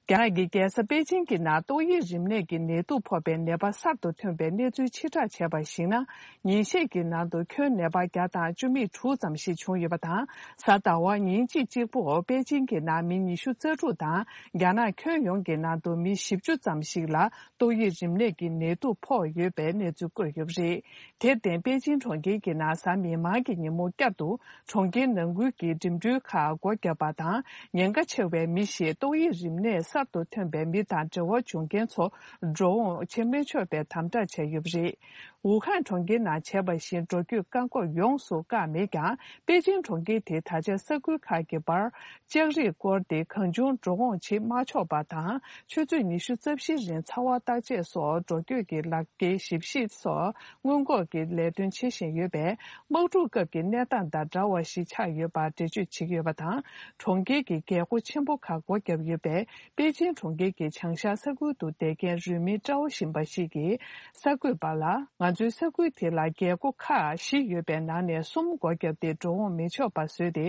རྒྱ་ནག་གི་རྒྱལ་ས་པེ་ཅིང་གི་ནང་ཏོག་དབྱིབས་རིམས་ནད་ཀྱི་ནད་དུག་ཕོག་པའི་ནད་པ་གསར་དུ་ཐོན་པའི་གནས་ཚུལ་ཕྱིར་བསྒྲགས་བྱས་པར་གཞིགས་ན། ཉིན་ཤས་ཀྱི་ནང་དུ་ཁྱོན་ནད་པ་བརྒྱ་དང་བཅུ་མེད་དྲུག་ཙམ་ཞིག་བྱུང་ཡོད་པ་དང་། གཟའ་ཟླ་བ་ཉིན་གཅིག་གཅིག་པོར་པེ་ཅིང་གི་ནང་མི་ཉི་ཤུ་རྩ་དྲུག་དང་། རྒྱ་ནག་ཁྱོན་ཡོངས་ཀྱི་ནང་དུ་མི་བཞི་བཅུ་ཙམ་ཞིག་ལ་ཏོག་དབྱིབས་རིམས་ནད་ཀྱི་ནད་དུག་ཕོག་ཡོད་པའི་གནས་ཚུལ་བཀོད་ཡོད་པ་རེད། དེར་བརྟེན་པེ་ཅིང་གྲོང་ཁྱེར་གྱི་ནང་གཟའ་མིག་དམར་གྱི་ཉིན་མོ་བསྐྱར་དུ་གྲོང་ཁྱེར་ནང་ཁུལ་གྱི་འགྲིམ་འགྲུལ་ཁག་སྒོ་བརྒྱབ་པ་དང་། ཉེན་ཁ་ཆེ་བའི་མི་ཞིག་ཏོག་དབྱིབས་རིམས་ནད་གསར་དུ་ཐོན་པའི་མི་དང་འབྲེལ་བ་བྱུང་མཁན་ཚོ་འགྲོ་འོང་བྱེད་མི་ཆོག་པའི་དམ་དྲག་བྱས་ཡོད་པ་རེད། ཝུ་ཧན་གྲོང་ཁྱེར་ནང་བྱས་པ་བཞིན་འགྲོ་སྐྱོད་བཀག་འགོག་ཡོངས་སུ་བཀག་མེད་ཀྱང་། པེ་ཅིང་གྲོང་ཁྱེར་དེ་ད་ཆ་ས་ཁུལ་ཁག་གི་བར་ལྕགས་རིགས་བསྐོར་ཏེ་གང་བྱུང་འགྲོ་འོང་བྱེད་མ་ཆོག་པ་དང་། ཆུ་ཚོད་ཉི་ཤུ་རྩ་བཞིའི་རིང་ཚ་བ་བརྟག་དཔྱད་སོགས་འགྲོ་སྐྱོད་ཀྱི་ལག་འཁྱེར་ཞིབ་བཤེར་སོགས་སྔོན་འགོག་གི་ལས་དོན་བྱེད་བཞིན་ཡོད་པས། དམག་འཁྲུག་སྐབས་ཀྱི་གནས་སྟངས་དང་འདྲ་བ་ཞིག་ཆགས་ཡོད་པར་འགྲེལ་བརྗོད་བྱེད་ཀྱི་ཡོད་པ་དང་། གྲོང་ཁྱེར་གྱི་རྒྱལ་སྒོ་ཆེན་པོ་ཁག་སྒོ་བརྒྱབ་ཡོད་པས། པེ་ཅིང་གྲོང་ཁྱེར་གྱི་བྱང་ཤར་ས་ཁུལ་དུ་བསྡད་མཁན་རུས་མིང་ཀྲའོ་ཞིང་པ་ཞིག་གིས་གསར་འགོད་པ་ལ། ང་ཚོའི་ས་ཁུལ་དེ་ལ་རྒྱལ་སྒོ་ཁག་བཞི་ཡོད་པའི་ནང་ནས་གསུམ་སྒོ་བརྒྱབ་སྟེ་འགྲོ་འོང་མི་ཆོག་པ་བཟོས་ཏེ།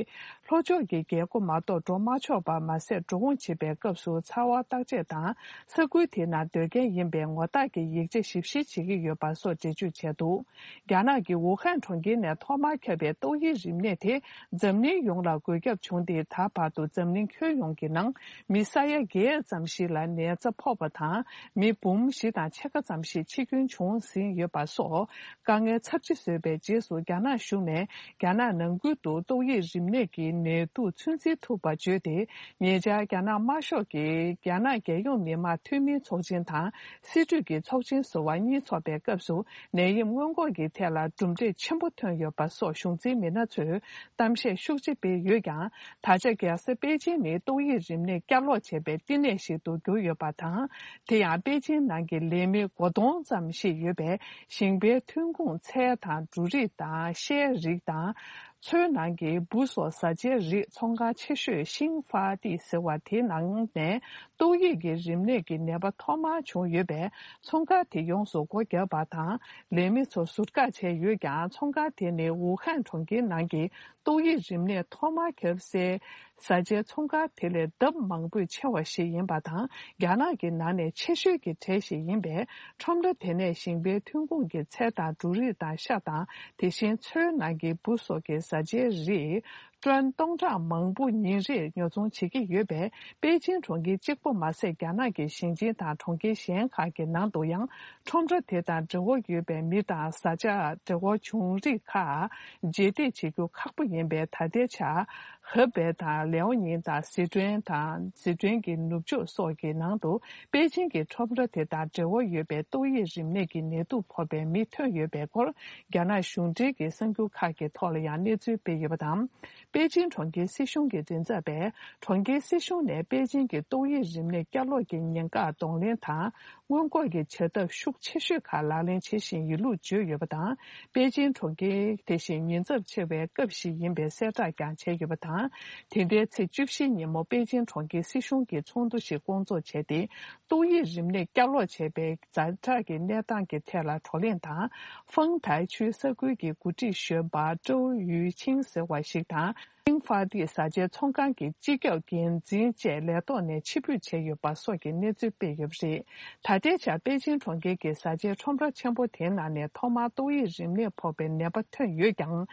ལྷོ་ཕྱོགས་ཀྱི་རྒྱལ་སྒོ་མ་གཏོགས་འགྲོ་མ་ཆོག་པ་མ་ཟད། འགྲོ་འོང་བྱེད་པའི་སྐབས་སུ་ཚ་བ་བརྟག་དཔྱད་དང་། ས་ཁུལ་དེ་ནང་སྡོད་མཁན་ཡིན་པའི་ངོ་རྟགས་ཀྱི་ཡིག་ཆ་ཞིབ་བཤེར་བྱེད་ཀྱི་ཡོད་པ་སོགས་འགྲེལ་བརྗོད་བྱས་འདུག། རྒྱ་ནག་གི་ཝུ་ཧན་གྲོང་ཁྱེར་ནས་ཐོག་མར་ཁྱབ་པའི་ཏོག་དབྱིབས་རིམས་ནད་དེ་འཛམ་གླིང་ཡོངས་ལ་འགོས་ཁྱབ་བྱུང་སྟེ། ད་བར་དུ་འཛམ་གླིང་ཁྱོན་ཡོངས་ཀྱི་ནང་མི་ས་ཡ་བརྒྱད་ཙམ་ཞིག་ལ་ནད་ཚ་ཕོག་པ་དང་། མི་འབུམ་བཞི་དང་ཕྱེད་ཀ་ཙམ་ཞིག་འཆི་སྐྱོན་བྱུང་ཟིན་ཡོད་པ་སོགས་དཀའ་ངལ་ཚབས་ཆེ་བཟོས་པའི་རྗེས་སུ། རྒྱ་ནག་གཞུང་ནས་རྒྱ་ནག་ནང་ཁུལ་དུ་ཏོག་དབྱིབས་རིམས་ནད་ཀྱི་ནད་དུག་ཚོད་འཛིན་ཐུབ་པ་བརྗོད་དེ། ཉེ་ཆར་རྒྱ་ནག་དམར་ཤོག་གིས་རྒྱ་ནག་རྒྱལ་ཡོངས་མི་དམངས་འཐུས་མིའི་ཚོགས་ཆེན་དང་། སྲིད་གྲོས་ཀྱི་ཚོགས་ཆེན་ཟུར་པ་གཉིས་འཚོགས་པའི་སྐབས་སུ། ནད་ཡམས་སྔོན་འགོག་གི་ཐད་ལ་གྲུབ་འབྲས་ཆེན་པོ་ཐོན་ཡོད་པ་སོགས་གཞུང་འཛིན་མི་སྣ་ཚོས་གཏམ་བཤད་ཤུགས་ཆེ་སྤེལ་ཡོད་ཀྱང་། ད་ཆ་རྒྱལ་ས་པེ་ཅིང་ནི་ཏོག་དབྱིབས་རིམས་ནད་བསྐྱར་ལོག་བྱས་པའི་བསྟི་གནས་ཤིག་ཏུ་གྱུར་ཡོད་པ་དང་། དེ་ཡང་པེ་ཅིང་ནང་གི་ལས་མི་སྒོར་སྟོང་ཙམ་ཞིག་ཡོད་པས། ཞིང་པའི་ཐོན་ཁུངས་ཚལ་དང་འབྲུ་རིགས་དང་ཤའི་རིགས་དང་། མཚོའི་ནང་གི་འབུ་སོགས་བཟའ་བཅའི་རིགས་ཚོང་ཁང་ཆེ་ཤོས་ཤིང་ཧྥ་ཏི་ཟེར་བ་དེའི་ནང་ནས་ཏོག་དབྱིབས་ཀྱི་རིམས་ནད་ཀྱི་ནད་པ་ཐོག་མར་བྱུང་ཡོད་པས། ཚོང་ཁང་དེ་ཡོངས་སུ་སྒོ་བརྒྱབ་པ་དང་། ལས་མི་ཚོ་ཟུར་བཀག་བྱས་ཡོད་ཀྱང་། ཚོང་ཁང་དེ་ནི་ཝུ་ཧན་གྲོང་ཁྱེར་ནང་གི་ཏོག་དབྱིབས་རིམས་ནད་ཐོག་མར་ཁྱབ་སའི་བཟའ་བཅའི་ཚོང་ཁང་དེ་ལས་ལྡབ་མང་པོས་ཆེ་བ་ཞིག་ཡིན་པ་དང་། རྒྱ་ནག་གི་ནང་ནས་ཆེ་ཤོས་ཀྱི་གྲས་ཤིག་ཡིན་པས། ཁྲོམ་ར་དེ་ནས་ཞིང་པའི་ཐོན་ཁུངས་ཀྱི་ཚལ་དང་འབྲུ་རིགས་དང་ཤ་དང་། དེ་བཞིན་མཚོའི་ནང་གི་འབུ་སོགས་ཀྱི་བཟའ་བཅའི་རིགས་ཏོན་སྟོང་ཕྲག་མང་པོ་ཉིན་རེར་ཉོ་ཚོང་བྱེད་ཀྱི་ཡོད་པས། པེ་ཅིང་གྲོང་ཁྱེར་གཅིག་པོ་མ་ཟད། རྒྱ་ནག་གི་ཞིང་ཆེན་དང་གྲོང་ཁྱེར་གཞན་ཁག་གི་ནང་དུ་ཡང་ཁྲོམ་ར་དེ་དང་འབྲེལ་བ་ཡོད་པའི་མི་དང་བཟའ་བཅའ་འབྲེལ་བ་བྱུང་རིགས་ཁག་རྗེས་འདེད་བྱེད་རྒྱུ་ཁག་པོ་ཡིན་པས། ད་ལྟའི་ཆར་ཧེ་པེ་དང་ལེའོ་ཉིང་དང་ཟི་ཀྲོན་དང་ཟི་ཀྲོན་གྱི་ནུབ་ཕྱོགས་སོགས་ཀྱི་ནང་དུ་པེ་ཅིང་གི་ཁྲོམ་ར་དེ་དང་འབྲེལ་བ་ཡོད་པའི་ཏོག་དབྱིབས་རིམས་ནད་ཀྱི་ནད་དུག་ཕོག་པའི་མི་ཐོན་ཡོད་པའི་སྐོར། རྒྱ་ནག་གཞུང་འབྲེལ་གྱི་གསར་འགྱུར་ཁག་གི་ཐོག་ལ་ཡང་གནས་ཚུལ་སྤེལ་ཡོད་པ་དང་། པེ་ཅིང་གྲོང་ཁྱེར་སྲིད་གཞུང་གི་མགྲིན་ཚབ་པས། གྲོང་ཁྱེར་སྲིད་གཞུང་ནས་པེ་ཅིང་གི་ཏོག་དབྱིབས་རིམས་ནད་བསྐྱར་ལོག་གི་ཉེན་ཁ་གདོང་ལེན་དང་། སྔོན་འགོག་གི་བྱ་ཐབས་ཤུགས་ཆེ་ཤོས་ཁག་ལག་ལེན་བྱེད་བཞིན་ཡོད་ལུགས་བརྗོད་ཡོད་པ་དང་། པེ་ཅིང་གྲོང་ཁྱེར་དེ་བཞིན་ཉེན་ཚབས་ཆེ་བའི་སྐབས་ཤིག་ཡིན་པའི་གསལ་བསྒྲགས་ཀྱང་བྱས་ཡོད་པ་དང་། དེ་ཟླའི་ཚེས་བཅུ་བཞི་ཉིན་མོ་པེ་ཅིང་གྲོང་ཁྱེར་སྲིད་གཞུང་གིས་ཚོགས་འདུ་ཞིག་བསྐོང་ཚོགས་བྱས་ཏེ། ཏོག་དབྱིབས་རིམས་ནད་བསྐྱར་ལོག་བྱས་པའི་ཛ་དྲག་གི་གནས་སྟངས་ཀྱི་ཐད་ལ་བགྲོ་གླེང་དང་། ཧྥང་ཏའེ་ཆུས་ས་ཁུལ་གྱི་འགོ་ཁྲིད་གཞོན་པ་ཀྲོའུ་ཡུའུ་ཆིང་ཟེར་བ་ཞིག་དང་ ཤིང་ཧྥ་ཏི་བཟའ་བཅའི་ཚོང་ཁང་གི་སྤྱི་ཁྱབ་འགན་འཛིན་བཅས་ལས་ཐོག་ནས་ཕྱིར་འབུད་བྱས་ཡོད་པ་སོགས་ཀྱི་གནས་ཚུལ་སྤེལ་ཡོད་པ་རེད། ད་ལྟའི་ཆར་པེ་ཅིང་གྲོང་ཁྱེར་གྱི་བཟའ་བཅའི་ཁྲོམ་ར་ཆེན་པོ་དེའི་ནང་ནས་ཐོག་མར་ཏོག་དབྱིབས་རིམས་ནད་ཕོག་པའི་ནད་པ་ཐོན་ཡོད་ཀྱང་།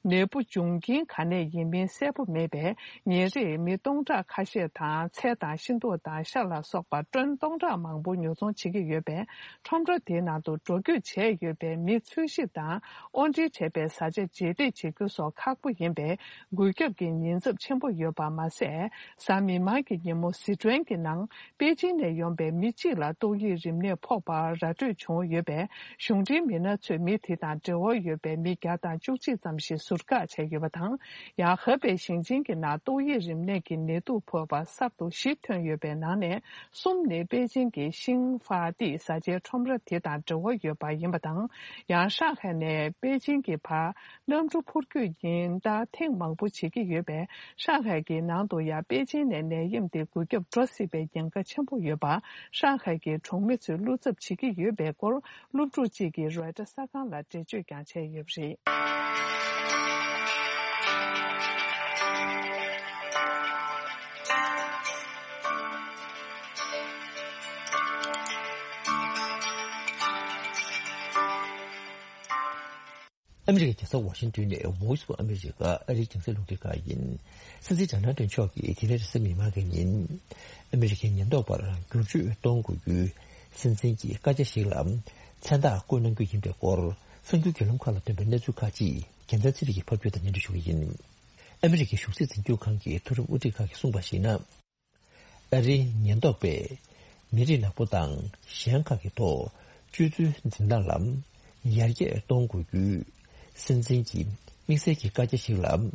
ནད་འབུ་འབྱུང་རྐྱེན་ག་ནས་ཡིན་མིན་གསལ་པོ་མེད་པས། ཉིན་རེར་མི་སྟོང་ཕྲག་ཁ་ཤས་དང་ཚལ་དང་ཤིང་ཏོག་དང་ཤ་ལ་སོགས་པ་ཊོན་སྟོང་ཕྲག་མང་པོ་ཉོ་ཚོང་བྱེད་ཀྱི་ཡོད་པས། ཁྲོམ་ར་དེའི་ནང་དུ་འགྲོ་སྐྱོད་བྱས་ཡོད་པའི་མི་འཚོལ་ཞིབ་དང་། དབོར་འདྲེན་བྱས་པའི་བཟའ་བཅའ་རྗེས་འདེད་བྱེད་རྒྱུ་སོགས་ཁག་པོ་ཡིན་པས། འགུལ་སྐྱོད་ཀྱི་ཉེན་ཚབས་ཆེན་པོ་ཡོད་པ་མ་ཟད། གཟའ་མིག་དམར་གྱི་ཉིན་མོ་སི་ཁྲོན་གྱི་ནང་པེ་ཅིང་ནས་ཡོང་པའི་མི་གཅིག་ལ་ཏོག་དབྱིབས་རིམས་ནད་ཕོག་པ་ར་སྤྲོད་བྱུང་ཡོད་པས། གཞུང་འབྲེལ་མི་སྣ་ཚོས་མི་དེ་དང་འབྲེལ་བ་ཡོད་པའི་མི་བརྒྱ་དང་བཅུ་གཅིག་ཙམ་ཞིག་ཟུར་བཀག་བྱས་ཡོད་པ་དང་། ཡང་ཧེ་པེ་ཞིང་ཆེན་གྱི་ནང་ཏོག་དབྱིབས་རིམས་ནད་ཀྱི་ནད་དུག་ཕོག་པ་གསར་དུ་བཞི་ཐོན་ཡོད་པའི་ནང་ནས། གསུམ་ནི་པེ་ཅིང་གི་ཤིང་ཧྥ་ཏི་བཟའ་བཅའི་ཁྲོམ་ར་དེ་དང་འབྲེལ་བ་ཡོད་པ་ཡིན་པ་དང་། ཡང་ཧྲང་ཧའེ་ནས་པེ་ཅིང་གི་བར་གནམ་གྲུ་འཕུར་སྐྱོད་ཀྱིས་ཟླ་ཐེངས་མང་པོ་བྱེད་ཀྱི་ཡོད་པས། ཧྲང་ཧའེ་གི་ནང་དུ་ཡང་པེ་ཅིང་ནས་ནད་ཡམས་དེ་འགོས་ཁྱབ་འགྲོ་སྲིད་པའི་ཉེན་ཁ་ཆེན་པོ་ཡོད་པ། ཧྲང་ཧའེ་གི་གྲོང་མི་ཚོས་བློ་འཚབ་བྱེད་ཀྱི་ཡོད་པའི་སྐོར། སློབ་ཕྲུག་ཅིག་གིས་རོའི་ཊར་གསར་ཁང་ལ་འགྲེལ་བརྗོད་ཀྱང་བྱས་ཡོད་པ་རེད། ཨ་མི་རི་ཀའི་རྒྱལ་ས་ཝ་ཤིང་ཏོན་ནས་Voice of America ཨ་རིའི་རྒྱང་སྲིང་རླུང་འཕྲིན་ཁང་ཡིན། སྲིད་འཛིན་ཌོ་ནལ་ཊམ་མཆོག་གིས་དེ་རིང་རེས་གཟའ་མིག་དམར་གྱི་ཉིན། ཨ་མི་རི་ཀའི་ཉེན་རྟོག་པར་བསྒྱུར་བཅོས་གཏོང་དགོས་རྒྱུའི་སྲིད་འཛིན་གྱི་བཀའ་རྒྱ་ཞིག་ལ་མཚན་རྟགས་བཀོད་གནང་རྒྱུ་ཡིན་པའི་སྐོར། གསར་འགྱུར་བརྒྱུད་ལམ་ཁག་ལ་ཐོན་པའི་གནས་ཚུལ་ཁག་ཅིག་རྒྱལ་མཚན་ཚེ་རིང་གིས་ཕབ་སྒྱུར་དང་སྙན་སྒྲོན་ཞུ་གི་ཡིན། ཨ་མི་རི་ཀའི་གཞུང་སྲིད་འཛིན་སྐྱོང་ཁང་གི་མཐོ་རིམ་དབུ་ཁྲིད་ཁག་གིས་གསུངས་པར་གཞིགས་ན། ཨ་རིའི་ཉེན་རྟོག་པས་མི་རིགས་ནག་པོ་དང་གཞན་ཁག་གི་ཐོག་སྤྱོད་ཚུལ་འཛིན་སྟངས་ལ་ཡར་རྒྱས་གཏོང་དགོས་རྒྱུའི་སྲིད་འཛིན་གྱི་དམིགས་བསལ་གྱི་བཀའ་རྒྱ་ཞིག་ལ།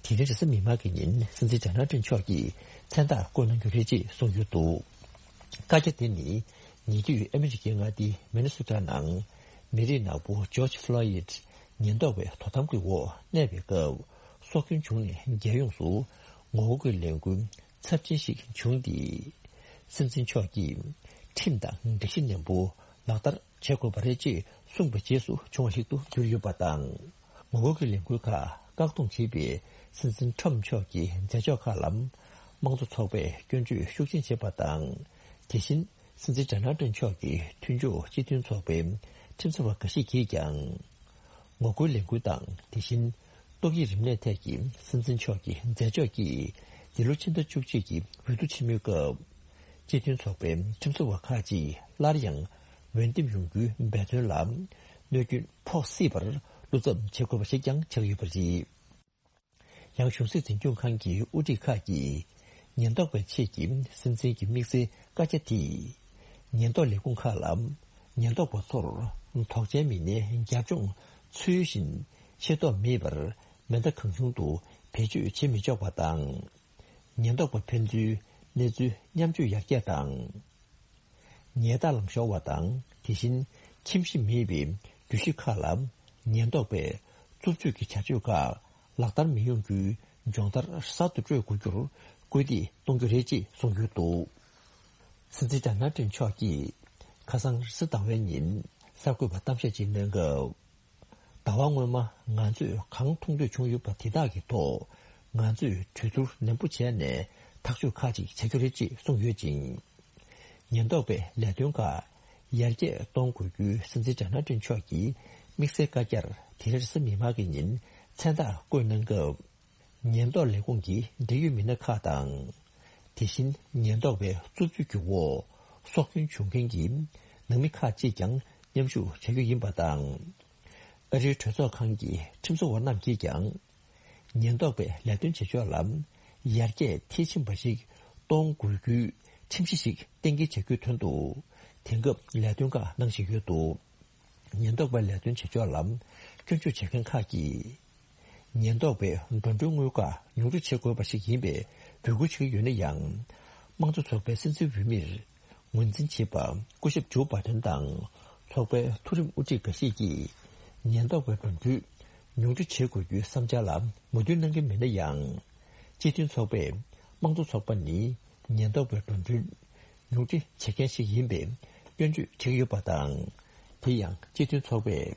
དེ་རིང་རེས་གཟའ་མིག་དམར་གྱི་ཉིན་སྲིད་འཛིན་ཌོ་ནལ་ཊམ་མཆོག་གིས་མཚན་རྟགས་བཀོད་གནང་རྒྱུ་རེད་ཅེས་གསུངས་ཡོད་འདུག་བཀའ་རྒྱ་དེ་ནི་ཉེ་དུས་ཨ་མི་རི་ཀའི་མངའ་སྡེ་མི་ནི་སོ་ཊ་ནང་མི་རིགས་ནག་པོ་ཇོརྗ་ཕློ་ཡིད་ཉེན་རྟོག་པའི་དོ་དམ་གྱི་འོག་གནས་པའི་སྐབས། སྲོག་སྐྱོན་བྱུང་ནས་རྒྱལ་ཡོངས་སུ་ངོ་རྒོལ་གྱི་ལས་འགུལ་ཚབས་ཆེན་ཞིག་བྱུང་སྟེ། སྲིད་འཛིན་མཆོག་གིས་ཁྲིམས་དང་སྒྲིག་གཞི་ནན་པོ་ལག་བསྟར་བྱེད་དགོས་པ་རེད་ཅེས་གསུངས་པའི་རྗེས་སུ་བྱུང་བ་ཞིག་ཏུ་གྱུར་ཡོད་པ་དང་། ངོ་རྒོལ་གྱི་ལས་འགུལ་ཁག་བཀག་སྡོམ་བྱེད་པའི་སྲིད་འཛིན་ཊམ་མཆོག་གི་མཛད་ཕྱོགས་ཁག་ལ་དམངས་གཙོ་ཚོགས་པས་སྐྱོན་བརྗོད་ཤུགས་ཆེན་བྱས་པ་དང་། དེ་བཞིན། སྲིད་འཛིན་ཌོ་ནལ་ཊམ་མཆོག་གི་མཐུན་ཕྱོགས་སྤྱི་མཐུན་ཚོགས་པའི་ཁྲིམས་བཟོ་བ་འགའ་ཞིག་གིས་ཀྱང་། ངོ་རྒོལ་ལས་འགུལ་དང་། དེ་བཞིན། ཏོག་དབྱིབས་རིམས་ནད་ཐད་ཀྱི་སྲིད་འཛིན་མཆོག་གི་མཛད་ཕྱོགས་ཀྱིས། འདི་ལོ་ཕྱི་ཟླ་བཅུ་གཅིག་གི་འོས་བསྡུ་ཆེན་མོའི་སྐབས། སྤྱི་མཐུན་ཚོགས་པའི་ཁྲིམས་བཟོ་བ་ཁག་ཅིག་སླར་ཡང་འོས་འདེམས་ཡོང་རྒྱུའི་འབད་བརྩོན་ལ། གནོད་སྐྱོན་ཕོག་སྲིད་པར་བློ་འཚབ་བྱེད་དགོས་པ་ཞིག་ཀྱང་ཆགས་ཡོད་པ་རེད། ཡང་གཞུང་སྲིད་འཛིན་སྐྱོང་ཁང་གི་དབུ་ཁྲིད་ཁག་གིས་ཉེན་རྟོག་པའི་ཆེད་ཀྱི་སྲིད་འཛིན་གྱི་དམིགས་བསལ་བཀའ་རྒྱ་དེས། ཉེན་རྟོག་ལས་ཁུངས་ཁག་ལ་ཉེན་རྟོག་པ་ཚོར་དོགས་ཅན་མི་སྣའི་རྒྱབ་ལྗོངས་ཚུལ་བཞིན་ཤེས་རྟོགས་མེད་པར་མེ་མདའ་གང་བྱུང་དུ་བེད་སྤྱོད་བྱེད་མི་ཆོག་པ་དང་། ཉེན་རྟོག་པ་ཕན་ཚུན་གནས་ཚུལ་མཉམ་སྤྱོད་ཡར་རྒྱས་དང་། ཉལ་ཐ་ལངས་ཤོར་བ་དང་། དེ་བཞིན་ཁྱིམ་གཞིས་མེད་པའི་རྒྱུད་གཞི་ཁག་ལ་ཉེན་རྟོག་པས་རྩུབ་སྤྱོད་ཀྱི་བྱ་སྤྱོད་ཁག་ལག་བསྟར་མི་ཡོང་རྒྱུའི་སྦྱོང་བརྡར་གསར་དུ་སྤྲོད་དགོས་རྒྱུར་སྐུལ་འདེད་གཏོང་རྒྱུ་རེད་ཅེས་གསུངས་ཡོད་འདུག་སྲིད་འཛིན་ཌོ་ནལ་ཊམ་མཆོག་གིས་ཁ་སང་རེས་གཟའ་ཟླ་བའི་ཉིན་གསར་འགོད་པར་གཏམ་བཤད་ཅིག་གནང་སྐབས། ཟླ་བ་སྔོན་མ་ང་ཚོས་གང་མཐོང་ཐོས་བྱུང་ཡོད་པ་དེ་དག་གི་ཐོག་ང་ཚོས་གྲོས་བསྡུར་ནན་པོ་བྱས་ནས་ཐག་གཅོད་ཁག་ཅིག་བྱ་རྒྱུ་རེད་ཅེས་གསུངས་ཡོད་ཅིང་། ཉེན་རྟོག་པའི་ལས་དོན་ཁག་ཡར་རྒྱས་གཏོང་དགོས་རྒྱུའི་སྲིད་འཛིན་ཌོ་ནལ་ཊམ་མཆོག་གི་དམིགས་བསལ་བཀའ་རྒྱར་དེ་རིང་རེས་གཟའ་མིག་དམར་གྱི་ཉིན་མཚན་རྟགས་བཀོད་གནང་སྐབས། ཉེན་རྟོག་ལས་ཁུངས་ཀྱི་འབྲེལ་ཡོད་མི་སྣ་ཁག་དང་། དེ་བཞིན་ཉེན་རྟོག་པའི་རྩུབ་སྤྱོད་ཀྱི་འོག་སྲོག་སྐྱོན་བྱུང་མཁན་གྱི་ནང་མི་ཁག་ཅིག་ཀྱང་མཉམ་ཞུགས་བྱ་རྒྱུ་ཡིན་པ་དང་། ཨ་རིའི་གྲོས་ཚོགས་ཁང་གི་ཁྲིམས་བཟོ་བ་རྣམས་ཀྱིས་ཀྱང་། ཉེན་རྟོག་པའི་ལས་དོན་བྱེད་ཕྱོགས་ལ་ཡར་རྒྱས་མཐིལ་ཕྱིན་པ་ཞིག་གཏོང་དགོས་རྒྱུའི་ཁྲིམས་གཞི་ཞིག་གཏན་འཁེལ་བྱ་རྒྱུའི་དོན་དུ། དེང་སྐབས་ལས་དོན་ཁག་གནང་བཞིན་ཡོད་འདུག་ཉེན་རྟོག་པའི་ལས་དོན་བྱེད་ཕྱོགས་ལ་སྐྱོན་བརྗོད་བྱེད་མཁན་ཁག་གིས། ཉེན་རྟོག་པའི་འགྲོ་གྲོན་དངུལ་ཁག་ཉུང་འཕྲི་བྱེད་དགོས་པ་ཞིག་ཡིན་པའི་འབོད་སྐུལ་བྱེད་ཀྱི་ཡོད་ན་ཡང་། དམངས་གཙོ་ཚོགས་པའི་སྲིད་འཛིན་འོས་མིར་ངོས་འཛིན་བྱེད་པ་སྐུ་ཞབས་ཇོ་བྷའི་ཌེན་དང་ཚོགས་པའི་མཐོ་རིམ་དབུ་ཁྲིད་འགའ་ཤས་ཀྱིས་ཉེན་རྟོག་པའི་འགྲོ་གྲོན་ཉུང་འཕྲི་བྱེད་དགོས་རྒྱུའི་བསམ་འཆར་ལ་མོས་མཐུན་གནང་གི་མེད་ན་ཡང་། སྤྱི་མཐུན་ཚོགས་པས་དམངས་གཙོ་ཚོགས་པ་ནི་ཉེན་རྟོག་པའི་འགྲོ་གྲོན་ཉུང་འཕྲི་བྱེད་མཁན་ཞིག་ཡིན་པའི་སྐྱོན་བརྗོད་བྱེད་ཀྱི་ཡོད་པ་དང་། དེ་ཡང་སྤྱི་མཐུན་ཚོགས་པས་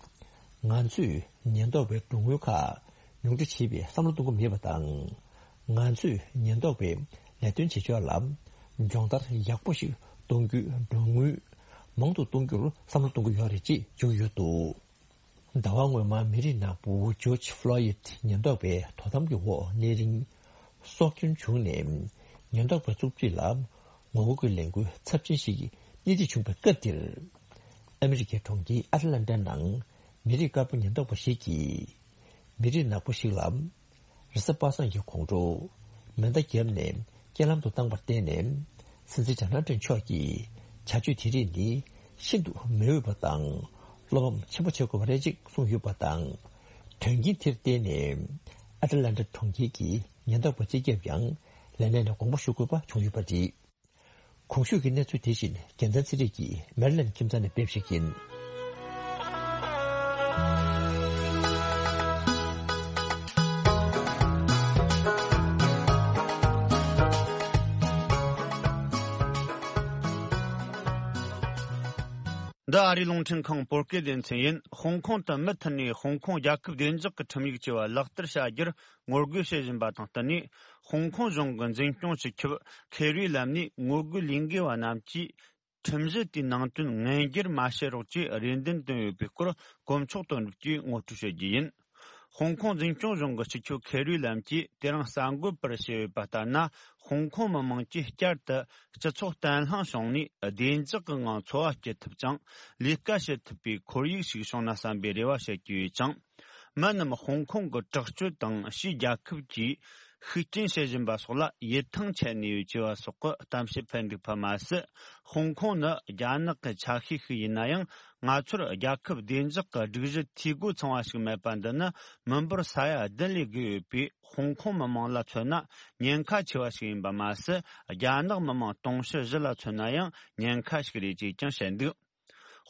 ང་ཚོས་ཉེན་རྟོག་པའི་འགྲོ་དངུལ་ཁག་ ཉུང་འཕྲི་བྱེད་པའི་བསམ་བློ་གཏོང་གི་མེད་པ་དང་། ང་ཚོས་ཉེན་རྟོག་པའི་ལས་དོན་བྱེད་ཕྱོགས་ལ་སྦྱོང་བརྡར་ཡག་པོ་ཞིག་གཏོང་རྒྱུའི་གྲོན་དངུལ་མང་དུ་གཏོང་རྒྱུར་བསམ་བློ་གཏོང་གི་ཡོད་རེད་ཅེས་བརྗོད་ཀྱི་ཡོད་འདུག་ཟླ་བ་སྔོན་མ་མི་རིགས་ནག་པོ་ཇོརྗ་ཕློ་ཡིད་ཉེན་རྟོག་པའི་དོ་དམ་གྱི་འོག་གནས་རིང་སྲོག་སྐྱོན་བྱུང་ནས་ཉེན་རྟོག་པའི་བཙུགས་རྩིས་ལ་ངོ་རྒོལ་གྱི་ལས་འགུལ་ཚབས་ཆེན་ཞིག་སྣེ་ཁྲིད་བྱུང་བའི་སྐབས་འདིར། ཨ་མི་རི་ཀའི་གྲོང་ཁྱེར་ཨ་ཏི་ལན་ཏཱ་ནང་མི་རིགས་དཀར་པོ་ཉེན་རྟོག་པ་ཞིག་གིས། མི་རིགས་ནག་པོ་ཞིག་ལ་རེས་གཟའ་པ་སངས་ཀྱི་དགོང་དྲོ་མེ་མདའ་བརྒྱབ་ནས་རྐྱེན་ལམ་དུ་བཏང་བར་བརྟེན་ནས། སྲིད་འཛིན་ཌོ་ནལ་ཊྲམ་མཆོག་གིས་བྱ་སྤྱོད་དེ་རིགས་ནི་ཤིན་ཏུ་མི་འོས་པ་དང་བློ་ཕམ་ཆེན་པོ་བྱེད་དགོས་པ་རེད་ཅེས་གསུངས་ཡོད་པ་དང་། དོན་རྐྱེན་དེར་བརྟེན་ནས་ཨ་ཏི་ལན་ཊ་གྲོང་ཁྱེར་གྱི་ཉེན་རྟོག་པ་སྤྱི་ཁྱབ་ཡང་ལས་གནས་ནས་དགོངས་པ་ཞུ་དགོས་པ་བྱུང་ཡོད་པ་རེད། གོང་ཞུས་ཀྱི་གནས་ཚུལ་དེ་བཞིན་རྒྱལ་མཚན་ཚེ་རིང་གིས་མེ་རི་ལན་ཁྱིམ་ཚང་ནས་སྤེལ་བ་ཞིག་ཡིན། འདི་ཨ་རིའི་རླུང་འཕྲིན་ཁང་བོད་སྐད་སྡེ་ཚན་ཡིན། ཧོང་ཀོང་དུ་མུ་མཐུད་ནས་ཧོང་ཀོང་རྒྱལ་ཁབ་བདེ་འཇགས་ཀྱི་ཁྲིམས་ཡིག་ཅེས་པ་ལག་བསྟར་བྱ་རྒྱུར་ངོ་རྒོལ་བྱེད་བཞིན་པ་དང་བསྟུན་ནས། ཧོང་ཀོང་གཞུང་གི་འཛིན་སྐྱོང་སྤྱི་ཁྱབ་ཁེ་རུའི་ལམ་ནས་ངོ་རྒོལ་ལས་འགུལ་བ་རྣམས་ཀྱིས་ཁྲིམས་གཞི་དེའི་ནང་དོན་ངན་བསྒྱུར་མ་བྱེད་རོགས་ཅེས་རེ་འདུན་བཏོན་ཡོད་པའི་སྐོར་དཀོན་མཆོག་དོན་གྲུབ་ཀྱིས་ངོ་སྤྲོད་བྱེད་རྒྱུ་ཡིན། ཧོང་ཀོང་འཛིན་སྐྱོང་གཞུང་གི་སྤྱི་ཁྱབ་ཁེ་རུའི་ལམ་གྱིས་དེ་རིང་གསར་འགོད་པར་བཤད་ཡོད་པ་ལྟར་ན། ཧོང་ཀོང་མི་དམངས་ཀྱིས་བསྐྱར་དུ་སྤྱི་ཚོགས་བརྟན་ལྷིང་བྱུང་ནས་བདེ་འཇགས་ཀྱི་ངང་འཚོ་བ་སྐྱེལ་ཐུབ་ཅིང་ལས་ཀ་བྱེད་ཐུབ་པའི་ཁོར་ཡུག་ཞིག་བྱུང་ན་བསམ་པའི་རེ་བ་བྱེད་ཀྱི་ཡོད་ཅིང་། མི་རྣམས་ཧོང་ཀོང་གི་དྲག་སྤྱོད་དང་ཕྱིའི་རྒྱལ་ཁབ་ཀྱིས་ཤུགས་རྐྱེན་བྱེད་བཞིན་པ་སོགས་ལ་ཡིད་ཐང་ཆད་ནས་ཡོད་ཅེས་པ་སོགས་ཀྱི་གཏམ་བཤད་འཕེལ་འདུག་པ་མ་ཟད། ཧོང་ཀོང་ནི་རྒྱ་ནག་གི་ཆ་ཤས་ཤིག་ཡིན་ན་ཡང་། ང་ཚོར་རྒྱལ་ཁབ་བདེ་འཇགས་ཀྱི་སྒྲིག་གཞི་འཐུས་སྒོ་ཚང་བ་ཞིག་མེད་པ་འདི་ནི་མི་འབོར་ས་ཡ་བདུན་ལས་བརྒལ་ཡོད་པའི་ཧོང་ཀོང་མི་དམངས་ལ་མཚོན་ན་ཉེན་ཁ་ཆེ་བ་ཞིག་ཡིན་པ་མ་ཟད། རྒྱ་ནག་མི་དམངས་དུང་ཕྱུར་བཞི་ལ་མཚོན་ན་ཡང་ཉེན་ཁ་ཞིག་རེད་ཅེས་ཀྱང་བཤད་འདུག་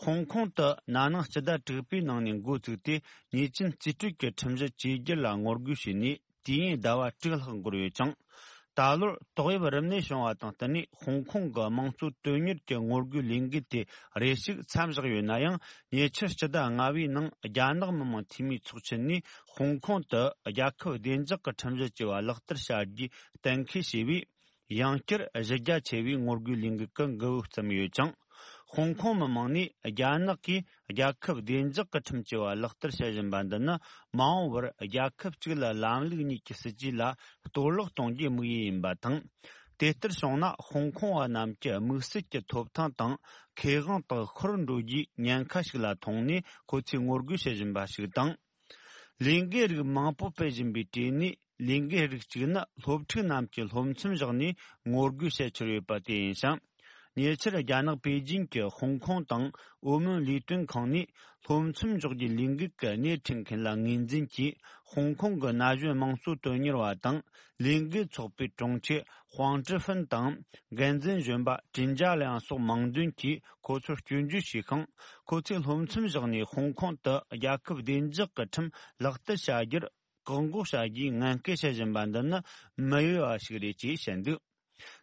ཧོང་ཀོང་དུ་ན་ནིང་སྤྱི་ཟླ་དྲུག་པའི་ནང་ནས་འགོ་བཙུགས་ཏེ། ཉེས་ཅན་རྩིས་སྤྲོད་ཀྱི་ཁྲིམས་གཞི་བཅོས་བསྒྱུར་ལ་ངོ་རྒོལ་བྱས་ནས། དུས་ཡུན་ཟླ་བ་དྲུག་ལྷག་འགོར་ཡོད་ཅིང་། ད་ལོར་ཏོག་དབྱིབས་རིམས་ནད་བྱུང་བ་དང་བསྟུན་ནས། ཧོང་ཀོང་གི་དམངས་གཙོ་དོན་གཉེར་གྱི་ངོ་རྒོལ་ལས་འགུལ་དེ་རེ་ཞིག་མཚམས་བཞག་ཡོད་ན་ཡང་། ཉེ་ཆར་སྤྱི་ཟླ་ལྔ་པའི་ནང་རྒྱ་ནག་མི་དམངས་འཐུས་མིའི་ཚོགས་ཆེན་ནས་ཧོང་ཀོང་དུ་རྒྱལ་ཁབ་བདེ་འཇགས་ཀྱི་ཁྲིམས་གཞི་ཅེས་པ་ལག་བསྟར་བྱ་རྒྱུའི་གཏན་འཁེལ་བྱས་པས། ཡང་བསྐྱར་གཞི་རྒྱ་ཆེ་བའི་ངོ་རྒོལ་ལས་འགུལ་གྱི་འགུལ་བ་བརྩམས་ཡོད་ཅིང་། ཧོང་ཀོང་མི་དམངས་ནས་རྒྱ་ནག་གིས་རྒྱལ་ཁབ་བདེ་འཇགས་ཀྱི་ཁྲིམས་ཅེས་པ་ལག་བསྟར་བྱེད་བཞིན་པ་འདི་ནི། མ་འོངས་པར་རྒྱལ་ཁབ་གཅིག་ལ་ལམ་ལུགས་གཉིས་ཀྱི་སྲིད་ཇུས་ལ་གཏོར་བརླག་གཏོང་རྒྱུའི་དམིགས་ཡུལ་ཡིན་པ་དང་། དེ་ལྟར་བྱུང་ན། ཧོང་ཀོང་བ་རྣམས་ཀྱི་དམིགས་བསལ་གྱི་ཐོབ་ཐང་དང་ཁེ་དབང་དག་ཤོར་འགྲོ་རྒྱུའི་ཉེན་ཁ་ཞིག་ལ་མཐོང་ནས། ཁོ་ཚོས་ངོ་རྒོལ་བྱེད་བཞིན་པ་ཞིག་དང་། ལས་འགུལ་རིགས་མང་པོ་སྤེལ་བཞིན་པའི་གྲས་ནས། ལས་འགུལ་རིགས་གཅིག་ནི་སློབ་ཕྲུག་རྣམས་ཀྱིས་སློབ་མཚམས་བཞག་ནས་ངོ་རྒོལ་བྱེད་འཆར་ཡོད་པ་དེ་ཡིན་ཞིང་། ཉེ་ཆར་རྒྱ་ནག་པེ་ཅིང་གི་ཧོང་ཀོང་དང་ཨོ་མོན་ལས་དོན་ཁང་ནས་སློབ་མཚམས་འཇོག་རྒྱུའི་ལས་འགུལ་གྱི་སྣེ་ཁྲིད་མཁན་ལ་ངོས་འཛིན་གྱིས། ཧོང་ཀོང་གི་ན་གཞོན་དམངས་གཙོ་དོན་གཉེར་བ་དང་ལས་འགུལ་ཚོགས་པའི་དྲུང་ཆེ་ཧུང་ཀྲི་ཧྥིན་དང་། འགན་འཛིན་གཞོན་པ་ཀྲིན་ཅཱ་ལིའང་སོགས་མང་འདོན་གྱིས་ཁོ་ཚོར་སྐྱོན་བརྗོད་བྱས་ཤིང་། ཁོ་ཚོས་སློབ་མཚམས་བཞག་ནས་ཧོང་ཀོང་དུ་རྒྱལ་ཁབ་བདེ་འཇགས་ཀྱི་ཁྲིམས་ལག་བསྟར་བྱ་རྒྱུར་བཀག་འགོག་བྱ་རྒྱུའི་ངན་སྐུལ་བྱེད་བཞིན་པ་འདི་ནི་མི་འོས་པ་ཞིག་རེད་ཅེས་བཤད་འདུག་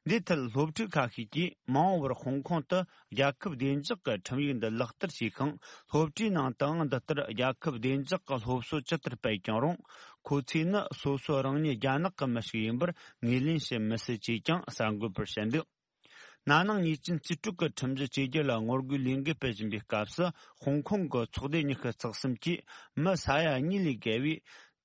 འདིའི་ཐད་སློབ་ཕྲུག་ཁ་ཤས་ཀྱིས་མ་འོངས་པར་ཧོང་ཀོང་དུ་རྒྱལ་ཁབ་བདེ་འཇགས་ཀྱི་ཁྲིམས་ཡིག་འདི་ལག་བསྟར་བྱས་ཤིང་། སློབ་གྲྭའི་ནང་དུའང་འདི་ལྟར་རྒྱལ་ཁབ་བདེ་འཇགས་ཀྱི་སློབ་གསོ་ཇི་ལྟར་སྤེལ་ཀྱང་རུང་། ཁོ་ཚོས་ནི་སོ་སོ་རང་ཉིད་རྒྱ་ནག་གི་མི་ཞིག་ཡིན་པར་ངོས་ལེན་བྱེད་མི་སྲིད་ཅེས་ཀྱང་གསར་འགོད་པར་བཤད་འདུག་ན་ནིང་ཉེས་ཅན་རྩིས་སྤྲོད་ཀྱི་ཁྲིམས་གཞི་བཅོས་བསྒྱུར་ལ་ངོ་རྒོལ་ལས་འགུལ་སྤེལ་བཞིན་པའི་སྐབས་སུ། ཧོང་ཀོང་གི་ཚོགས་སྡེ་ཉི་ཤུ་རྩ་གསུམ་གྱིས་མི་ས་ཡ་གཉིས་ལས་བརྒལ་བའི་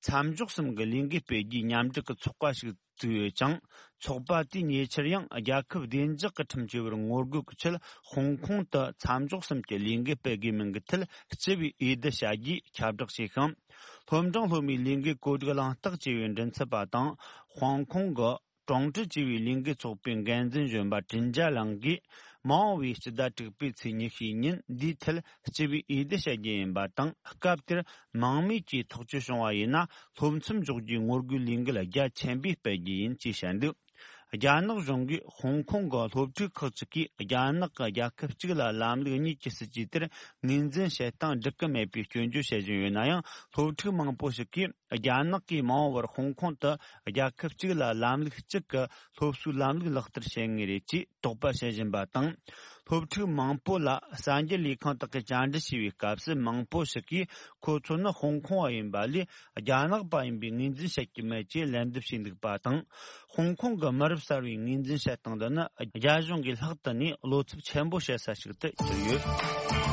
མཚམས་འཇོག་གསུམ་གྱི་ལས་འགུལ་སྤེལ་རྒྱུའི་མཉམ་འབྲེལ་གྱི་ཚོགས་པ་ཞིག་བཙུགས་ཡོད་ཅིང་། ཚོགས་པ་དེས་ཉེ་ཆར་ཡང་རྒྱལ་ཁབ་བདེ་འཇགས་ཀྱི་ཁྲིམས་བཅོས་པར་ངོ་རྒོལ་གྱི་ཆེད། ཧོང་ཀོང་དུ་མཚམས་འཇོག་གསུམ་གྱི་ལས་འགུལ་སྤེལ་དགོས་མིན་གྱི་ཐད་སྤྱི་པའི་འོས་བསྡུ་བྱ་རྒྱུའི་ཁྱབ་བསྒྲགས་བྱས་ཤིང་། སློབ་འབྲིང་སློབ་མའི་ལས་འགུལ་བཀོད་སྒྲིག་གླེང་སྟེགས་ཅེས་པའི་མགྲིན་ཚབ་པ་དང་། ཧོང་ཀོང་གི་ཀྲུང་ཀྲི་ཅེས་པའི་ལས་འགུལ་ཚོགས་པའི་འགན་འཛིན་གཞོན་པ་ཀྲིན་ཅཱ་ལང་གིས། མ་འོངས་པའི་སྤྱི་ཟླ་དྲུག་པའི་ཚེས་ཉི་ཤུའི་ཉིན་འདིའི་ཐད་སྤྱི་པའི་འོས་བསྡུ་བྱ་རྒྱུ་ཡིན་པ་དང་། སྐབས་དེར་མང་མོས་ཀྱིས་ཐག་གཅོད་བྱུང་བ་ཡིན་ན། སློབ་མཚམས་འཇོག་རྒྱུའི་ངོ་རྒོལ་ལས་འགུལ་རྒྱ་ཆེན་པོས་སྤེལ་རྒྱུ་ཡིན་ཅེས་བཤད་འདུག་རྒྱ་ནག་གཞུང་གིས་ཧོང་ཀོང་གི་སློབ་ཕྲུག་ཁག་ཅིག་གིས་རྒྱ་ནག་གི་རྒྱལ་ཁབ་གཅིག་ལ་ལམ་ལུགས་གཉིས་ཀྱི་སྲིད་ཇུས་དེར་ངོས་འཛིན་བྱེད་སྟངས་འགྲིག་གི་མེད་པའི་སྐྱོན་བརྗོད་བྱེད་བཞིན་ཡོད་ན་ཡང་། སློབ་ཕྲུག་མང་པོ་ཞིག་གིས་རྒྱ་ནག་གིས་མ་འོངས་པར་ཧོང་ཀོང་དུ་རྒྱལ་ཁབ་གཅིག་ལ་ལམ་ལུགས་གཅིག་གི་སློབ་གསོའི་ལམ་ལུགས་ལག་བསྟར་བྱེད་ངེས་རེད་ཅེས་དོགས་པ་བྱེད་བཞིན་པ་དང་། སློབ་ཕྲུག་མང་པོ་ལ་གསར་འགྱུར་ལས་ཁང་དག་གིས་བཅར་འདྲི་བྱས་པའི་སྐབས་སུ། མང་པོ་ཞིག་གིས་ཁོ་ཚོ་ནི་ཧོང་ཀོང་བ་ཡིན་པ་ལས་རྒྱ་ནག་པ་ཡིན་པའི་ངོས་འཛིན་བྱེད་ཀྱི་མེད་ཅེས་ལན་འདེབས་བྱས་འདུག་པ་དང་། ཧོང་ཀོང་གི་མི་རབས་གསར་བའི་ངོས་འཛིན་བྱེད་སྟངས་འདི་ནི་རྒྱ་གཞུང་གིས་ལྷག་ཏུ་ནས་བློ་འཚབ་ཆེན་པོ་བྱེད་ས་ཞིག་ཏུ་གྱུར་ཡོད།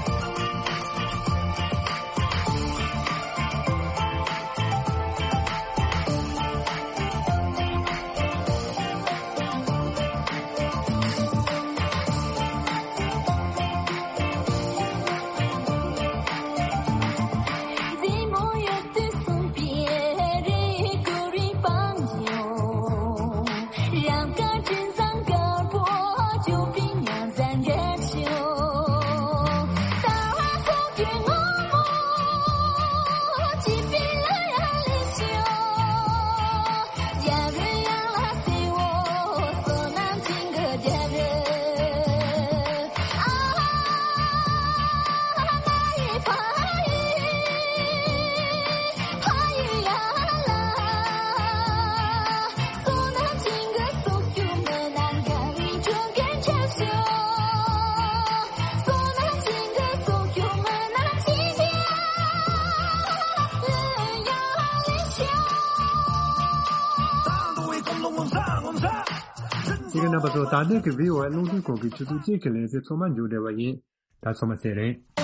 ཅིག་རྣམ་པ་ཚོ། ད་ལྟའི་གི་བྷི་ཨོ་ཨེ་རླུང་འཕྲིན་ཁང་གི་ཆུ་ཚོད་གཅིག་གི་ལེ་ཚན་ཚང་མ་མཇུག་བསྒྲིལ་བ་ཡིན། ད་ཚང་མ་བཙལ་རེད།